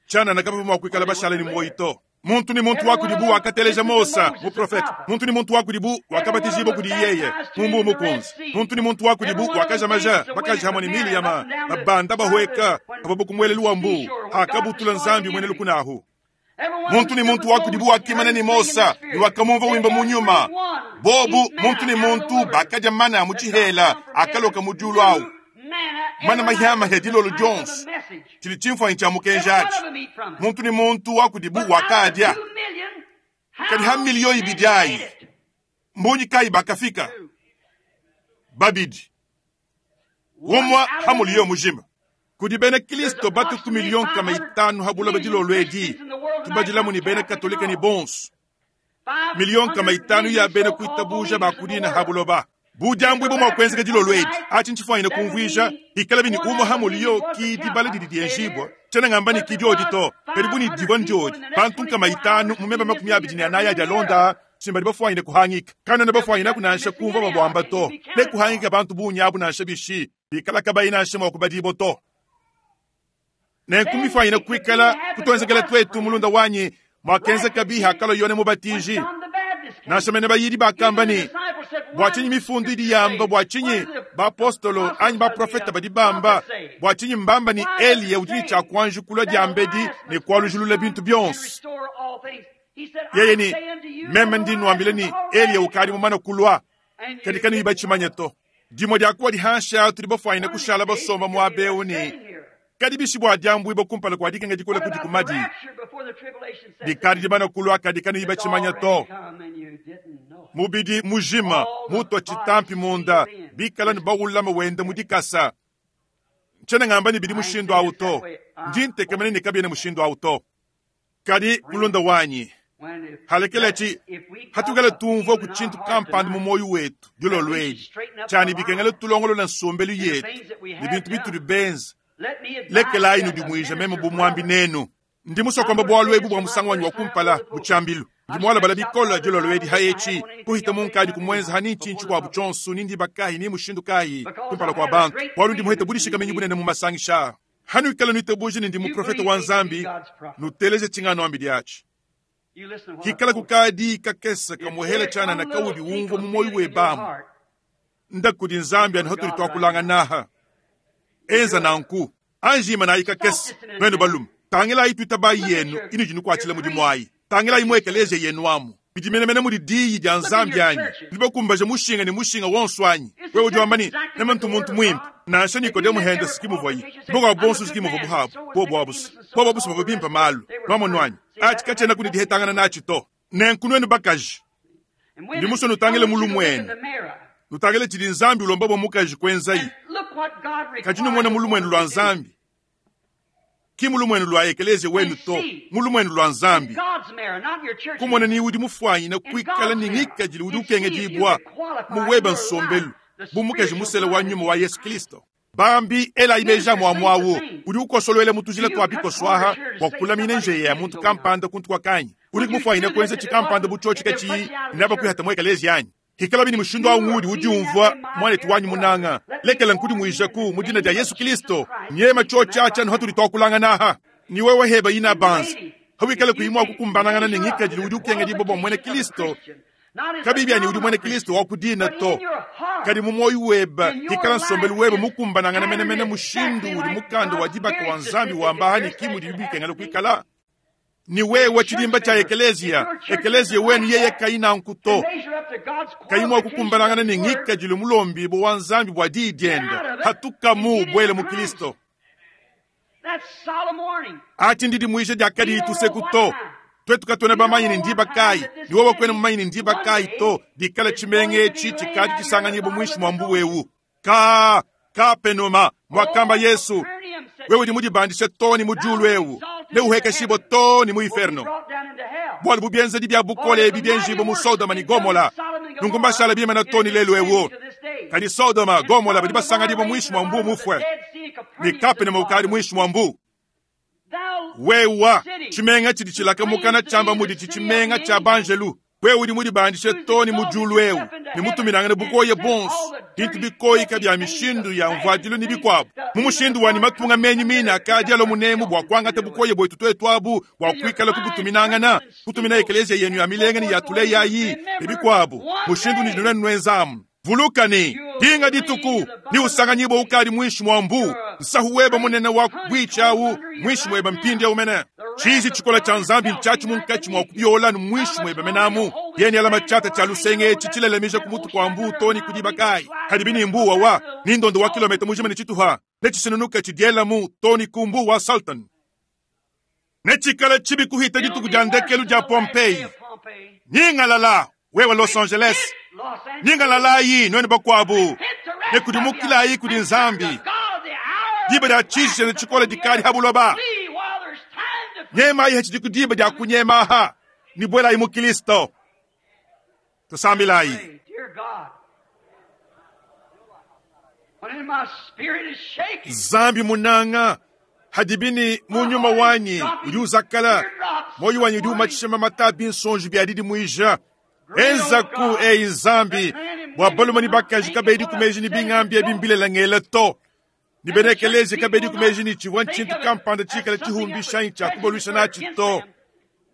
chana nakapa mwa kuikala bashala ni moito muntu ni muntu wakudibu wakateleja Mosa muprofeta muntu ni muntu wakudibu wakabatizibwa kudi yeye mumbu mukunzi muntu ni muntu wakudibu wakaja maja bakaja hamwe ni mili yama babanda bahweka abo bokumwele luwambu akabutula nzambi mwene lukunahu muntu ni muntu wakudibu wakimana ni Mosa ni wakamumva wimba munyuma bobu muntu ni muntu bakaja mana muchihela akaloka mujulu awu mana mahyama hedilolo Jones chili chimfanyi cha mukenjachi muntu ni muntu wakudibu wakadya kadi ha miliyo ibidi ayi mbunyi kayi bakafika babidi umwa ha muliyo mujima kudi bena kristo batu ku miliyo nkama itanu habula badilolo edi tubadilamu ni bena katolika ni bonso miliyo nkama itanu ya bena kuitabuja bakudina habuloba budyambwe bumwa kwenzeka dilolo edi achi nchifwanyine kumvwisha ikala bini umwe ha muliyo ki dibala didi dienjibwa tshena ngamba ni kidiodi to kadi buni dibwa ndiodi bantu nkama itanu mumeba makumi abidi ni anaya adi alonda simba dibafwanyine kuhangika kana na bafwanyine kunansha kumva babwamba to ne kuhangika bantu bunyabu nansha bishi bikala kabayi nansha mwa kubadibo to nenkumifwanyine kuikala kutwenzekela twetu mulunda wanyi mwakenzeka biha kalo yone mubatiji nansha mene bayidi bakamba ni bua tshinyi mifundu idi yamba bua tshinyi baapostolo anyi baprofeta badi bamba bua tshinyi mbamba ni Eliya udi ne tshia kuanjukula diambedi ne kualujulula bintu bionso yeye ni meme ndi nwambile ni Eliya ukadi mumana kulwa kadi kanu iba tshimanya to dimwe diakuwa dihansha tudi bafwanyine kushala basomba muaba eu ni kadi bishi bua diambuibua kumpala kua dikenga dikole kudi kumadi dikadi dimana kulwa kadi kanu iba tshimanya to mubidi mujima mutwa chitampi munda bikala ni bawulama wenda mudikasa ntsena ngamba ni bidi mushindu awu to ndi ntekemene ni kabiene mushindu awu to kadi mulunda wanyi halekelechi hatukala tumva ku tshintu kampanda mu moyo wetu dilolo edi tshani bikengela tulongolola nsombelu yetu ni bintu bitudi benza lekelayi nudimuija meme bumwambi nenu ndi musokomba bwalu ebu bwa musango wanyi wa kumpala mu tshiambilu ndi mwalabala bikola dilolo edi haetshi kuhita munkadi kumwenza hani ntshintshi kuabu tshonso ni ndiba kayi ni mushindu kayi kumpala kua bantu bwalu ndi muhete budishikamenyi bunene mu masangisha hanu ikala nuitabuji ni ndi muprofeta wa nzambi nuteleje tshingano ambi diatshi kikala kukadi kakesa kamuhela tshana na kaudi umva mu moyo webamu nda kudi nzambi ani hotuli twakulanga naha Enza nanku. Anji imanayi kakese, nuenu balume. Tangilayi tuitabayi yenu inudi nukuatshila mudimu ayi. Tangilayi mu ekeleziya yenu amu. Bidi menemene mudi diyi dia Nzambi anyi? Nudi bakumbaje mushinga ne mushinga wonso anyi? Wewe udi wamba ne, meme ntu muntu muimpe. Nansha Nikodemu hende siki muvuaye. Bakuabu bonso siki muvua buabu. Bobu abu se. Bobu abu se bavua bimpe malu. Nwamonu anyi? Atshi katshiena kudi dihetangana natshi to. Nenku nuenu bakaji, ndi musue nutangile mulumuenu. Nutangile tshidi Nzambi ulomba bua mukaji kuenzayi. Kadi numone mulumuenu lua Nzambi. Ki mulumuenu lua ekeleziya wenu to, mulumuenu lua Nzambi. Kumona ni udi mufuanyine kuikala ne ngikadilu udi ukengedibua mu weba nsombelu bu mukaji musele wa nyuma wa Yesu Kristo. Bambi elayi meji amuamuawu udi ukosoluela mu tujila tua bikoswaha bua kulamina njeya ya muntu kampanda kuntu kua kanyi. Udi kumufuanyine kuenza tshikampanda bu tshiotshi katshiyi naba kuihata mu ekeleziya anyi? Hikala bini mushindu awu ngudi udi umvua mwanetu wanyi munanga. Lekela nkudimuijaku mu dina dia Yesu Kristo. Nyema tshiotshi atsha nuhatudi tuakulangana aha. Ni wewe heba ina banza. Hawikala kuimwa kukumbanangana ne ngikadilu udi ukengedibua bua mwene Kristo. Kabibi ani udi mwene Kristo wa kudina to. Kadi mu moyo weba, hikala nsombelu weba mukumbanangana menemene mushindu udi mukanda wa dibaka wa Nzambi wa mbahani ki mudi bikengela kuikala. Ni wewe chidimba cha ekeleziya, ekeleziya wenu yeye kaina nkuto. Kaimwa kukumbanangana ne ngikadilu mulombi bo wa Nzambi bwa diyi dienda. Hatukamu bwele mu Kristo. Achi ndidi muisha dia kadi ituseku to. Twetu katwena bamanyi ne ndiba kayi. Ni wewe kwena mumanyi ne ndiba kayi to. Dikala chimenge chi chikadi chisanganyibo mwishi mwa mbuwewu. Ka, ka penoma, mwakamba Yesu. Wewe udi mudibandishe to ni mujulu ewu. Ne uhekeshibo to ni mu inferno. Bwalu bubienze dibya bukole ebi bienjibo mu Sodoma ni Gomola. Nungu mbashala bima na to ni lelu ewu. Kadi Sodoma, Gomola badi basangadibo mwishi mwa mbu mufwe. Ni kape ne mukadi mwishi mwa mbu. Wewa, chimenga chidi chilaka mukana chamba mudi chichimenga cha banjelu. Wewe udi mudibandishe to ni mujulu ewu. Ni mutuminangane bukoye bonso. Bintu bikoyi kabya mishindu ya mvadilu ni bikwabo. Mu mushindu wani matunga menyi mina akadi alo munemu bwa kwangata bukoye bwetu twetu abu bwa kwikala kubutuminangana. Kutumina ekeleziya yenu ya milenga ni ya tule yayi ni bikwabo. Mushindu ni nunenu nwenzamu. Vulukani, dinga dituku, ni usanganyibo ukali mwishi mwa mbu. Nsahu weba munene wa bwichawu, mwishi mweba mpindi ya umene. Chizi chikola cha Nzambi mchachi munkachi mwa kubiola ni mwishi mweba menamu. Yeni alama chata cha lusenge chichilelemisha kumutu kwa mbu toni kudibakai. Hadibini mbu wawa, nindondo wa kilomita mujima ni chituha. Nechisinunuka chidiela mu toni kumbu wa Sultan. Nechikala chibi kuhita dituku jandekelu ja Pompeii. Nyingalala, wewe Los Angeles. Nyingalala yi, nwene bakwabu. Nekudimukila yi kudi Nzambi. Diba dia chizi na chikola dikali habuloba. Nyema yi hachi dikudiba dia kunyema ha. Ni bwela yi mu Kristo. Tusambilayi. Zambi munanga. Hadibini munyuma wanyi udi uzakala. Moyo wanyi udi umachishema matabi nsonji bya didi muija. Enza ku eyi Nzambi. Bwa baluma ni bakaji kabedi kumeji ni bingambi ebimbilela ngela to. Ni benekeleze kabedi kumeji ni chivwa nchintu kampanda chikala chihumbisha ncha kubolusha nachi to.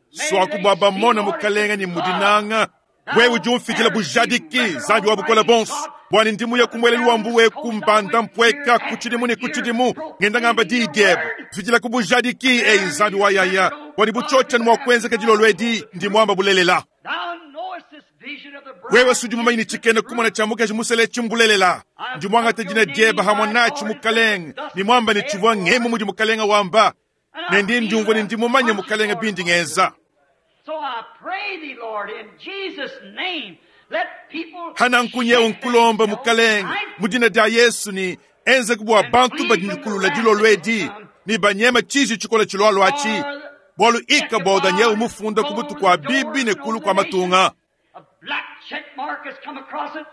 Swaku bwa bamona mukalenga ni mudinanga. Wewe udi umfikila bujadiki Nzambi wa bukola bonso. Bwani ndimu ya kumwelelu wa mbuwe kumbanda mpweka kuchidimu ni kuchidimu. Ngenda ngamba di diebo. Fikila kubujadiki eyi Nzambi wa yaya. Bwani buchocha ni mwa kwenza kajilolwedi ndi mwamba bulelela. Wewe sudi mumanyi chikene kumona cha mukaji musele chimbulelela. Ndi mwanga tejina dieba hamona chimukalenga. Ni mwamba ni chivwa ngemu mudi mukalenga wamba. Ne ndi ndiumvwa ni ndi mumanye mukalenga bindi ngeza. So I pray thee, Lord, in Jesus' name, let people Hana nkunye unkulomba mukalenga. Mudina dia Yesu ni enze kubwa bantu badindikulula dilolwedi. Ni banyema chizi chikola chilwalwa achi. Bwalu ika boda nye umufunda kubutu kwa bibi ne kulu kwa matunga. A black check mark has come across it.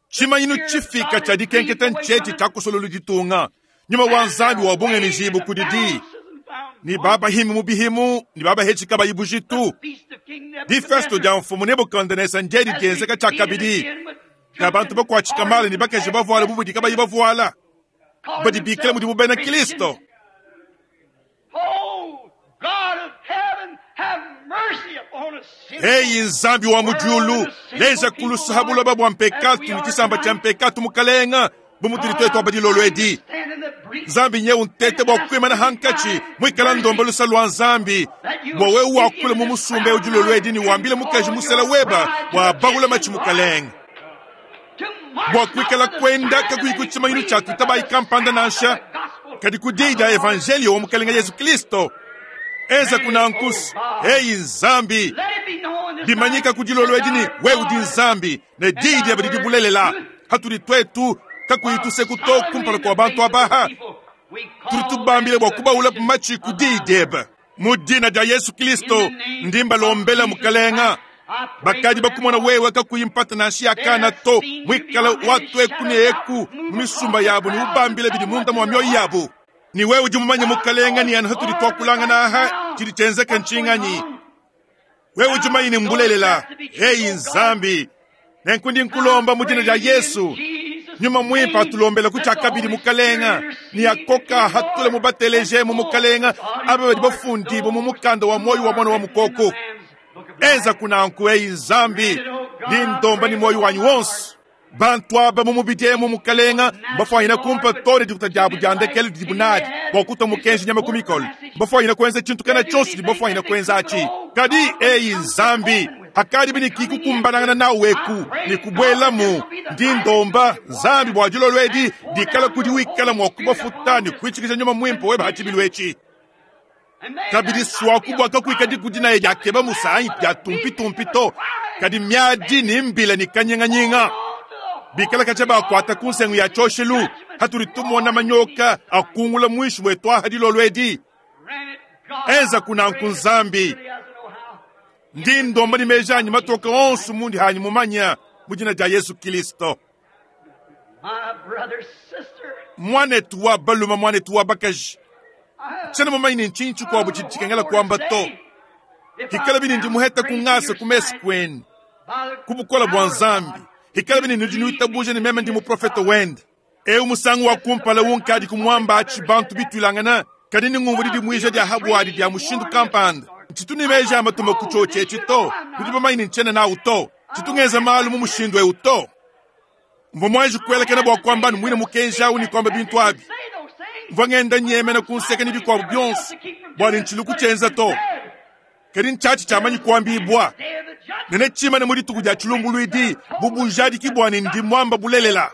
Chimanyinu chifika cha dikenketa ncheti cha kusololu ditunga. Nyuma wa Nzambi wa bunge mijibu kudidi. Ni baba himu mubihimu, ni baba hechi kaba ibujitu. Di festo dia mfumu Nebukadnezar njedi dienzeka cha kabidi. Na bantu bakwa chikamala ni bakaji bavuala bubudi kaba ibavuala. Badi bikila mudi mubena Kristo. Oh, God of heaven, have mercy upon us. Hey Nzambi wa mujulu, leza kulusa habuloba bwa mpekatu ni chisamba cha mpekatu mukalenga. Bu mutudi twetu aba dilolo edi. Nzambi nye untete bua kuimana hankachi mwikala ndomba lusa lwa Nzambi. Bua wewe wakule mu musumba eu dilolo edi ni wambile mukaji musela weba bua bagula machi mukalenge. Bua kuikala kwenda kakuyi kuchimanyinu cha kuitaba ikampanda nansha kadi ku diyi dia evangelio wa mukalenga Yesu Kristo. Eza kuna nkusu eyi Nzambi dimanyika ku dilolo edi ni wewe udi Nzambi ne diyi diebe didi bulelela. Hatudi twetu kakuyi tuseku to kumpala kua bantu abaha. Tudi tubambile bua kubaula machi ku diyi diebe. Mu dina dia Yesu Kristo ndimba lombela mukalenga. Bakadi bakumona wewe kakuyi mpata nansha ya kana to mwikala watu eku ne eku mu misumba yabo ni ubambile bidi munda mwa mioyo yabo. Ni wewe udi mumanye mukalenga ni anu hatudi twakulangana aha chidi chenzeka nchinganyi. Wewe udi mumanye ni mbulelela. Eyi Nzambi nenkundi nkulomba mu dina dia Yesu. Nyuma mwimpa atulombela kuchakabili mukalenga ni akoka hatule mubateleje mu mukalenga aba badi bafundi bo mu mukanda wa moyo wa mwana wa mukoko. Enza kunanku eyi Nzambi lindomba ni moyo wanyu wonse. Bantu aba mu mubidi mu mukalenga bafwanyina kumpa tore dikuta diabu dia ndekelo didi bunadi bua kuta mukenji nyama ku mikolo. Bafwanyina kuenza tshintu kana tshionso didi bafwanyina kuenza atshi. Kadi eyi Nzambi hakadi bini kikukumbanangana nawe eku ni kubwelamu ndi ndomba Nzambi bua dilolo edi dikala kudi wikala mua kubafuta ni kuitshikija nyuma mwimpe weba hatshibilu etshi. Kabidi swaku bua kakuika dikudi naye diakeba musanyi dia tumpi tumpi to kadi miadi ni mbila ni kanyinganyinga. Bikala kacha bakwata ku nsengu ya tshoshelu hatuli tumona manyoka akungula mwishi wetu aha dilolo edi. Enza kunanku Nzambi ndi ndomba ni mejanyi matoka onso mundi hanyi mumanya mu dina dia Yesu Kristo. Mwanetu wa baluma mwanetu wa bakaji tshiena mumanyi ni ntshinyi tshikuabu tshidi tshikengela kuamba to. Hikala bini ndi muheta kungasa ku mesu kwenu ku bukola bua Nzambi. Hikala bini nudi nuitabuja ni meme ndi muprofeta wende. Eu musangu wa kumpala unkadi kumwamba atshi bantu bitwilangana kadi ni ngumvu didi muija dia habwadi dia mushindu kampanda. Ntshitu ni meja amatuma ku tshotshe etshi to. Nudi bamanyi ni ntshiena nawu to. Tshitungeza malu mu mushindu eu to. Mvua mwanji kuelekana bua kuamba ni mwine mukenji awu ni kwamba bintu abi. Mvua ngenda nyemena ku nseka ni bikuabu bionso bua ni ntshilu kutshenza to. Kadi ntshatshi tshiamanyi kuambibwa. Nene tshimane mu dituku dia tshilumbuluidi bubujadiki bua ni ndi mwamba bulelela.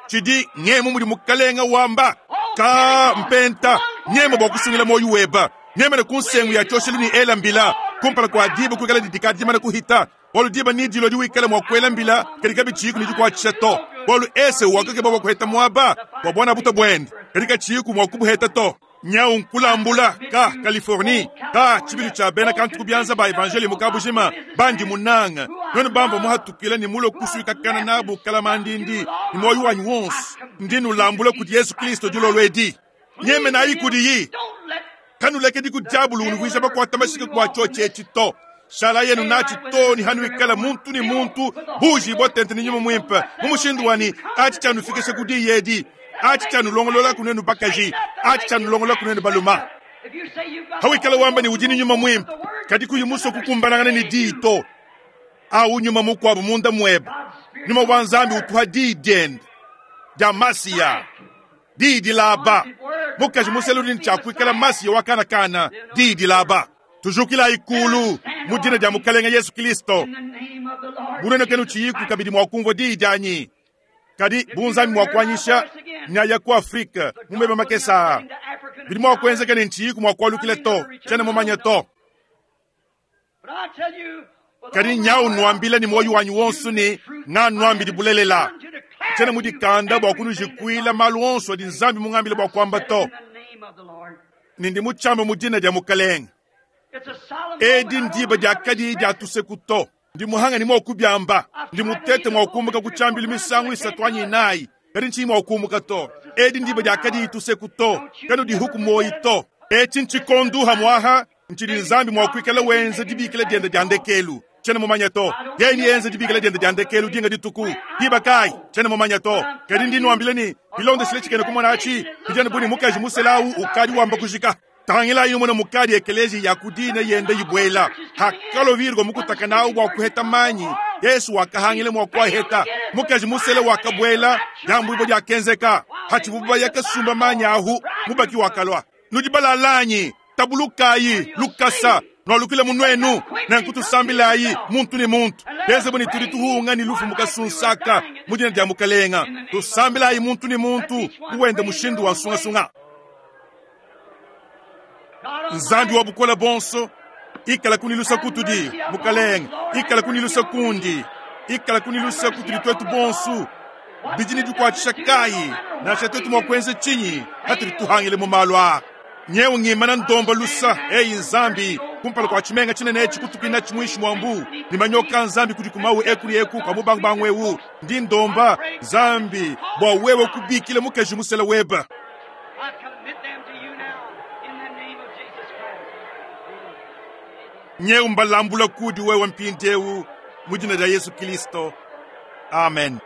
Tshidi ngemu mudi mukalenga wamba ka mpenta nyema bua kusungila moyo weba. Nyemene ku nsengu ya tshoshelu ni ela mbila kumpala kua diba kuikala didika dimana kuhita. Bualu diba ni dilo diwikala mua kuela mbila kadi kabitshiku ni dikuatshisha to. Bualu ese wakake bua kuheta muaba bua bwana buta bwende kadi katshiku mua kubuheta to. Nyau nkulambula ka Californie ka tshibilu tsha bena kantu kubianza ba evangeli mukabujima bandi munanga none bamba muhatukila ni mulo kusuika kana nabu kalamandindi ni moyo wanyu wonse ndi nulambula kudi Yesu Kristo dilolo edi. Nyeme nayi kudi yi kanuleke diku diabulu unuvuija bakwata mashika kwa tshotshe etshi to. Shala yenu nachi to ni hanu ikala muntu ni muntu buji botente ni nyuma mwimpe mu mushindu wani achi chanufikisha kudi yedi achi chanulongolola kunenu bakaji achi chanulongolola kunenu baluma. Hawikala wamba ni ujini nyuma mwimpe kadi kuyu muso kukumbanangana ni diyi to au nyuma mukwabu munda mweba nyuma wa Nzambi utuha diyi diende dia masiya diyi dilaba mukaji muselu ni chakuikala masiya wakana kana diyi dilaba. Tujukila ikulu mu dina dia mukalenga Yesu Kristo. Bunene kenu tshiyiku kabidi mua kumvua diyi dianyi. Kadi bunzambi mua kuanyisha nyaya ku Afrika mumeba makesa. Bidi mua kuenzeka ni ntshiyiku mua kualukila to tshiena mumanya to. Kadi nyau nuambila ni moyo wanyu wonso ni nga nuambidi bulelela. Tshiena mudikanda bua kunujikuila malu onso adi Nzambi mungambile bua kuamba to. Nindi mutshamba mu dina dia mukalenga. Edi ndiba dia kadi dia tuseku to. Ndi muhanga ni mwa kubyamba. Ndi mutete mwa kumbuka kuchambili misangu isatu anyi inayi. Kadi nchi mwa kumbuka to. Edi ndiba dia kadi tuseku to. Kadi di huku moyi to. Echi nchikondu hamwaha. Nchidi Nzambi mwa kuikala wenze dibikila diende dia ndekelu. Tshiena mumanya to. Yeni enze dibikila diende dia ndekelu dinga dituku. Diba kai. Tshiena mumanya to. Kadi ndi nuambile ni bilonde shile tshikene kumona achi. Bijana buni mukaji muselau ukadi wamba kujika. Tangilayi numone mukadi ekeleziya ya ku dina yenda ibuela. Hakalua Virgo mukutaka nawu bua kuheta manyi, Yesu wakahangila mua kuaheta. Mukaji musele wakabuela, diambuibua diakenzeka. Hatshivubo baya kasumba manyi ahu, mubaki wakalua. Nudi balalanyi, tabulukayi lukasa, nualukile mu nuenu, nenku tusambilayi muntu ne muntu. Bienze bu ne tudi tuhunga ne lufu mu kasunsaka mu dina dia Mukalenga. Tusambilayi muntu ne muntu mu wende mushindu wa nsungasunga. Nzambi wa bukole bonso, ikala kunilusa kutudi, Mukalenge, ikala kunilusa kundi, ikala kunilusa kutudi twetu bonso. Bidi ne dikuatshisha kayi nansha twetu mua kuenza tshinyi hatudi tuhangile mu malu aa? Nyewu ngimana ndomba lusa, eyi Nzambi, kumpala kua tshimenga tshinene etshi kutukina tshimuishi mua mbu, ne manyoka a Nzambi kudi kumawu eku ne eku kua mubangubangu ewu. Ndi ndomba, Nzambi, bua wewe kubikila mukaji musela webe. I commit them to you now in the name of Jesus Christ. Nyewu mbalambula kudi wewe mpindiewu mu dina dia Yesu Kristo. Amen.